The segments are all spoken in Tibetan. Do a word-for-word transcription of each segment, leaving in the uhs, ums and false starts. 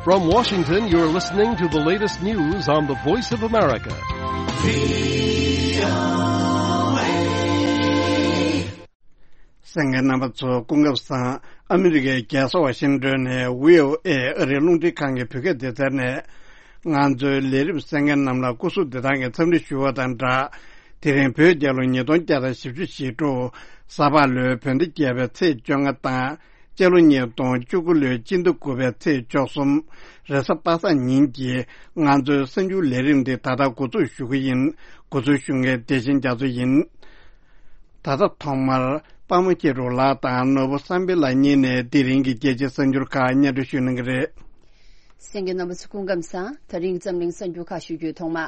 From Washington, you're listening to the latest news on the Voice of America. གསན་མཁན་རྣམ་པ་ཚོ་སྐུ་ཁམས་བཟང་། ཨ་མི་རི་ཀའི་རྒྱལ་ས་ཝ་ཤིང་ཏོན་ནས་བྷི་ཨོ་ཨེ་ཨ་རིའི་རླུང་འཕྲིན་ཁང་གི་བོད་སྐད་སྡེ་ཚན་ནས། ང་ཚོའི་ལས་རིམ་གསན་མཁན་རྣམས་ལ་སྐུ་གཟུགས་བདེ་ཐང་གི་འཚམས་འདྲི་ཞུ་བ་དང་སྦྲགས། དེ་རིང་བོད་རྒྱལ་ལོ་ཉིས་སྟོང་བརྒྱ་དང་བཞི་བཅུ་ཞེ་དྲུག་གཟའ་ཕག་ལོའི་བོད་ཟླ་བརྒྱད་པའི་ཚེས་བཅོ་ལྔ་དང་། ལྕགས་ལོ་ཉིས་སྟོང་བཅུ་དགུ་ལོའི་སྤྱི་ཟླ་དགུ་པའི་ཚེས་བཅུ་གསུམ། རེས་གཟའ་པ་སངས་ཉིན་གྱི་ང་ཚོའི་གསར་འགྱུར་ལས་རིམ་འདི་ད་ལྟ་འགོ་འཛུགས་ཞུ་གི་ཡིན། འགོ་འཛུགས་ཞུ་མཁན་བདེ་ཆེན་རྒྱ་མཚོ་ཡིན། ད་ལྟ་ཐོག་མར་པདྨ་སྐྱིད་སྒྲོན་ལགས་དང་ནོར་བུ་བསམ་འཕེལ་ལགས་གཉིས་ནས་དེ་རིང་གི་རྒྱལ་སྤྱིའི་གསར་འགྱུར་ཁག་སྙན་སྒྲོན་ཞུ་གནང་གི་རེད། གསན་མཁན་རྣམ་པ་ཚོ་སྐུ་ཁམས་བཟང་། ད་རིང་འཛམ་གླིང་གསར་འགྱུར་ཁག་ཞུ་རྒྱུའི་ཐོག་མ།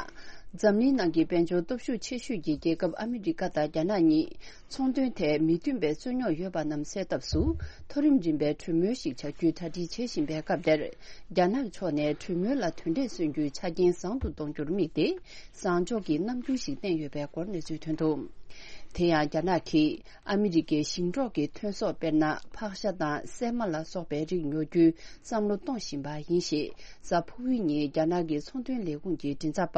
འཛམ་གླིང་ནང་གི་དཔལ་འབྱོར་སྟོབས་ཤུགས་ཆེ་ཤོས་ཀྱི་རྒྱལ་ཁབ་ཨ་མི་རི་ཀ་དང་རྒྱ་ནག་གཉིས་ཚོང་དོན་ཐད་མི་མཐུན་པའི་རྩོད་རྙོག་ཡོད་པ་རྣམས་སེལ་ཐབས་སུ་མཐོ་རིམ་རིམ་པའི་གྲོས་མོལ་ཞིག་བྱ་རྒྱུའི་གྲ་སྒྲིག་བྱེད་བཞིན་པའི་སྐབས་དེར། རྒྱ་ནག་ཕྱོགས་ནས་གྲོས་མོལ་ལ་དོན་འབྲས་སོན་རྒྱུའི་ཆ་རྐྱེན་བཟང་དུ་གཏོང་རྒྱུར་དམིགས་ཏེ། བཟང་ཕྱོགས་ཀྱི་རྣམ་འགྱུར་ཞིག་བསྟན་ཡོད་པའི་སྐོར་གནས་ཚུལ་ཐོན་འདུག་དེ་ཡང་རྒྱ་ནག་གིས་ཨ་མི་རི་ཀའི་ཞིང་འབྲོག་གི་ཐོན་ཟོག་དཔེར་ན་ཕག་ཤ་དང་སྲན་མ་ལ་སོགས་པའི་རིགས་ཉོ་རྒྱུའི་བསམ་བློ་གཏོང་བཞིན་པ་ཡིན་ཞེས་གཟའ་ཕུར་བུའི་ཉིན་རྒྱ་ནག་གི་ཚོང་དོན་ལས་ཁུངས་ཀྱི་མགྲིན་ཚབ་པ་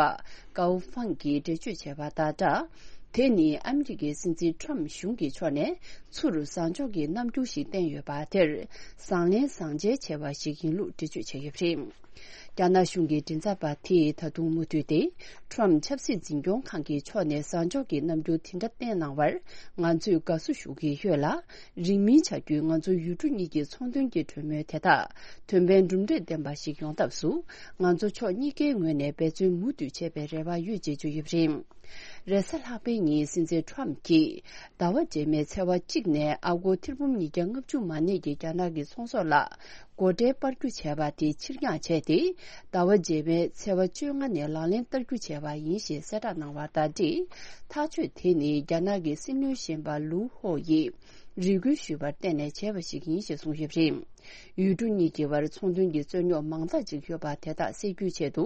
ཀའོ་ཧྥང་གིས་འགྲེལ་བརྗོད་བྱས་པ་དང་སྦྲགས། དེ་ནི་ཨ་མི་རི་ཀའི་སྲིད་འཛིན་ཁྲོམ་གཞུང་གི་ཕྱོགས་ནས་ཚུར་བཟང་ཕྱོགས་ཀྱི་རྣམ་འགྱུར་ཞིག་བསྟན་ཡོད་པ་དེར་བཟང་ལན་བཟང་འཇལ་བྱས་པ་ཞིག་ཡིན་ལུགས་འགྲེལ་བརྗོད་བྱས་ཡོད་པ་རེད། རྒྱ་ནག་གཞུང་གི་མགྲིན་ཚབ་པ་དེས་ད་དུང་མུ་མཐུད་དེ། ཁྲོམ་ཆབ་སྲིད་འཛིན་སྐྱོང་ཁང་གི་ཕྱོགས་ནས་བཟང་ཕྱོགས་ཀྱི་རྣམ་འགྱུར་དེ་འདྲ་བསྟན་གནང་བར་ང་ཚོས་དགའ་བསུ་ཞུ་གི་ཡོད་ལ། རིང་མིན་བྱ་རྒྱུའི་ང་ཚོ་ཡུལ་གྲུ་གཉིས་ཀྱི་ཚོང་དོན་གྱི་གྲོས་མོལ་དེ་དག་དོན་ཕན་གྲུབ་འབྲས་ལྡན་པ་ཞིག་ཡོང་ཐབས་སུ། ང་ཚོ་ཕྱོགས་གཉིས་ཀའི་ངོས་ནས་འབད་བརྩོན་མུ་མཐུད་བྱེད་པའི་རེ་བ་ཡོད་ཅེས་བརྗོད་ཡོད་པ་རེད། རེས་གཟའ་ལྷག་པའི་ཉིན་སྲིད་འཛིན་ཁྲོམ་གྱིས་ཟླ་བ་རྗེས་མའི་ཚེས་པ་གཅིག་ནས་ཨ་སྒོར་ཐེར་འབུམ་ཉིས་བརྒྱ་ལྔ་བཅུ་མ་གནས་ཀྱི་རྒྱ་ནག་གི་ཚོང་ཟོག་ལ་སྒོ་ཁྲལ་སྤར་རྒྱུ་བྱས་པ་དེ་ཕྱིར་འགྱངས་བྱས་ཏེ། ཟླ་བ་རྗེས་མའི་ཚེས་པ་བཅོ་ལྔ་ནས་ལག་ལེན་བསྟར་རྒྱུ་བྱས་པ་ཡིན་ཞེས་གསལ་བསྒྲགས་གནང་བ་དང་འབྲེལ། ཐག་གཅོད་དེ་ནི་རྒྱ་ནག་གི་སྲིད་བློན་གཞོན་པ་ལུའུ་ཧོ་ཡིས་རེ་སྐུལ་ཞུས་པར་བརྟེན་ནས་བྱས་པ་ཞིག་ཡིན་ཞེས་གསུངས་ཡོད་པ་རེད། ཡུལ་གྲུ་གཉིས་ཀྱི་བར་ཚོང་དོན་གྱི་རྩོད་རྙོག་མང་དག་ཅིག་ཡོད་པ་དེ་དག་སེལ་རྒྱུའི་ཆེད་དུ་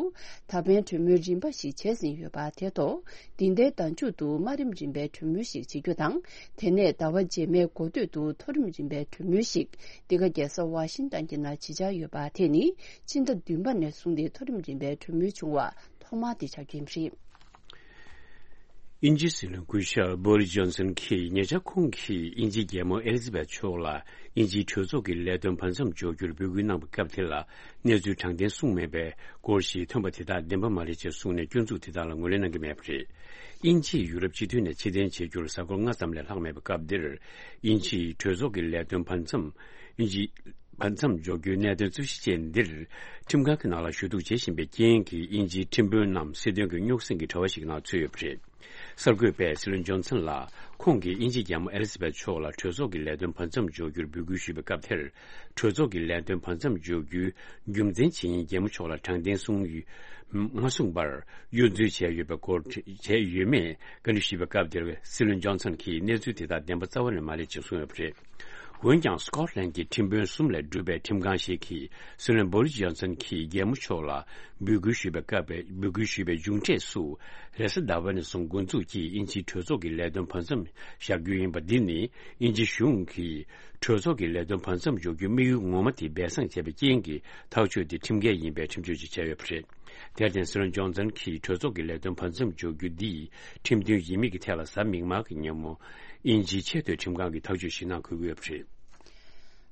ད་ཕན་གྲོས་མོལ་རིམ་པ་ཞིག་བྱས་ཟིན་ཡོད་པ་དེ་ཐོག་འདི་ཟླའི་ཟླ་མཇུག་ཏུ་དམའ་རིམ་རིམ་པའི་གྲོས་མོལ་ཞིག་བྱེད་རྒྱུ་དང་། དེ་ནས་ཟླ་བ་རྗེས་མའི་འགོ་སྟོད་དུ་མཐོ་རིམ་རིམ་པའི་གྲོས་མོལ་ཞིག་འདི་ག་རྒྱལ་ས་ཝ་ཤིང་ཏན་གྱི་ནང་བྱེད་འཆར་ཡོད་པ་དེ་ནི་ཕྱི་ཟླ་བདུན་པ་ནས་བཟུང་སྟེ་མཐོ་རིམ་རིམ་པའི་གྲོས་མོལ་བྱུང་བ་ཐོག་མ་དེ་ཆགས་རྒྱུ་ཡིན་པ་རེད། དབྱིན་ཇིའི་སྲིད་བློན་སྐུ་ཞབས་བྷོ་རིས་ཇོན་སན་གྱིས་ཉེ་ཆར་ཁོང་གིས་དབྱིན་ཇིའི་རྒྱལ་མོ་ཨེ་ལི་ཛ་བེད་མཆོག་ལ་དབྱིན་ཇིའི་གྲོས་ཚོགས་ཀྱི་ལས་དོན་བར་མཚམས་འཇོག་རྒྱུར་འབོད་སྐུལ་གནང་བའི་སྐབས་དེ་ལ་གནས་ཚུལ་དྲང་བདེན་གསུངས་མེད་པའི་སྐོར་ཞིག་ཐོན་པ་དེ་དག་བདེན་པ་མ་རེད་ཅེས་གསུངས་ནས་སྐྱོན་འཛུགས་དེ་དག་ལ་ངོས་ལེན་གནང་གི་མེད་པ་རེད། དབྱིན་ཇིས་ཡུ་རོབ་སྤྱི་མཐུན་ནས་ཕྱིར་འཐེན་བྱེད་རྒྱུར་གཟའ་འཁོར་ལྔ་ཙམ་ལས་ལྷག་མེད་པའི་སྐབས་འདིར། དབྱིན་ཇིའི་གྲོས་ཚོགས་ཀྱི་ལས་དོན་བར་མཚམས། དབྱིན་ཇི། བར་མཚམས་འཇོག་རྒྱུའི་གནད་དོན་གཙོ་གཞི་ཅན་འདིར། ཁྲིམས་ཁང་གི་ནང་ལ་ཞུ་གཏུག་བྱེད་བཞིན་པའི་རྐྱེན་གྱིས་དབྱིན་ཇིའི་ཁྲིམས་དཔོན་རྣམས་སྲིད་དོན་གྱི་རྙོག་ཟིང་གི་དྲ་བ་ཞིག་ནང་ཚུད་ཡོད་པ་རེད། གསར་འགོད་པས་སྲིད་བློན་ཇོན་སན་ལ། ཁོང་གིས་དབྱིན་ཇིའི་རྒྱལ་མོ་ཨེ་ལི་ཛ་བེད་མཆོག་ལ་གྲོས་ཚོགས་ཀྱི་ལས་དོན་བར་མཚམས་འཇོག་རྒྱུར་འབོད་སྐུལ་ཞུས་པའི་སྐབས་དེར། གྲོས་ཚོགས་ཀྱི་ལས་དོན་བར་མཚམས་འཇོག་རྒྱུའི་རྒྱུ་མཚན་ཇི་ཡིན་རྒྱལ་མོ་མཆོག་ལ་དྲང་བདེན་གསུངས་ཡོད། མ་གསུངས་པར་གཡོ་འཛུལ་བྱས་ཡོད་པའི་སྐོར་བྱས་ཡོད་མེད་བཀའ་འདྲི་ཞུས་པའི་སྐབས་དེར་སྲིད་བློན་ཇོན་སན་གྱིས་གནས་ཚུལ་དེ་དག་བདེན་པ་རྩ་བ་ནས་མ་རེད་ཅེས་གསུངས་ཡོད་པ་རེད། འོན་ཀྱང་སྐོཊ་ལན་གྱི་ཁྲིམས་དཔོན་གསུམ་ལས་གྲུབ་པའི་ཁྲིམས་ཁང་ཞིག་གིས་སྲིད་བློན་བོ་རི་སི་ཇོན་སན་གྱིས་རྒྱལ་མོ་མཆོག་ལ་འབོད་སྐུལ་ཞུས་པའི་སྐབས། འབོད་སྐུལ་ཞུས་པའི་མཇུག་འབྲས་སུ། རེས་གཟའ་ཟླ་བ་ནས་བཟུང་འགོ་འཛུགས་ཀྱིས་དབྱིན་ཇིའི་གྲོས་ཚོགས་ཀྱི་ལས་དོན་བར་མཚམས་བཞག་རྒྱུ་ཡིན་པ་འདི་ནི་དབྱིན་ཇི་གཞུང་གིས་གྲོས་ཚོགས་ཀྱི་ལས་དོན་བར་མཚམས་འཇོག་རྒྱུའི་དམིགས་ཡུལ་ངོ་མ་དེ་སྦས་གསང་བྱས་པའི་རྐྱེན་གྱིས་ཐག་གཅོད་དེ་ཁྲིམས་འགལ་ཡིན་པའི་ཁྲིམས་གཅོད་ཅིག་བྱས་ཡོད་པ་རེད། དེར་བརྟེན་སྲིད་བློན་ཇོན་སན་གྱིས་གྲོས་ཚོགས་ཀྱི་ལས་དོན་བར་མཚམས་འཇོག་རྒྱུ་འདིས་ཁྲིམས་མཐུན་ཡིན་མིན་གྱི་ཐད་ལ་གཟའ་མིག་དམར་གྱི་ཉིན་མོ་དབྱིན་ཇིའི་ཆེས་མཐོའི་ཁྲིམས་ཁང་གིས་ཐག་གཅོད་ཞིག་གནང་དགོས་ཀྱི་ཡོད་པ་རེད།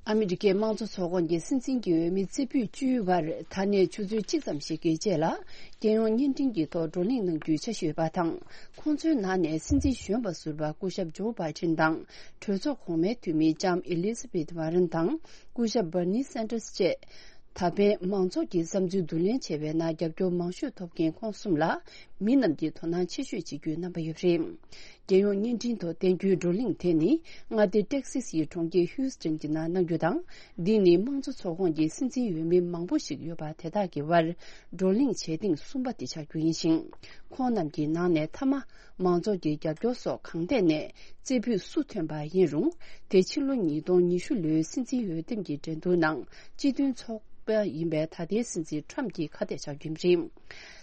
ཨ་མི་རི་ཀའི་དམངས་གཙོ་ཚོགས་ཁོངས་ཀྱི་སྲིད་འཛིན་གྱི་འོས་མི་རྩེ་ཕུད་བཅུའི་བར་ད་ནས་ཆུ་ཚོད་གཅིག་ཙམ་ཞིག་གི་རྗེས་ལ་རྒྱལ་ཡོངས་བརྙན་འཕྲིན་གྱི་ཐོག་བགྲོ་གླེང་གནང་རྒྱུའི་འཆར་གཞི་ཡོད་པ་དང་། ཁོང་ཚོའི་ནང་ནས་སྲིད་འཛིན་གཞོན་པ་ཟུར་པ་སྐུ་ཞབས་ཇོ་བྷའི་ཌེན་དང་། གྲོས་ཚོགས་གོང་མའི་འཐུས་མི་ལྕམ་ཨེ་ལི་ཛ་བེད་ཝ་རན་དང་སྐུ་ཞབས་བྷར་ནི་སན་ཏར་སི་བཅས། ད་ཕན་མང་ཚོགས་ཀྱི་བསམ་ཚུལ་བསྡུ་ལེན་བྱེད་པའི་ནང་རྒྱབ་སྐྱོར་མང་ཤོས་ཐོབ་མཁན་ཁོང་གསུམ་ལ་མི་རྣམས་ཀྱིས་དོ་སྣང་ཆེ་ཤོས་བྱེད་རྒྱུའི་རྣམ་པ་ཡོད་པ་རེད། རྒྱལ་ཡོངས་བརྙན་འཕྲིན་ཐོག་བསྟན་རྒྱུའི་བགྲོ་གླེང་དེ་ནི་མངའ་སྡེ་ཏེག་སི་སིའི་གྲོང་ཁྱེར་ཧིའུ་སི་ཊོན་གྱི་ནང་གནང་རྒྱུ་དང་། འདི་ནི་དམངས་གཙོ་ཚོགས་ཁོངས་ཀྱི་སྲིད་འཛིན་འོས་མི་མང་པོ་ཞིག་ཡོད་པ་དེ་དག་གི་བར་བགྲོ་གླེང་བྱེད་ཐེངས་གསུམ་པ་དེ་ཆགས་རྒྱུ་ཡིན་ཞིང་། ཁོང་རྣམས་ཀྱི་ནང་ནས་མཐའ་མ། མང་ཚོགས་ཀྱི་རྒྱབ་སྐྱོར་སོགས་གང་ཐད་ནས་རྩེ་ཕུད་སུ་ཐོན་པ་ཡིན་རུང་། དེ་ཕྱི་ལོ་ཉིས་སྟོང་ཉི་ཤུ་ལོའི་སྲིད་འཛིན་འོས་འདེམས་ཀྱི་འགྲན་བསྡུར་ནང་སྤྱི་མཐུན་ཚོགས་པ་ཡིན་པའི་ད་ལྟའི་སྲིད་འཛིན་ཁྲམ་གྱི་ཁ་གཏད་བཞག་རྒྱུ་རེད།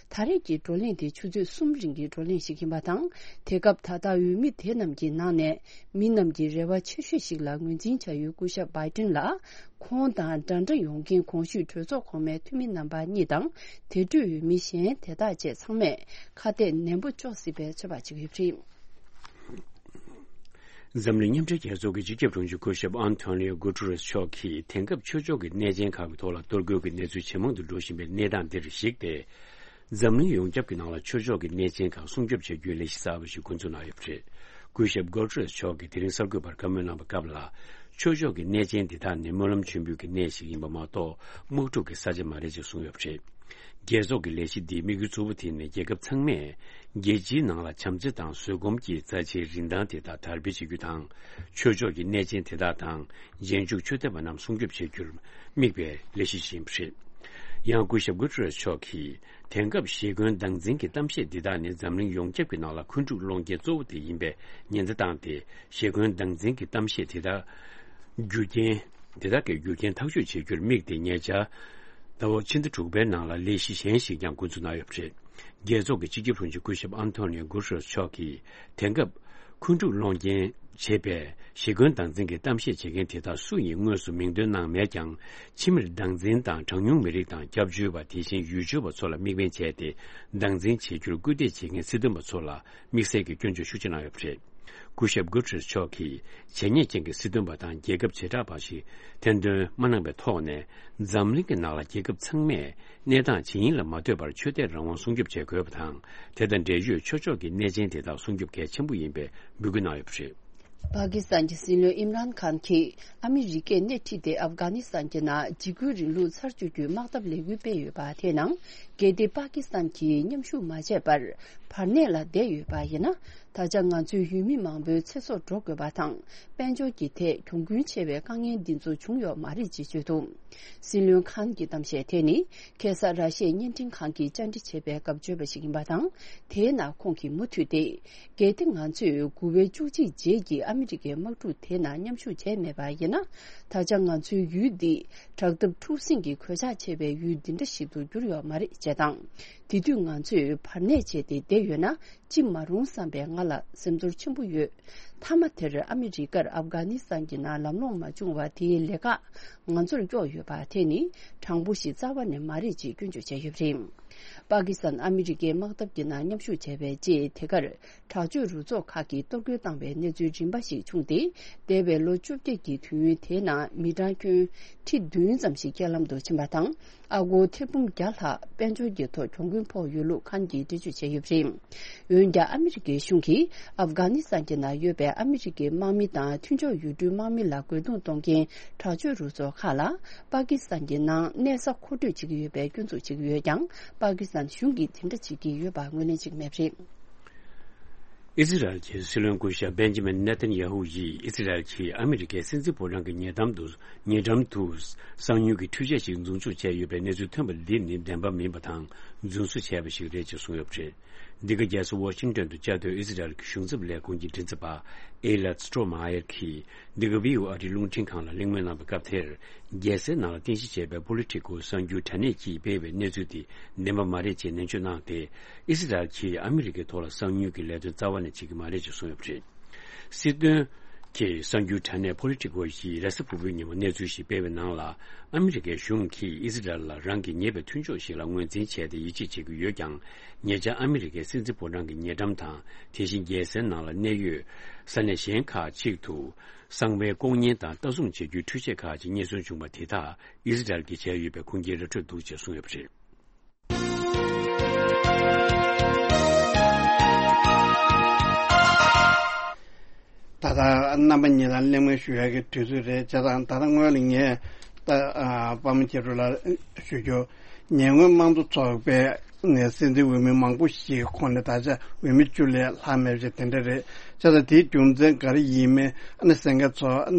ད་རེས་ཀྱི་བགྲོ་གླེང་དེ་ཆུ་ཚོད་གསུམ་རིང་གི་བགྲོ་གླེང་ཞིག་ཡིན་པ་དང་། དེ་སྐབས་ད་ལྟ་འོས་མི་དེ་རྣམས་ཀྱི་ནང་ནས་མི་རྣམས་ཀྱི་རེ་བ་ཆེ་ཤོས་ཤིག་ལ་ངོས་འཛིན་བྱ་ཡུལ་སྐུ་ཞབས་བྷའི་ཏིན་ལ། ཁོང་དང་འདྲ་འདྲ་ཡོང་མཁན་གོང་ཞུས་གྲོས་ཚོགས་གོང་མའི་འཐུས་མི་རྣམ་པ་གཉིས་དང་། དེ་འཕྲོས་འོས་མི་གཞན་དེ་དག་བཅས་ཚང་མས་ཁ་གཏད་ནན་པོ་གཅོག་སྲིད་པའི་ཚོད་དཔག་བྱེད་ཀྱི་ཡོད་པ་རེད། འཛམ་གླིང་མཉམ་འབྲེལ་རྒྱལ་ཚོགས་ཀྱི་སྤྱི་ཁྱབ་དྲུང་ཆེ་སྐུ་ཞབས་ཨན་ཐོ་ནིའོ་གུ་ཏུ་རེས་མཆོག་གིས་དེང་སྐབས་ཆོས་ཕྱོགས་ཀྱི་གནས་ཆེན་ཁག་གི་ཐོག་ལ་གཏོར་རྒོལ་གྱི་གནས་ཚུལ་ཇེ་མང་དུ་འགྲོ་བཞིན་པའི་གནས་སྟངས་འདིར་གཞིགས་ཏེ། འཛམ་གླིང་ཡོངས་ཁྱབ་ཀྱི་ནང་ལ་ཆོས་ཕྱོགས་ཀྱི་གནས་ཆེན་ཁག་སྲུང་སྐྱོབ་བྱ་རྒྱུའི་ལས་གཞི་གསར་པ་ཞིག་འགོ་འཛུགས་གནང་ཡོད་པ་རེད། སྐུ་ཞབས་གོ་ཏྲེས་མཆོག་གིས་དེ་རིང་གསར་འགོད་པར་བཀའ་མོལ་གནང་བའི་སྐབས་ལ། ཆོས་ཕྱོགས་ཀྱི་གནས་ཆེན་འདི་དག་ནི་སྨོན་ལམ་མཆོད་འབུལ་གྱི་གནས་ཤིག་ཡིན་པ་མ་གཏོགས། དམག་འཁྲུག་གི་ས་ཆ་མ་རེད་ཅེས་གསུངས་ཡོད་པ་རེད། རྒྱལ་ཚོགས་ཀྱི་ལས་གཞི་འདིའི་དམིགས་ཡུལ་གཙོ་བོ་དེ་ནི་རྒྱལ་ཁབ་ཚང་མས་རྒྱལ་སྤྱིའི་ནང་ལ་བྱམས་བརྩེ་དང་བཟོད་སྒོམ་གྱི་རྩ་ཆེའི་རིན་ཐང་དེ་དག་དར་སྤེལ་བྱེད་རྒྱུ་དང་། ཆོས་ཕྱོགས་ཀྱི་གནས་ཆེན་དེ་དག་དང་། རྗེས་འཇུག་ཆོས་དད་པ་རྣམས་སྲུང་སྐྱོབ་བྱེད་རྒྱུར་དམིགས་པའི་ལས་གཞི་ཞིག་ཡིན་པ་རེད། ཡང་སྐུ་ཞབས་གུ་ཏྲེ་རེས་མཆོག་གིས། དེང་སྐབས་ཞེ་འཁོན་སྟངས་འཛིན་གྱི་གཏམ་བཤད་འདི་དག་ནི་འཛམ་གླིང་ཡོངས་ཁྱབ་ཀྱི་ནང་ལ་འཁོན་འཁྲུག་སློང་རྐྱེན་གཙོ་བོ་དེ་ཡིན་པའི་ཉེན་བརྡ་བཏང་སྟེ། ཞེ་འཁོན་སྟངས་འཛིན་གྱི་གཏམ་བཤད་དེ་དག་རྒྱུ་རྐྱེན། དེ་དག་གི་རྒྱུ་རྐྱེན་ཐག་གཅོད་བྱེད་རྒྱུར་དམིགས་ཏེ། ཉེ་ཆར་ཟླ་བ་ཕྱི་ཟླ་དྲུག་པའི་ནང་ལ་ལས་གཞི་གཞན་ཞིག་ཀྱང་འགོ་འཛུགས་གནང་ཡོད་པ་རེད། རྒྱལ་ཚོགས་ཀྱི་སྤྱི་ཁྱབ་དྲུང་ཆེ་སྐུ་ཞབས་ཨན་ཐོ་ནིའོ་གུ་ཏྲེས་མཆོག་གིས། དེང་སྐབས་འཁོན་འཁྲུག་སློང་རྐྱེན་བྱེད་པའི་ཞེ་འཁོན་སྟངས་འཛིན་གྱི་གཏམ་བཤད་བྱེད་མཁན་དེ་དག་སུ་ཡིན་དངོས་སུ་མིང་འདོན་གནང་མེད་ཀྱང་། ཕྱི་མིར་སྟངས་འཛིན་དང་གྲངས་ཉུང་མི་རིགས་དང་སྐྱབས་བཅོལ་བ། དེ་བཞིན་ཡུལ་སྐྱོར་བ་ཚོ་ལ་དམིགས་འབེན་བྱས་ཏེ། སྟངས་འཛིན་བྱེད་རྒྱུར་སྐུལ་འདེད་བྱེད་མཁན་སྲིད་དོན་པ་ཚོ་ལ་དམིགས་བསལ་གྱི་སྐྱོན་བརྗོད་ཤུགས་ཆེ་གནང་ཡོད་པ་རེད། སྐུ་ཞབས་གུ་ཏྲེས་མཆོག་གིས་བྱས་ཉེས་ཅན་གྱི་སྲིད་དོན་པ་དང་རྒྱལ་ཁབ་བྱེ་བྲག་པ་ཞིག་ཐེར་འདོན་མ་གནང་བའི་ཐོག་ནས། འཛམ་གླིང་གི་ནང་ལ་རྒྱལ་ཁབ་ཚང་མས་གནས་སྟངས་ཇི་ཡིན་ལ་མ་ལྟོས་པར་ཆོས་དད་རང་དབང་སྲུང་སྐྱོབ་བྱེད་དགོས་པ་དང་། དེ་དང་འབྲེལ་ཡོད་ཆོས་ཕྱོགས་ཀྱི་གནས་ཆེན་དེ་དག་སྲུང་སྐྱོབ་གལ་ཆེན་པོ་ཡིན་པའི་འབོད་སྐུལ་གནང་ཡོད་པ་རེད། པ་ཀི་སི་ཐན་གྱི་སྲིད་བློན་ཨིམ་རཱན་ཁཱན་གྱིས་ཨ་མི་རི་ཀས་སྣེ་ཁྲིད་དེ་ཨབ་གྷ་ནི་སི་ཐན་གྱི་ནང་འཇིགས་སྐུལ་རིང་ལུགས་ཚར་གཅོད་རྒྱུའི་དམག་འཐབ་ལས་འགུལ་སྤེལ་ཡོད་པ་དེའི་ནང་། གལ་ཏེ་པ་ཀི་སི་ཐན་གྱིས་མཉམ་ཞུགས་མ་བྱས་པར་བར་གནས་ལ་བསྡད་ཡོད་པ་ཡིན་ན། ད་ཆ་ང་ཚོའི་ཡུལ་མི་མང་པོའི་ཚེ་སྲོག་འགྲོ་དགོས་པ་དང་། དཔལ་འབྱོར་གྱི་ཐད་གྱོང་གུན་ཆེ་བའི་དཀའ་ངལ་འདི་ཚོ་བྱུང་ཡོད་མ་རེད་ཅེས་བརྗོད་འདུག། སྲིད་བློན་ཁཱན་གྱི་གཏམ་བཤད་དེ་ནི། ཁ་སང་ར་ཤི་ཡའི་བརྙན་འཕྲིན་ཁང་གིས་བཅར་འདྲི་བྱས་པའི་སྐབས་བརྗོད་པ་ཞིག་ཡིན་པ་དང་། དེའི་ནང་ཁོང་གིས་མུ་མཐུད་དེ། གལ་ཏེ་ང་ཚོས་དགུ་པའི་བཅུ་གཅིག་རྗེས་ཀྱི་ཨ་མི་རི་ཀའི་དམག་འཁྲུག་དེའི་ནང་མཉམ་ཞུགས་བྱས་མེད་པ་ཡིན་ན། ད་ཆ་ང་ཚོའི་ཡུལ་འདི་དྲག་འཐབ་འཁྲུག་ཟིང་གི་གོད་ཆག་ཆེ་བའི་ཡུལ་འདི་འདྲ་ཞིག་ཏུ་གྱུར་ཡོད་མ་རེད་ཅེས་དང་། དེ་དུས་ང་ཚོས་བར་གནས་བྱས་ཏེ་བསྡད་ཡོད་ན། ཅི་མ་རུང་བསམ་པའི་ང་ལ་སེམས་ཚོར་ཆེན་པོ་ཡོད། མཐའ་མ་དེར་ཨ་མི་རི་ཀར་ཨབ་གྷ་ནི་སི་ཐན་གྱི་ནང་ལམ་ལྷོང་མ་བྱུང་བ་དེའི་ལས་ཀ་ང་ཚོར་གཡོགས་ཡོད་པ་དེ་ནི་དྲང་པོ་ཞིག་རྩ་བ་ནས་མ་རེད་ཅེས་སྐྱོན་བརྗོད་བྱས་ཡོད་པ་རེད། པ་ཀི་སི་ཐན་ཨ་མི་རི་ཀའི་དམག་འཐབ་ཀྱི་ནང་མཉམ་ཞུགས་བྱས་པའི་རྗེས། དེ་གར་དྲག་སྤྱོད་རུ་ཚོགས་ཁག་གིས་གཏོར་རྒོལ་བཏང་བའི་གནས་ཚུལ་རིམ་པ་ཞིག་བྱུང་སྟེ། འདས་པའི་ལོ་བཅོ་བརྒྱད་ཀྱི་དུས་ཡུན་དེའི་ནང་མི་གྲངས་ཁྱོན་ཁྲི་བདུན་ཙམ་ཞིག་རྐྱེན་ལམ་དུ་ཕྱིན་པ་དང་། ཨ་སྒོར་ཐེར་འབུམ་བརྒྱ་ལྷག་དཔལ་འབྱོར་གྱི་ཐོག་གྱོང་གུན་ཕོག་ཡོད་ལུགས་ཁཱན་གྱིས་འགྲེལ་བརྗོད་བྱས་ཡོད་པ་རེད། འོན་ཀྱང་ཨ་མི་རི་ཀའི་གཞུང་གིས་ཨབ་གྷ་ནི་སི་ཐན་གྱི་ནང་ཡོད་པའི་ཨ་མི་རི་ཀའི་དམག་མི་དང་མཐུན་ཕྱོགས་ཡུལ་གྲུའི་དམག་མི་ལ་རྒོལ་རྡུང་གཏོང་མཁན་དྲག་སྤྱོད་རུ་ཚོགས་ཁག་ལ་པ་ཀི་སི་ཐན་གྱི་ནང་གནས་ས་མཁོ་སྤྲོད་བྱེད་ཀྱི་ཡོད་པའི་སྐྱོན་འཛུགས་བྱེད་ཀྱི་ཡོད་ཀྱང་། པ་ཀི་སི་ཐན་གཞུང་གིས་དེ་འདྲ་བྱེད་ཀྱི་ཡོད་པ་ངོས་ལེན་བྱེད་ཀྱི་མེད་པ་རེད། ཨི་ཟི་རལ་གྱི་སྲིད་བློན་སྐུ་ཞབས་བེན་ཇི་མིན་ནེ་ཐན་ཡ་ཧུ་ཡིས་ཨི་ཟི་རལ་གྱིས་ཨ་མི་རི་ཀའི་སྲིད་འཛིན་ཕོ་བྲང་གི་ཉེ་འགྲམ་དུ། ཉེ་འགྲམ་དུ་གསང་མྱུལ་གྱི་འཕྲུལ་ཆས་ཤིག་འཛུགས་འཇུག་བྱས་ཡོད་པའི་གནས་ཚུལ་ཐོན་པ་འདི་ནི་བདེན་པ་མིན་པ་དང་རྫུན་བཟོ་བྱས་པ་ཞིག་རེད་ཅེས་གསུངས་ཡོད་པ་རེད། འདི་ག་རྒྱལ་ས་ཝ་ཤིང་ཏོན་དུ་བཅའ་སྡོད་ཨི་ཟི་རལ་གྱི་གཞུང་ཚབ་ལས་ཁུངས་ཀྱི་མགྲིན་ཚབ་པ་ཨེ་ལད་སི་ཏྲོ་མ་ཡར་གྱིས། འདི་ག་བྷི་ཨོ་ཨེ་ཨ་རིའི་རླུང་འཕྲིན་ཁང་ལ་གླེང་མོལ་གནང་བའི་སྐབས་དེར། རྒྱལ་སའི་ནང་ལ་རྟེན་གཞི་བྱས་པའི་པོ་ལི་ཊི་ཀོ་གསར་འགྱུར་དྲ་གནས་ཀྱིས་སྤེལ་བའི་གནས་ཚུལ་དེ་བདེན་པ་མ་རེད་ཅེས་ནན་བརྗོད་གནང་སྟེ། ཨི་སི་རལ་གྱིས་ཨ་མི་རི་ཀའི་ཐོག་ལ་གསང་མྱུལ་གྱི་ལས་དོན་རྩ་བ་ནས་བྱེད་ཀྱི་མ་རེད་ཅེས་གསུངས་ཡོད་པ་རེད། སྲིད་དོན་གྱི་གསར་འགྱུར་དྲ་གནས་པོ་ལི་ཊི་ཀོ་ཡིས་རེས་གཟའ་ཕུར་བུའི་ཉིན་མོ་གནས་ཚུལ་ཞིག་སྤེལ་བའི་ནང་ལ། ཨ་མི་རི་ཀའི་གཞུང་གིས་ཨི་སི་རལ་ལ་རང་གི་ཉེ་བའི་མཐུན་ཕྱོགས་ཤིག་ལ་ངོས་འཛིན་བྱས་ཏེ་ཡིད་ཆེས་བྱེད་ཀྱི་ཡོད་ཀྱང་། ཉེ་ཆར་ཨ་མི་རི་ཀའི་སྲིད་འཛིན་ཕོ་བྲང་གི་ཉེ་འགྲམ་དང་། དེ་བཞིན་རྒྱལ་སའི་ནང་ལ་གནས་ཡོད་ས་གནས་གཞན་ཁག་ཅིག་ཏུ། གསང་བའི་ལྐོག་བརྙན་དང་ལྟ་སྲུང་བྱེད་རྒྱུའི་འཕྲུལ་ཆས་ཁག་ཅིག་རྙེད་སོན་བྱུང་བ་དེ་དག་ཨི་སི་རལ་གྱིས་བྱས་ཡོད་པའི་ཁུངས་སྐྱེལ་ར་སྤྲོད་འདུག་ཅེས་གསུངས་ཡོད་པ་རེད། ད་ལྟ་རྣམ་པ་གཉིས་ལ་གླེང་མོལ་ཞུ་ཡག་གི་དུས་ཚོད་རེད། བྱས་ཙང་ད་ལྟ་སྔོན་ལ་ངས་ད་ཨ་པདྨ་མཁྱེན་གྲུབ་ལགས་ཞུ་རྒྱུ། ཉེ་སྔོན་དམངས་གཙོ་ཚོགས་པས་ནས་སྲིད་འཛིན་འོས་མི་མང་པོ་ཞིག་ཁོངས་ནས་ད་ཆ་འོས་མི་བཅུ་ལས་ལྷག་མེད་པ་ཞིག་དེ་འདྲ་རེད། བྱས་ཙང་དེའི་རྒྱུ་མཚན་ག་རེ་ཡིན་མིན་ཨ་ནི་གསན་མཁན་ཚོ་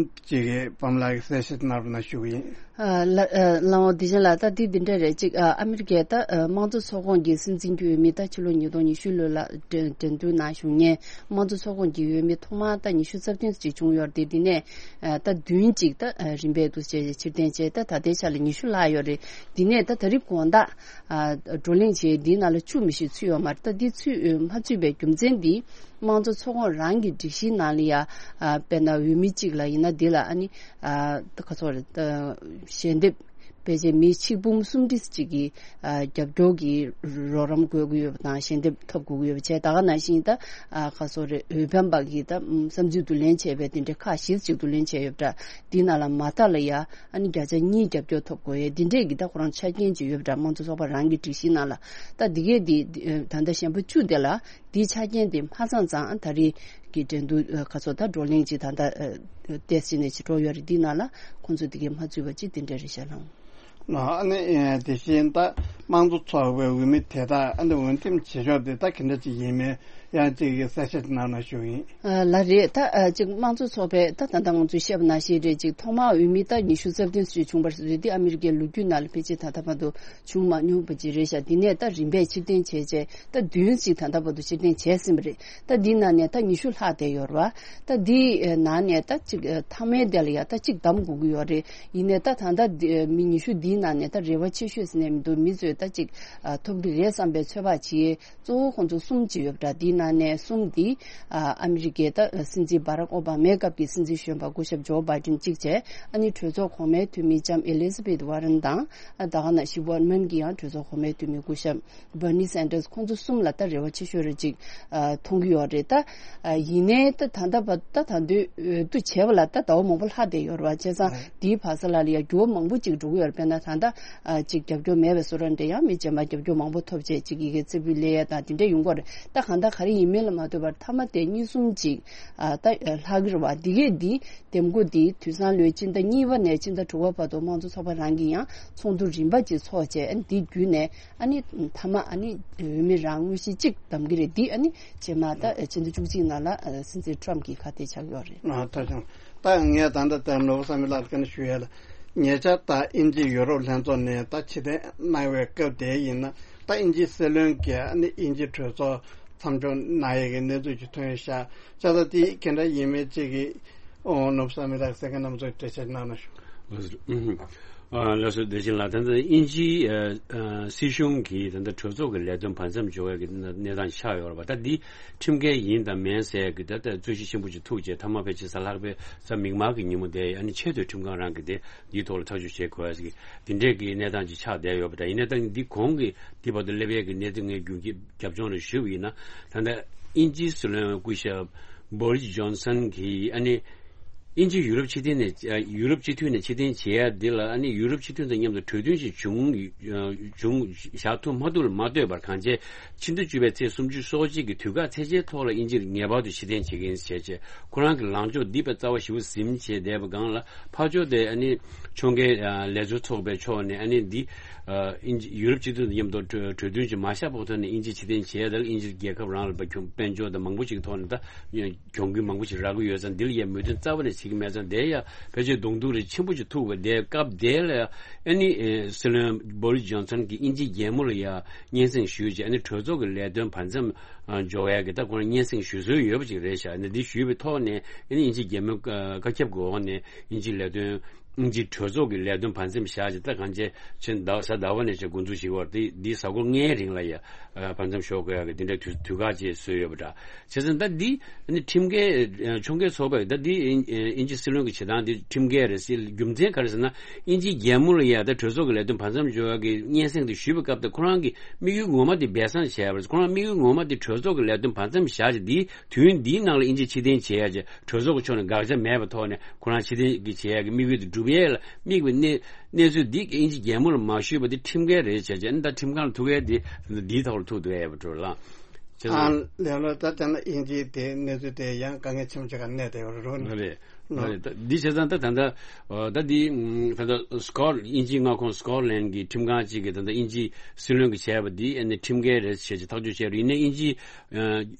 ཅིག་གིས་པདྨ་ལགས་ཀྱིས་གསལ་བཤད་གནང་རོགས་གནང་ཞུ་གི་ཡིན། ཨ་ལ་ཨ་ལགས་འོ། དེ་བཞིན་ལ་ད་དེ་འདི་འདྲ་རེད། ཅིག་ཨ་ཨ་མི་རི་ཀའི་ད་ཨ་དམངས་གཙོ་ཚོགས་ཁོངས་ཀྱི་སྲིད་འཛིན་གྱི་འོས་མི་ད་ཕྱི་ལོ་ཉིས་སྟོང་ཉི་ཤུ་ལོ་ལ་འགྲན་འགྲན་བསྡུར་ནང་ཞུགས་མཁན་དམངས་གཙོ་ཚོགས་ཁོངས་ཀྱི་འོས་མི་ཐོག་མར་ད་ཉི་ཤུ་རྩ་བདུན་ཅིག་བྱུང་ཡོད་རེད། དེ་ནས་ཨ་ད་བདུན་ཅིག་ད་ཨ་རིམ་པས་འདུག་ཅེས་ཕྱིར་འཐེན་བྱས། ད་ད་ལྟའི་ཆ་ལ་ཉི་ཤུ་ལྷག་ཡོད་རེད། དེ་ནས་ད་ད་རེས་དགོང་དག་ཨ་བགྲོ་གླེང་བྱེད། འདིའི་ནང་ལ་བཅུ་མི་ཤེས་ཚུད་ཡོད་མ་རེད། ད་འདི་ཚུད་མ་ཚུད་པའི་རྒྱུ་མཚན་འདི་དམངས་གཙོ་ཚོགས་ཁོངས་རང་གི་སྒྲིག་གཞིའི་ནང་ལ་ཡ་ཨ་དཔེར་ན་འོས་མི་གཅིག་ལ་ཡིན་ན་འདི་ལ་ཨ་ནི་ཨ་ད་ག་ཚོད་རེད། ད་ཞལ་འདེབས་ཕལ་ཆེར་མི་ཆིག་འབུམ་སུམ་ཁྲི་ཅིག་གིས་ཨ་རྒྱབ་སྐྱོར་གྱི་རོགས་རམ་དགོས་ཀྱི་ཡོད་པ་དང་ཞལ་འདེབས་ཐོབ་དགོས་ཀྱི་ཡོད་པ་བྱས། ད་ག་ནང་བཞིན་ད་ཨ་ག་ཚོད་རེད། འོས་འཕེན་པ་གིས་ད་བསམ་ཚུལ་བསྡུ་ལེན་བྱས་པའི་དེ་འདྲའི་ཁག་བཞི་ཅིག་བསྡུ་ལེན་བྱས་ཡོད་པ་འདྲ། འདི་ནང་ལ་མ་མཐའ་ལ་ཡ་ཨ་ནི་བརྒྱ་ཆ་གཉིས་རྒྱབ་སྐྱོར་ཐོབ་དགོས་ཡས་འདི་འདྲས་ཀྱི་ད་ཁོ་རང་ཆ་རྐྱེན་ཅིག་ཡོད་པ་འདྲ། དམངས་གཙོ་ཚོགས་པ་རང་གི་སྒྲིག་གཞིའི་ནང་ལ། ད་འདི་གས་འདི་ད་ལྟ་ཞན་པོ་བཅུ་དེ་ལ་འདིའི་ཆ་རྐྱེན་དེ་མ་ཚང་ཙང་ད་རེས་ཀྱི་འགྲན་བསྡུར་ཁ་ཚོ་ད་བགྲོ་གླེང་ཅིག་ད་ལྟ་ཏེས་ཅི་ནས་ཅིག་འགྲོ་ཡོད་རེད། འདི་ནང་ལ་ཁོང་ཚོ་འདི་གས་མ་ཚུད་པ་ཅིག་དེ་འདྲ་རེད་ཤག་ལགས། ཨ་ནི་དེ་བཞིན་ད་དམངས་གཙོ་ཚོགས་པའི་འོས་མི་དེ་དག་ཨ་ནི་འོས་འདེམས་བྱེད་ཕྱོགས་དེ་ད་ག་འདྲ་ཅིག་ཡིན་མིན་ཡང་ཅིག་གསལ་བཤད་གནང་ན་ཞུ་ཡིན། ལགས་རེད། ད་ཅིག་དམངས་གཙོ་ཚོགས་པའི་ད་ད་ལྟ་ང་ཚོས་བཤད་པ་ནང་བཞིན་རེད། ཅིག་ཐོག་མར་འོས་མི་ད་ཉི་ཤུ་རྩ་བདུན་ཙམ་བྱུང་བ་རེད། འདི་ཨ་མི་རི་ཀའི་ལོ་རྒྱུས་ནང་ལ་ཕལ་ཆེར་ད་ལྟ་བར་དུ་བྱུང་མ་མྱོང་བ་ཅིག་རེད་ཤག་འདི་ནས་ད་རིམ་པས་ཕྱིར་འཐེན་བྱས་བྱས་ད་བདུན་ཅིག་ད་ལྟ་བར་དུ་ཕྱིར་འཐེན་བྱས་ཟིན་པ་རེད། ད་འདི་ནང་ནས་ད་ཉི་ཤུ་ལྷག་བསྡད་ཡོད་རེད་བ། ད་འདི་ནང་ནས་ད་ཅིག་མཐའ་མའི་དེ་ལ་ཡ་ད་ཅིག་བདམས་དགོས་ཀྱི་ཡོད་རེད། ཡིན་ནའི་ད་ད་ལྟ་མི་ཉི་ཤུ་འདིའི་ནང་ནས་ད་རེ་བ་ཆེ་ཤོས་ཟེར་ནས་མི་འདུག་མི་ཚོས་ད་ཅིག་ཐོབ་ཀྱི་རེད་བསམ་པའི་ཚོད་དཔག་བྱས། གཙོ་བོ་ཁོང་ཚོ་གསུམ་ཅིག་ཡོད་པ་འདྲ། དེའི་ནང་ནས་གསུམ་འདི་ཨ་ཨ་མི་རི་ཀའི་ད་སྲིད་འཛིན་བྷ་རག་ཨོ་བྷ་མའི་སྐབས་ཀྱི་སྲིད་འཛིན་གཞོན་པ་སྐུ་ཞབས་ཇོ་བྷའི་ཌེན་གཅིག་བྱས། ཨ་ནི་གྲོས་ཚོགས་གོང་མའི་འཐུས་མི་ལྕམ་ཨེ་ལི་ཟ་བེད་ཝར་རན་དང་ཨ་ད་ག་ནང་བཞིན་ཝར་མན་གྱིས་ཡང་གྲོས་ཚོགས་གོང་མའི་འཐུས་མི་སྐུ་ཞབས་བྷར་ནི་སན་ཏར་སི་ཁོང་ཚོ་གསུམ་ལ་ད་རེ་བ་ཆེ་ཤོས་རེ་ཅིག་ཨ་མཐོང་གི་ཡོད་རེད། ད་ཨ་ཡིན་ནའི་ད་ད་ལྟ་བ་ད་ད་དུང་འོས་བསྡུ་བྱས་པ་ལ་ད་ཟླ་བ་མང་པོ་ལྷག་བསྡད་ཡོད་རེད་བ། བྱས་ཙང་དེའི་བར་ས་ལ་ལ་ཡ་འགྱུར་བ་མང་པོ་ཅིག་འགྲོ་གི་ཡོད་རེད། དཔེར་ན་ད་ལྟ་ཨ་ཅིག་རྒྱབ་སྐྱོར་མེད་པའི་བཟོ་འདྲ་འདྲ་ཡང་མི་རྗེས་མ་རྒྱབ་སྐྱོར་མང་པོ་ཐོབ་བྱས་ཅིག་ཡི་གེ་རྩེ་ཕུད་ལས་ཡ་དང་དེ་འདྲ་ཡོང་གི་རེད། ད་གང་ལྟར་ག་རེ་ཡིན་མིན་ལ་མ་ལྟོས་པར་མཐའ་མ་དེ་གཉིས་གསུམ་ཅིག་ཨ་ད་ལྷག་གི་རེད་བ། འདི་གས་འདི་འདེམས་བསྐོ་འདི་དུས་སང་ལོའི་སྤྱི་ཟླ་གཉིས་པ་ནས་སྤྱི་ཟླ་དྲུག་པ་བར་དུ་དམངས་གཙོ་ཚོགས་པ་རང་གིས་ཡང་ཚོགས་འདུ་རིམ་པ་ཅིག་ཚོགས་བྱས། ཨ་ནི་འདི་བརྒྱུད་ནས་ཨ་ནི་མཐའ་མ་ཨ་ནི་འོས་མི་རང་དངོས་གཞི་གཅིག་བདམས་ཀྱི་རེད། འདི་ཨ་ནི་རྗེས་མ་ད་ཕྱི་ཟླ་བཅུ་གཅིག་ནང་ལ་སྲིད་འཛིན་ཊམ་གྱི་ཁ་གཏད་ཆགས་ཡོད་རེད། ཨ་ད་ཅང་ད་ངས་ད་ལྟ་ད་ནོར་བུ་བསམ་ཡས་ལགས་ལ་བཀའ་འདྲི་ཞུ་ཡས་ལ། ཉེ་ཆར་ད་དབྱིན་ཇི་ཡུ་རོབ་ལྷན་ཚོགས་ནས་ད་ཕྱིར་འཐེན་གནང་བའི་སྐབས་དེ་ཡིན་ན་ད་དབྱིན་ཇིའི་སྲིད་བློན་གྱིས་ཨ་ནི་དབྱིན་ཇིའི་གྲོས་ཚོགས་མཚམས་འཇོག་གནང་ཡས་ཀྱི་གནས་ཚུལ་ཅིག་ཐོན་ཤག་ཅག་ད་དེ་ག་འདྲ་ཡིན་མིན་ཅིག་གི་ཨོ་ནོར་བུ་བསམ་ཡས་ལགས་གསན་མཁན་རྣམ་ཚོས་འགྲེལ་བཤད་གནང་ན་ཞུ། ལགས་སོ། བདེ་ཆེན་ལགས། ད་ལྟ་དབྱིན་ཇིའི་ཨ་ཨ་སྲིད་གཞུང་གིས་ད་ལྟ་གྲོས་ཚོགས་ཀྱི་ལས་དོན་བར་མཚམས་འཇོག་ཡས་ཀྱི་གནས་སྟངས་ཆགས་ཡོད་རེད་པ། ད་འདི་ཁྲིམས་འགལ་ཡིན་དང་མིན་ཟེར་ཡས་ཀྱི་ད་ལྟ་རྩོད་གཞི་ཆེན་པོ་ཅིག་ཐུག་རྗེས་མཐའ་མ་ཕལ་ཆེར་གཟའ་ལྷག་པའི་གཟའ་མིག་དམར་གྱི་ཉིན་མོ་དེ་ཨ་ནི་ཆེས་མཐོའི་ཁྲིམས་ཁང་རང་གིས་དེ་འདིའི་ཐོག་ལ་ཐག་གཅོད་བྱེད་དགོས་ཟེར་གྱི་དེ་འདྲས་ཀྱི་གནས་སྟངས་ཅིག་ཆགས་བསྡད་ཡོད་པ་འདྲ། ཡིན་ནའི་ད་འདི་གོང་གི་འདི་བར་དུ་སླེབས་ཡས་ཀྱི་གནས་ཚུལ་ངས་རྒྱུན་གྱི་རྒྱབ་ལྗོངས་ལ་ཞུས་པ་ཡིན་ན། ད་ལྟ་དབྱིན་ཇིའི་སྲིད་བློན་སྐུ་ཞབས་བོ་རིས་ཇོན་སན་གྱིས་ཨ་ནི་དབྱིན་ཇི་ཡུ་རོབ་སྤྱི་མཐུན་ནས་ཡུ་རོབ་སྤྱི་འཐུས་ནས་ཕྱིར་འཐེན་བྱེད་ཡ་འདི་ལ་ཨ་ནི་ཡུ་རོབ་སྤྱི་མཐུན་དང་མཉམ་དུ་གྲོས་མཐུན་ཞིག་བྱུང་བྱུང་བཞག་ཐུབ་མ་ཐུབ་ལ་མ་ལྟོས་པར་གང་བྱས་ཕྱི་ཟླ་བཅུ་པའི་ཚེས་སུམ་ཅུ་སོ་གཅིག་གི་དུས་བཀག་ཚད་ཆེའི་ཐོག་ལ་དབྱིན་ཇིར་ངེས་པར་དུ་ཕྱིར་འཐེན་བྱེད་ཀྱི་ཡིན་ཞེས་བྱས། ཁོ་རང་གི་ལངས་ཕྱོགས་འདི་དཔེ་རྩ་བ་ཞེ་པོ་ཟིན་བྱས་བསྡད་པ་སྒང་ལ་ཕར་ཕྱོགས་དེ་ཨ་ནི་ཕྱོགས་འགལ་ལས་འཛོལ་ཚོགས་པའི་ཕྱོགས་ནས་ཨ་ནི་འདི་ཨ་དབྱིན་ཇི་ཡུ་རོབ་སྤྱི་མཐུན་དང་མཉམ་དུ་གྲོས་གྲོས་མཐུན་ཅིག་མ་བཞག་པའི་ཐོག་ནས་དབྱིན་ཇི་ཕྱིར་འཐེན་བྱས་དང་དབྱིན་ཇི་རྒྱལ་ཁབ་རང་ལ་དཔལ་འབྱོར་དང་མང་པོ་ཞིག་གི་ཐོག་ནས་ད་གྱོང་གུན་མང་པོ་ཞིག་རག་གི་ཡོད་ཙང་འདི་ལ་ཡ་མོས་མཐུན་རྩ་བ་ནས་བྱེད་ཀྱི་མེད་ཙང་དེ་ཡ་ཕལ་ཆེར་གདོང་ཐུག་རེ་ཆེན་པོ་ཞིག་ཐུག་པ་དེ་སྐབས་དེ་ལ་ཨ་ནི་སྲིད་བློན་བོ་རིས་ཇོན་སན་གྱིས་དབྱིན་ཇིའི་རྒྱལ་མོ་ལ་ཡ་སྙན་སེང་ཞུས་རྗེས་ཨ་ནི་གྲོས་ཚོགས་ཀྱི་ལས་དོན་བར་མཚམས་འཇོག་ཡ་གི་ད་ཁོ་རང་སྙན་སེང་ཞུ་སྲོལ་ཡོད་པ་ཅིག་རེད་ཤག་ཨ་ནི་འདི་ཞུས་པའི་ཐོག་ནས་ཨ་ནི་དབྱིན་ཇིའི་རྒྱལ་མོའི་བཀའ་ཁྱབ་ཀྱི་འོག་ནས་དབྱིན་ཇིའི་ལས་དོན། དབྱིན་ཇིའི་གྲོས་ཚོགས་ཀྱི་ལས་དོན་བར་མཚམས་བཞག་ཅིག་ད་གང་ཅི་ཕྱིན་ཟླ་བ་གཟའ་ཟླ་བ་ནས་ཅིག་འགོ་འཛུགས་བྱེད་ཀྱི་ཡོད་རེད། འདི་གཟའ་འཁོར་ལྔའི་རིང་ལ་ཡ་བར་མཚམས་འཇོག་དགོས་ཡག་གི་འདི་འདྲའི་དུས་དུས་བཀག་ཅིག་བཟོས་ཡོད་པ་འདྲ། བྱས་ཙང་ད་འདི་ནི་ཁྲིམས་འགལ་ཕྱོགས་འགལ་ཚོགས་པས་ད་འདི་དབྱིན་ཇིའི་སྲིད་བློན་གྱི་བྱེད་སྟངས་འདི་ཁྲིམས་འགལ་རེད་ཟེར་རྒྱུ་མཚན་ག་རེ་ཟེར་ན་དབྱིན་ཇིའི་རྒྱལ་མོ་ལ་ཡ་ད་གྲོས་ཚོགས་ཀྱི་ལས་དོན་བར་མཚམས་འཇོག་ཡག་གི་སྙན་སེང་དེ་ཞུས་པའི་སྐབས་དེ་ཁོ་རང་གི་དམིགས་ཡུལ་ངོ་མ་དེ་སྦས་གསང་བྱས་པ་རེད། ཁོ་རང་དམིགས་ཡུལ་ངོ་མ་དེ་གྲོས་ཚོགས་ཀྱི་ལས་དོན་བར་མཚམས་བཞག་ཅིག་འདི་དུས་ཡུན་འདིའི་ནང་ལ་དབྱིན་ཇི་ཕྱིར་འཐེན་བྱེད་ཡ་ཅིག་གྲོས་ཚོགས་ཀྱི་ཕྱོགས་ནས་དགག་བྱ་མེད་པའི་ཐོག་ནས་ཁོ་རང་ཕྱིར་འཐེན་གྱི་བྱེད་ཡ་གི་དམིགས་ཡུལ་དེ་འགྲུབ་ཡས་ལ་དམིགས་པའི་གནས་གནས་ཚུལ་འདི་དབྱིན་ཇི་རྒྱལ་མོ་ལ་མ་ཞུས་པ་དེ་ཁྲིམས་འགལ་རེད་བྱས་བྱས་ཨ་ནི་ད་ཁྲིམས་ཁང་ལ་ཐུག་ཡས་དེ་འདིའི་ཐོག་ལ་ཐུག་འདུག་ཡས་པ་འགྲོ་ལ། བྱས་ཙང་། ཨ་ལས་ལོ་ད་ལྟ་ན་དབྱིན་ཇིའི་དེ་གནས་ཚུལ་དེ་ཡང་དཀའ་ངལ་ཆེན་པོ་ཅིག་ག་གནས་བསྡད་ཡོད་རེད་རོ། ལ་རེད། ལ་རེད། ད་འདི་བྱས་ཙང་ད་ད་ལྟ་ཨ་ད་འདི་ཨ་ད་ལྟ་སྐོར་དབྱིན་ཇིའི་མངའ་ཁོངས་སྐོར་ལན་གྱི་ཁྲིམས་ཁང་གཅིག་གིས་ད་ལྟ་དབྱིན་ཇིའི་སྲིད་བློན་གྱིས་བྱས་པ་འདི་ཨ་ནི་ཁྲིམས་འགལ་རེད་ཅེས་ཀྱི་ཐག་གཅོད་བྱས་རེད། ཡིན་ནའི་དབྱིན་ཇིའི་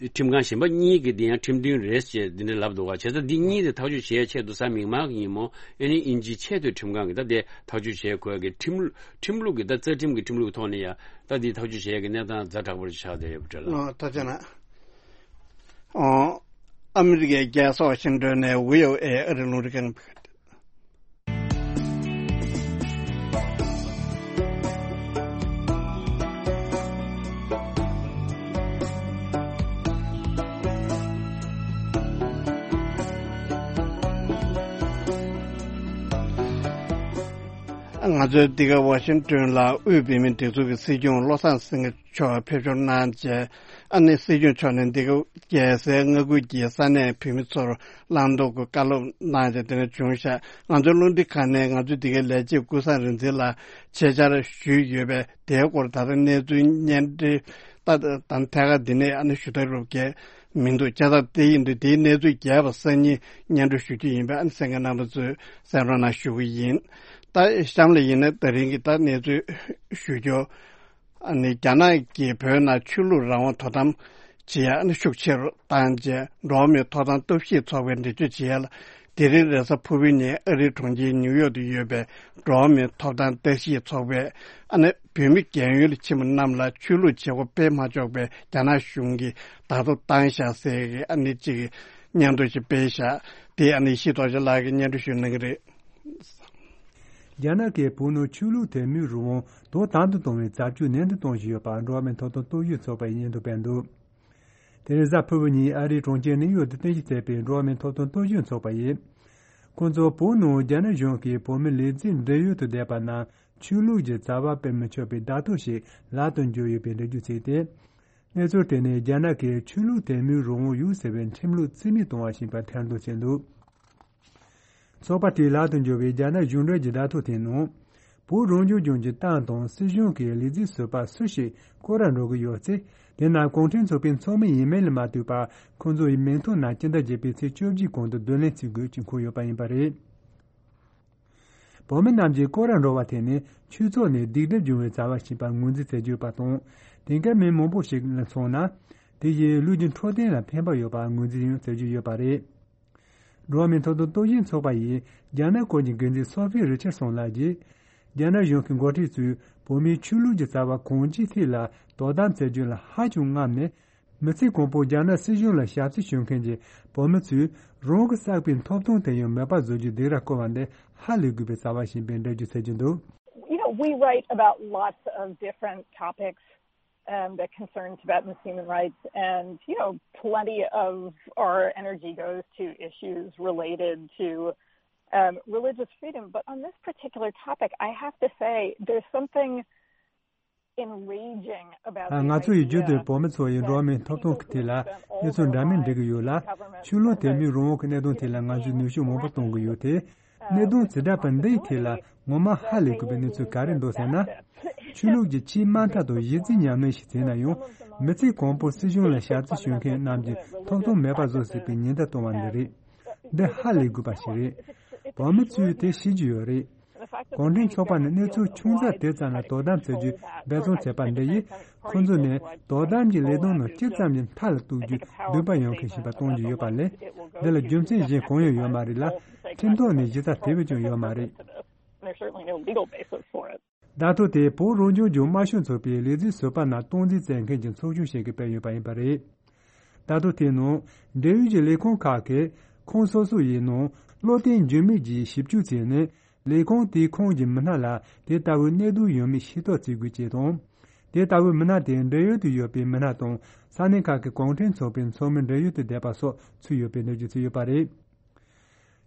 ཁྲིམས་ཁང་གཞན་པ་གཉིས་ཀྱིས་འདི་ཡང་ཁྲིམས་མཐུན་རེད་ཅེས་འདི་འདྲ་ལབ་འདུག་ག་བྱས་ཙང་འདི་གཉིས་དེ་ཐག་གཅོད་བྱེད་ཆེད་དུ་གཟའ་མིག་དམར་གྱི་ཉིན་མོ་ཨ་ནི་དབྱིན་ཇིའི་ཆེས་མཐོའི་ཁྲིམས་ཁང་གིས་ད་དེ་ཐག་གཅོད་བྱེད་དགོས་ཀྱི་ཁྲིམས་ཁྲིམས་ལུགས་ཀྱི་ད་རྩ་ཁྲིམས་ཀྱི་ཁྲིམས་ལུགས་ཐོག་ནས་ཡང་ད་འདི་ཐག་གཅོད་བྱེད་ཀྱི་གནས་སྟངས་ཛ་དྲག་པོ་ཆགས་བསྡད་ཡོད་པ་འདྲ་ལ། ཨོ་ཐུགས་རྗེ་གནང་། ཨོ། ཨ་མི་རི་ཀའི་རྒྱལ་ས་ཝ་ཤིང་ཏོན་ནས་བྷི་ཨོ་ཨེ་ཨ་རི་རླུང་འཕྲིན་ཁང་། ང་ཚོའི་འདི་ག་ཝ་ཤིང་ཏོན་ལ་དབུས་བོད་མིའི་སྒྲིག་འཛུགས་ཀྱི་སྲིད་སྐྱོང་བློ་བཟང་སེང་གེ་མཆོག་ཕེབས་འབྱོར་གནང་རྗེས། ཨ་ནི་སྲིད་སྐྱོང་མཆོག་ནས་འདི་ག་རྒྱལ་སའི་མངའ་ཁུལ་གྱི་ས་གནས་བོད་མི་ཚོར་བླང་དོར་གྱི་བཀའ་སློབ་གནང་རྗེས་དེ་ནས་བྱུང་ཤག་ང་ཚོའི་རླུང་འཕྲིན་ཁང་ནས་ང་ཚོའི་འདི་གའི་ལས་བྱེད་ཀུན་བཟང་རིག་འཛིན་ལ་ཆེད་བཅར་ཞུས་ཡོད་པས། དེའི་སྐོར་ད་ལྟ་གནས་ཚུལ་སྙན་སྒྲོན་ད་ད་ཐད་ཀར་འདི་ནས་ཨ་ནི་ཞུ་ཐབས་རོབ་རྒྱས་མི་འདུག་བྱས་ཙང་དེ་ཡིན་དུས་དེའི་གནས་ཚུལ་རྒྱས་པ་སང་ཉིན་སྙན་སྒྲོན་ཞུ་རྒྱུ་ཡིན་པས། ཨ་ནི་གསན་མཁན་རྣམ་པ་ཚོས་གསན་རོགས་གནང་ཞུ་གི་ཡིན། ད་གཤམ་ལ་ཡིན་ན་ད་རིང་གི་ད་གནས་ཚུལ་ཞུ་རྒྱུ། ཨ་ནི་རྒྱ་ནག་གིས་བོད་ནང་ཆོས་ལུགས་རང་དབང་དོ་དམ་བྱེད་ཡ་ཨ་ནི་ཤུགས་ཆེ་རུ་བཏང་རྗེས། འགྲོ་བ་མིའི་ཐོབ་ཐང་སྟོབས་ཤེས་ཚོགས་པས་འགྲེལ་བརྗོད་བྱེད་ཡ་ལ། དེ་རིང་རེས་གཟའ་ཕུར་བུའི་ཉིན་ཨ་རིའི་གྲོང་ཁྱེར་ནིའུ་ཡོག་ཏུ་ཡོད་པའི་འགྲོ་བ་མིའི་ཐོབ་ཐང་བརྟག་ཞིབ་ཚོགས་པས། ཨ་ནི་བོད་མི་རྒན་ཡོལ་ལ་ཕྱིན་པ་རྣམས་ལ་ཆོས་ལུགས་བྱེད་སྒོ་སྤེལ་མ་ཆོག་པའི་རྒྱ་ནག་གཞུང་གིས་བརྡ་ཐོ་བཏང་བཞག་ཟེར་གྱི་ཨ་ནི་གཅིག་གི་སྙན་ཐོ་ཞིག་སྤེལ་བཞག་དེ་ཨ་ནི་ཡེ་ཤེས་རྡོ་རྗེ་ལགས་ཀྱིས་སྙན་སྒྲོན་ཞུ་གནང་གི་རེད། རྒྱ་ནག་གིས་བོད་ནང་ཆོས་ལུགས་དད་མོས་རང་དབང་དོ་དམ་དུ་གཏོང་བའི་བྱ་སྤྱོད་ནན་དུ་གཏོང་བཞིན་ཡོད་པ་འགྲོ་བ་མིའི་ཐོབ་ཐང་རྟོག་ཞིབ་ཚོགས་པས་སྙན་ཐོ་སྤེལ་འདུག་དེ་རིང་གཟའ་ཕུར་བུ་ཉིན་ཨ་རིའི་གྲོང་ཁྱེར་ནིའུ་ཡོག་ཏུ་རྟེན་གཞི་བྱས་པའི་འགྲོ་བ་མིའི་ཐོབ་ཐང་རྟོག་ཞིབ་ཚོགས་པ་ཡིས། ཁོང་ཚོ་བོད་ནང་རྒྱ་ནག་གཞུང་གིས་བོད་མི་ལས་འཛིན་བགྲེས་ཡོལ་དུ་བསྡད་པ་རྣམས་ཆོས་ལུགས་ཀྱི་བྱ་བ་སྤེལ་མི་ཆོག་པའི་བརྡ་ཐོ་ཞིག་ལག་ཏུ་འབྱོར་ཡོད་པའི་འགྲེལ་བརྗོད་བྱས་ཏེ། གནས་ཚུལ་དེ་ནི་རྒྱ་ནག་གིས་ཆོས་ལུགས་དད་མོས་རང་དབང་ཡོད་ཟེར་བའི་ཁྲིམས་ལུགས་རྩིས་མེད་གཏོང་བ་ཞིག་ཡིན་པར་ཁ་འདོན་བྱས་འདུག་ཚོགས་པ་དེའི་ལག་ཏུ་འབྱོར་བའི་རྒྱ་ནག་གཞུང་འབྲེལ་གྱི་བརྡ་ཐོ་དེའི་ནང་། བོད་རང་སྐྱོང་ལྗོངས་ཀྱི་ཏང་དང་སྲིད་གཞུང་གི་ལས་འཛིན་ཟུར་པ་སུ་ཞིག་སྐོར་ར་འགྲོ་གི་ཡོད་ཚེ། དེ་རྣམས་གུང་ཁྲན་ཚོགས་པའི་ཚོགས་མི་ཡིན་མིན་ལ་མ་ལྟོས་པར་ཁོང་ཚོ་ཡི་མིང་ཐོ་ནང་སྤྱི་ཟླ་བརྒྱད་པའི་ཚེས་བཅོ་བརྒྱད་གོང་དུ་བསྡུ་ལེན་བྱེད་དགོས་ཀྱི་འཁོད་ཡོད་པ་ཡིན་པ་རེད། བོད་མི་རྣམས་ཀྱིས་སྐོར་ར་འགྲོ་བ་དེ་ནི་ཆོས་ཚོགས་ནས་སྡིག་སྒྲིབ་འབྱུང་བའི་བྱ་བ་ཞིག་ཡིན་པར་ངོས་འཛིན་བྱེད་ཀྱི་ཡོད་པ་དང་། དེང་སྐབས་མི་མང་པོ་ཞིག་ལ་མཚོན་ན། དེ་བཞིན་ལུས་ཀྱི་འཕྲོད་བསྟེན་ལ་ཕན་པ་ཡོད་པར་ངོས་འཛིན་ཡང་བྱེད་ཀྱི་ཡོད་པ་རེད། འགྲོ་བ་མིའི་ཐོབ་ཐང་རྟོག་ཞིབ་ཚོགས་པ་ཡིས་རྒྱ་ནག་སྐོར་གྱི་འགན་འཛིན་སོ་ཕི་རི་ཆར་སོན་ལགས་ཀྱིས། རྒྱ་ནག་གཞུང་གི་འགོ་ཁྲིད་ཚོས་བོད་མིའི་ཆོས་ལུགས་ཀྱི་བྱ་བ་གང་ཅིའི་ཐད་ལ་དོ་དམ་བྱེད་རྒྱུ་ལ་ཧ་ཅང་རྔམ་ནས། མི་ཚེ་གང་པོ་རྒྱ་ནག་སྲིད་གཞུང་ལ་ཞབས་ཕྱི་ཞུ་མཁན་གྱི་བོད་མི་ཚོས་རང་གི་བསགས་པའི་ཐོབ་ཐང་དེ་ཡང་མེད་པ་བཟོ་རྒྱུའི་སྡིགས་ར་བསྐུལ་བ་འདི་ཧ་ལས་དགོས་པའི་རྩ་བ་ཞིག་ཡིན་པའི་འགྲེལ་བརྗོད་བྱེད་ཀྱི་འདུག You know, we write about lots of different topics, um, that concerns Tibetans' human rights, and, you know, plenty of our energy goes to issues related to, um, religious freedom. But on this particular topic, I have to say there's something enraging about the idea that the government has spent all of the money, the government has spent all of the money, ང་ཚོ་ཡི་རྒྱུད་དུ་བོད་མི་ཚོ་ཡི་འགྲོ་བ་མིའི་ཐོབ་ཐང་གི་ཐད་ལ་གནས་ཚུལ་འདྲ་མིན་འགྲིག་གི་ཡོད་ལ། ཆོས་ལུགས་དད་མོས་རང་དབང་གི་གནད་དོན་ཐད་ལ་ང་ཚོས་ནུས་ཤུགས་མང་པོ་གཏོང་གི་ཡོད་དེ། གནད་དོན་ཇི་འདྲ་པ་འདིའི་ཐད་ལ་ངོ་མ་ཧ་ལས་དགོས་པའི་གནས་ཚུལ་ག་རེ་འདུག་ཟེར་ན། ཆོས་ལུགས་ཀྱི་ཆེས་དམའ་མཐའ་དང་གཞི་རྩའི་ཉམས་ལེན་ཞིག་བྱས་ན་ཡང་། མི་ཚེ་གང་པོར་སྲིད་གཞུང་ལ་ཞབས་ཕྱི་ཞུ་མཁན་རྣམས་ཀྱི་ཐོབ་ཐང་མེད་པ་བཟོ་སྲིད་པའི་ཉེན་བརྡ་གཏོང་བ་འདི་རེད། འདི་ཧ་ལས་དགོས་པ་ཞིག་རེད། བོད་མི་ཚོས་དེ་ཤེས་ཀྱི་ཡོད་རེད། གུང་ཁྲན་ཚོགས་པ་ནི་གནས་ཚུལ་ཆུང་ཙག་དེ་ཙམ་ལ་དོ་དམ་བྱེད་རྒྱུའི་འབད་བརྩོན་བྱས་པ་འདི་ཡིས། ཁོ་ཚོ་ནི་དོ་དམ་གྱི་ལས་དོན་ནང་ཅི་ཙམ་གྱི་མཐའ་ལ་གཏུག་རྒྱུའི་འདུན་པ་ཡོད་མཁན་ཞིག་ཡིན་པ་སྟོན་གྱི་ཡོད་པ་ལས། འདི་ལ་རྒྱུ་མཚན་གཞན་གང་ཡང་ཡོད་མ་རེད་ལ། ཁྲིམས་ཐོག་ནས་གཞི་རྩ་དེ་བས་ཀྱང་ཡོད་མ་རེད། There's certainly no legal basis for it. བརྡ་ཐོ་དེ་བོད་རང་སྐྱོང་ལྗོངས་དམར་ཤོག་ཚོགས་པའི་ལས་འཛིན་ཟུར་པ་ནང་སྟངས་འཛིན་མཛད་མཁན་གྱི་ཚོགས་ཆུང་ཞིག་གིས་སྤེལ་ཡོད་པ་ཡིན་པ་རེད། བརྡ་ཐོ་དེའི་ནང་འབྲེལ་ཡོད་ཀྱི་ལས་ཁུངས་ཁག་གིས་ཁོངས་སོ་སོ་ཡི་ནང་བློ་བརྟན་འགྱུར་མེད་ཀྱིས་ཞིབ་འཇུག་བྱས་ནས། ལས་ཁུངས་དེའི་ཁོངས་ཀྱི་མི་སྣ་ལ་དེ་ལྟ་བུའི་གནད་དོན་ཡོད་མེད་ཤེས་རྟོགས་བྱེད་དགོས་ཅེས་དང་། དེ་ལྟ་བུའི་མི་སྣ་དེ་འབྲེལ་ཡོད་དུ་ཡོད་པའི་མི་སྣ་དང་ས་གནས་ཁག་གི་གུང་ཁྲན་ཚོགས་པའི་ཚོགས་མི་འབྲེལ་ཡོད་དུ་བསྡད་པ་སོགས་ཚུད་ཡོད་པའི་གནས་ཚུལ་ཚུད་ཡོད་པ་རེད།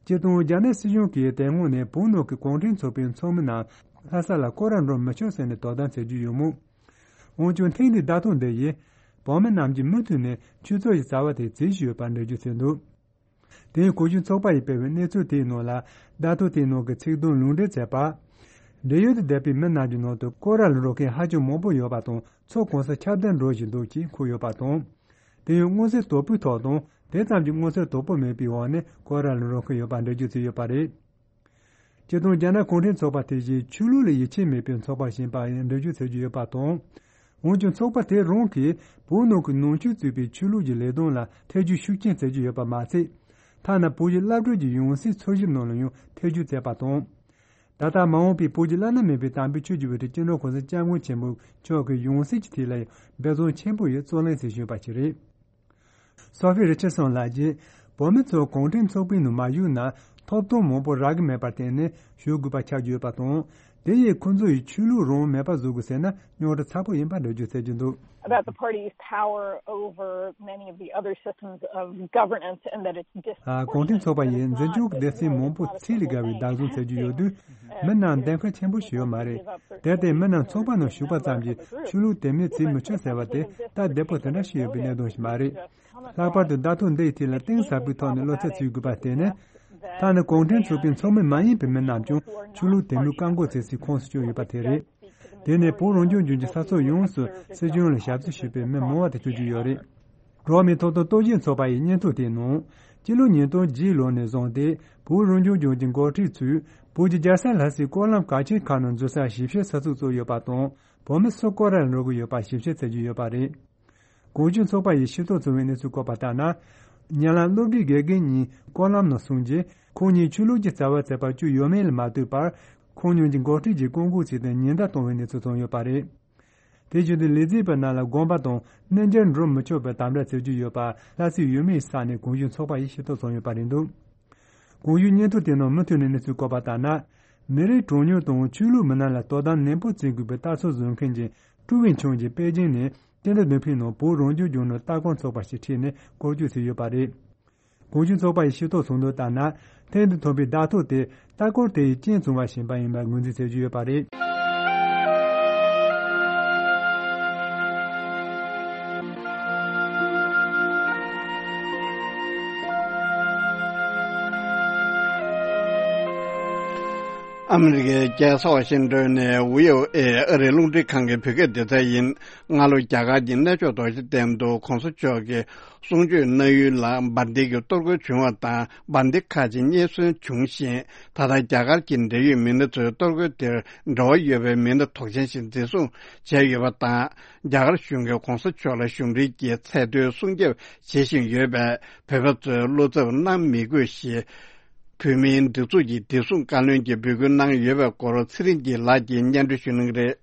སྤྱིར་བཏང་རྒྱ་ནག་སྲིད་གཞུང་གིས་དེ་སྔོན་ནས་བོད་ནང་གི་གུང་ཁྲན་ཚོགས་པའི་ཚོགས་མི་རྣམས་ལྷ་ས་ལ་སྐོར་ར་འགྲོ་མི་ཆོག་ཟེར་ནས་དོ་དམ་བྱེད་རྒྱུ་ཡོད་མོད། འོན་ཀྱང་ཐེངས་འདིའི་བརྡ་ཐོ་འདི་ཡིས་བོད་མི་རྣམས་ཀྱིས་མུ་མཐུད་ནས་ཆོས་ཚོགས་ཀྱི་བྱ་བ་དེ་བྱེད་བཞིན་ཡོད་པར་འགྲེལ་བརྗོད་བྱས་འདུག་དེ་ཡང་གུང་གཞོན་ཚོགས་པ་ཡིས་སྤེལ་བའི་གནས་ཚུལ་དེའི་ནང་ལ། བརྡ་ཐོ་དེའི་ནང་གི་ཚིག་དོན་ལུང་འདྲེན་བྱས་པ། འབྲེལ་ཡོད་དུ་བསྡད་པའི་མི་རྣམས་ཀྱི་ནང་དུ་སྐོར་ར་ལ་འགྲོ་མཁན་ཧ་ཅང་མང་པོ་ཡོད་པ་དང་། ཚོགས་གང་སར་ཁྱབ་གདལ་འགྲོ་བཞིན་འདུག་ཅེས་འཁོད་ཡོད་པ་དང་། དེ་ཡང་མངོན་གསལ་དོད་པོའི་ཐོག་དང་དེ་ཙམ་གྱི་མངོན་གསལ་དོད་པོ་མེད་པའི་འོག་ནས་སྐོར་ར་ལ་འགྲོ་མཁན་ཡོད་པ་འགྲེལ་བརྗོད་བྱས་ཡོད་པ་རེད། སྤྱིར་བཏང་རྒྱ་ནག་གུང་ཁྲན་ཚོགས་པ་དེ་བཞིན་ཆོས་ལུགས་ལ་ཡིད་ཆེས་མེད་པའི་ཚོགས་པ་ཞིག་ཡིན་པ་ཡང་འགྲེལ་བརྗོད་བྱེད་ཀྱི་ཡོད་པ་དང་། འོན་ཀྱང་ཚོགས་པ་དེ་རང་གིས་བོད་ནང་གི་ནང་ཆོས་གཙོས་པའི་ཆོས་ལུགས་ཀྱི་ལས་དོན་ལ་ཐེ་ཇུས་ཤུགས་ཆེན་བྱེད་ཀྱི་ཡོད་པ་མ་ཚད། ཐ་ན་བོད་ཀྱི་བླ་སྤྲུལ་གྱི་ཡང་སྲིད་འཚོལ་ཞིབ་ནང་ལ་ཡང་ཐེ་ཇུས་བྱས་པ་དང་། ད་ལྟ་མ་འོངས་པའི་བོད་ཀྱི་བླ་ན་མེད་པའི་དམ་པའི་ཆོས་ཀྱི་དབུ་ཁྲིད་སྤྱི་ནོར་གོང་ས་སྐྱབས་མགོན་ཆེན་པོ་མཆོག་གི་ཡང་སྲིད་ཀྱི་ཐད་ལ་ཡང་འབད་བརྩོན་ཆེན་པོ་ཡིས་བརྩོན་ལེན་བྱེད་བཞིན་པ་ཞིག་རེད། སོ་ཧྥི་རི་ཆར་སོན་ལགས་ཀྱིས་བོད་མི་ཚོ་གུང་ཁྲན་ཚོགས་པའི་ནང་མ་ཞུགས་ན། ཐོབ་ཐང་མང་པོ་རག་གི་མེད་པར་བརྟེན་ནས་ཞུ་དགོས་པ་ཆགས་ཀྱི་ཡོད་པ་དང་། དེ་ཡིས་ཁོ་ཚོ་ཡི་ཆོས་ལུགས་རང་དབང་མེད་པ་བཟོ་དགོས་ཟེར་ན་རྙོག་དྲ་ཚ་པོ་ཡིན་པ་འགྲེལ་བརྗོད་བྱེད་ཀྱི་འདུག། About the party's power over many of the other systems of governance and that it's dis- ཨ། གུང་ཁྲན་ཚོགས་པ་ཡིས་འཛིན་སྐྱོང་གི་སྡེ་ཚན་མང་པོ་ཚད་ལས་བརྒལ་བའི་བདག་བཟུང་བྱེད་ཀྱི་ཡོད་དུས། མི་རྣམས་འདེམས་ཁ་ཆེན་པོ་ཞིག་ཡོད་མ་རེད། དེར་བརྟེན་མི་རྣམས་ཚོགས་པ་ནང་ཞུགས་པ་ཙམ་གྱིས་ཆོས་ལུགས་དེ་མིན་བྱེད་མི་ཆོག་ཟེར་བ་དེ་ད་བདེ་པོ་དེ་འདྲ་ཞིག་ཡོད་པའི་གནད་དོན་ཞིག་མ་རེད། ལྷག་པར་དུ་བརྡ་ཐོ་འདི་ཡི་ཐད་ལ་གཏིང་ཟབ་པོའི་ཐོག་ནས་བློ་འཚབ་བྱེད་དགོས་པ་དེ་ནི། ད་ནི་གུང་ཁྲན་ཚོགས་པའི་ཚོགས་མི་མ་ཡིན་པའི་མི་རྣམས་ཀྱང་ཆོས་ལུགས་དེ་མིན་བཀག་འགོག་བྱེད་སའི་ཁོངས་སུ་བསྐྱོད་ཡོད་པ་དེ་རེད། དེ་ནས་བོད་རང་སྐྱོང་ལྗོངས་ཀྱི་ས་ཕྱོགས་ཡོངས་སུ་སྲིད་གཞུང་ལ་ཞབས་ཞུ་བྱེད་པའི་མི་མང་བ་དེ་བསྐྱོད་ཀྱི་ཡོད་རེད། འགྲོ་བ་མིའི་ཐོབ་ཐང་རྟོག་ཞིབ་ཚོགས་པ་ཡི་སྙན་ཐོ་དེའི་ནང་། སྤྱི་ལོ་ཉིས་སྟོང་བརྒྱད་ལོ་ནས་བཟུང་སྟེ་བོད་རང་སྐྱོང་ལྗོངས་ཀྱི་འགོ་ཁྲིད་ཚོས་བོད་ཀྱི་རྒྱལ་ས་ལྷ་སའི་སྐོར་ལམ་གལ་ཆེན་ཁག་ནང་འཛུལ་ས་ཞིབ་བཤེར་ས་ཚུགས་བཙུགས་ཡོད་པ་དང་། བོད་མི་སུ་སྐོར་ར་ལ་འགྲོ་གི་ཡོད་པ་ཞིབ་བཤེར་བྱེད་ཀྱི་ཡོད་པ་རེད། གོང་ཞུས་ཚོགས་པ་ཡིས་ཤེས་རྟོགས་བྱུང་བའི་གནས་ཚུལ་བཀོད་པ་ལྟར་ན། ཉེ་ལམ་སློབ་གྲྭའི་དགེ་རྒན་གཉིས་སྐོར་ལམ་ནང་སོང་རྗེས། ཁོང་གཉིས་ཆོས་ལུགས་ཀྱི་རྩ་བ་བྱས་པ་བཅུག་ཡོད་མེད་ལ་མ་ལྟོས་པར། ཁོང་གཉིས་ཀྱི་འགོ་ཁྲིད་ཀྱིས་བཀག་འགོག་བྱས་ཏེ་ཉེན་བརྡ་བཏང་བའི་གནས་ཚུལ་བྱུང་ཡོད་པ་རེད། དེ་བཞིན་དུ་ལས་བྱེད་པ་རྣམས་ལ་དགོངས་པ་དང་གནས་མཇལ་འགྲོ་མི་ཆོག་པའི་དམ་བསྒྲགས་བྱེད་ཀྱི་ཡོད་པ་ལྷ་སའི་ཡུལ་མིའི་ས་གནས་གོང་ཞུས་ཚོགས་པ་ཡིས་ཤེས་རྟོགས་བྱུང་ཡོད་པ་རེད་འདུག། གོང་ཞུས་སྙན་ཐོ་དེ་ནང་མུ་མཐུད་ནས་གནས་ཚུལ་བཀོད་པ་ལྟར་ན། མི་རིགས་གྲངས་ཉུང་དང་ཆོས་ལུགས་མི་སྣ་ལ་དོ་དམ་ནན་པོ་བྱེད་དགོས་པའི་ལྟ་ཚུལ་བཟོ་མཁན་གྱི་ཀྲུའུ་ཝེན་ཆུང་གིས་པེ་ཅིང་ནས་ཏེན་ཏ་བདུན་ཕིང་ནང་བོད་རང་སྐྱོང་ལྗོངས་ནང་ལྟ་སྐོར་ཚོགས་པ་ཞིག་ཁྲིད་ནས་སྐོར་སྐྱོད་བྱས་ཡོད་པ་རེད། གོང་ཞུས་ཚོགས་པ་ཡིས་ཤེས་རྟོགས་བྱུང་དོན་ལྟར་ན། ཐེངས་འདིར་ཐོན་པའི་བརྡ་ཐོ་དེ་ལྟ་སྐོར་དེ་ཡི་རྐྱེན་བྱུང་བ་ཞིག་ཡིན་པ་ཡིན་པར་ངོས་འཛིན་བྱེད་ཀྱི་ཡོད་པ་རེད། ཨ་མི་རི་ཀའི་རྒྱལ་ས་ཝ་ཤིང་ཏོན་ནས་བྷི་ཨོ་ཨེ་ཨ་རིའི་རླུང་འཕྲིན་ཁང་གི་བོད་སྐད་སྡེ་ཚན་ཡིན། སྔ་ལོ་རྒྱ་གར་གྱི་གནས་མཆོག་རྡོ་རྗེ་གདན་དུ་གོང་ས་མཆོག་གི་གསུང་ཆོས་གནང་ཡུལ་ལ་འབར་མདེལ་གྱི་གཏོར་རྒོལ་བྱུང་བ་དང་། འབར་མདེལ་ཁག་ཅིག་རྙེད་སོན་བྱུང་ཞིང་། ད་ལྟ་རྒྱ་གར་གྱི་འབྲེལ་ཡོད་མི་སྣ་ཚོས་གཏོར་རྒོལ་དེར་འབྲེལ་བ་ཡོད་པའི་མི་སྣ་དོགས་ཅན་ཞིག་འཛིན་བཟུང་བྱས་ཡོད་པ་དང་། རྒྱ་གར་གཞུང་གིས་གོང་ས་མཆོག་ལ་གཞུང་འབྲེལ་གྱི་ཚད་མཐོའི་སྲུང་སྐྱོབ་བྱེད་བཞིན་ཡོད་པས། བོད་པ་ཚོས་བློ་འཚབ་གནང་མི་དགོས་ཞེས། བོད་མིའི་སྒྲིག་འཛུགས་ཀྱི་བདེ་སྲུང་བཀའ་བློན་གྱིས་འབོད་སྐུལ་གནང་ཡོད་པའི་སྐོར་ཚེ་རིང་སྐྱིད་ལགས་ཀྱིས་སྙན་སྒྲོན་ཞུ་གནང་གི་རེད།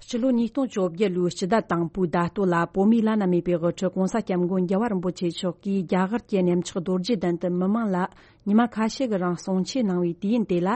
སྤྱི་ལོ་ཉིས་སྟོང་བཅོ་བརྒྱད་ལོའི་སྤྱི་ཟླ་དང་པོའི་ཟླ་སྟོད་ལ། བོད་མིའི་བླ་ན་མེད་པའི་དབུ་ཁྲིད་༸གོང་ས་༸སྐྱབས་མགོན་རྒྱལ་བ་རིན་པོ་ཆེ་མཆོག་གིས་རྒྱ་གར་གྱི་གནས་མཆོག་རྡོ་རྗེ་གདན་དུ་མི་མང་ལ་ཉི་མ་ཁ་ཤས་ཀྱི་རིང་གསུང་ཆོས་གནང་བའི་དུས་ཡུན་དེ་ལ།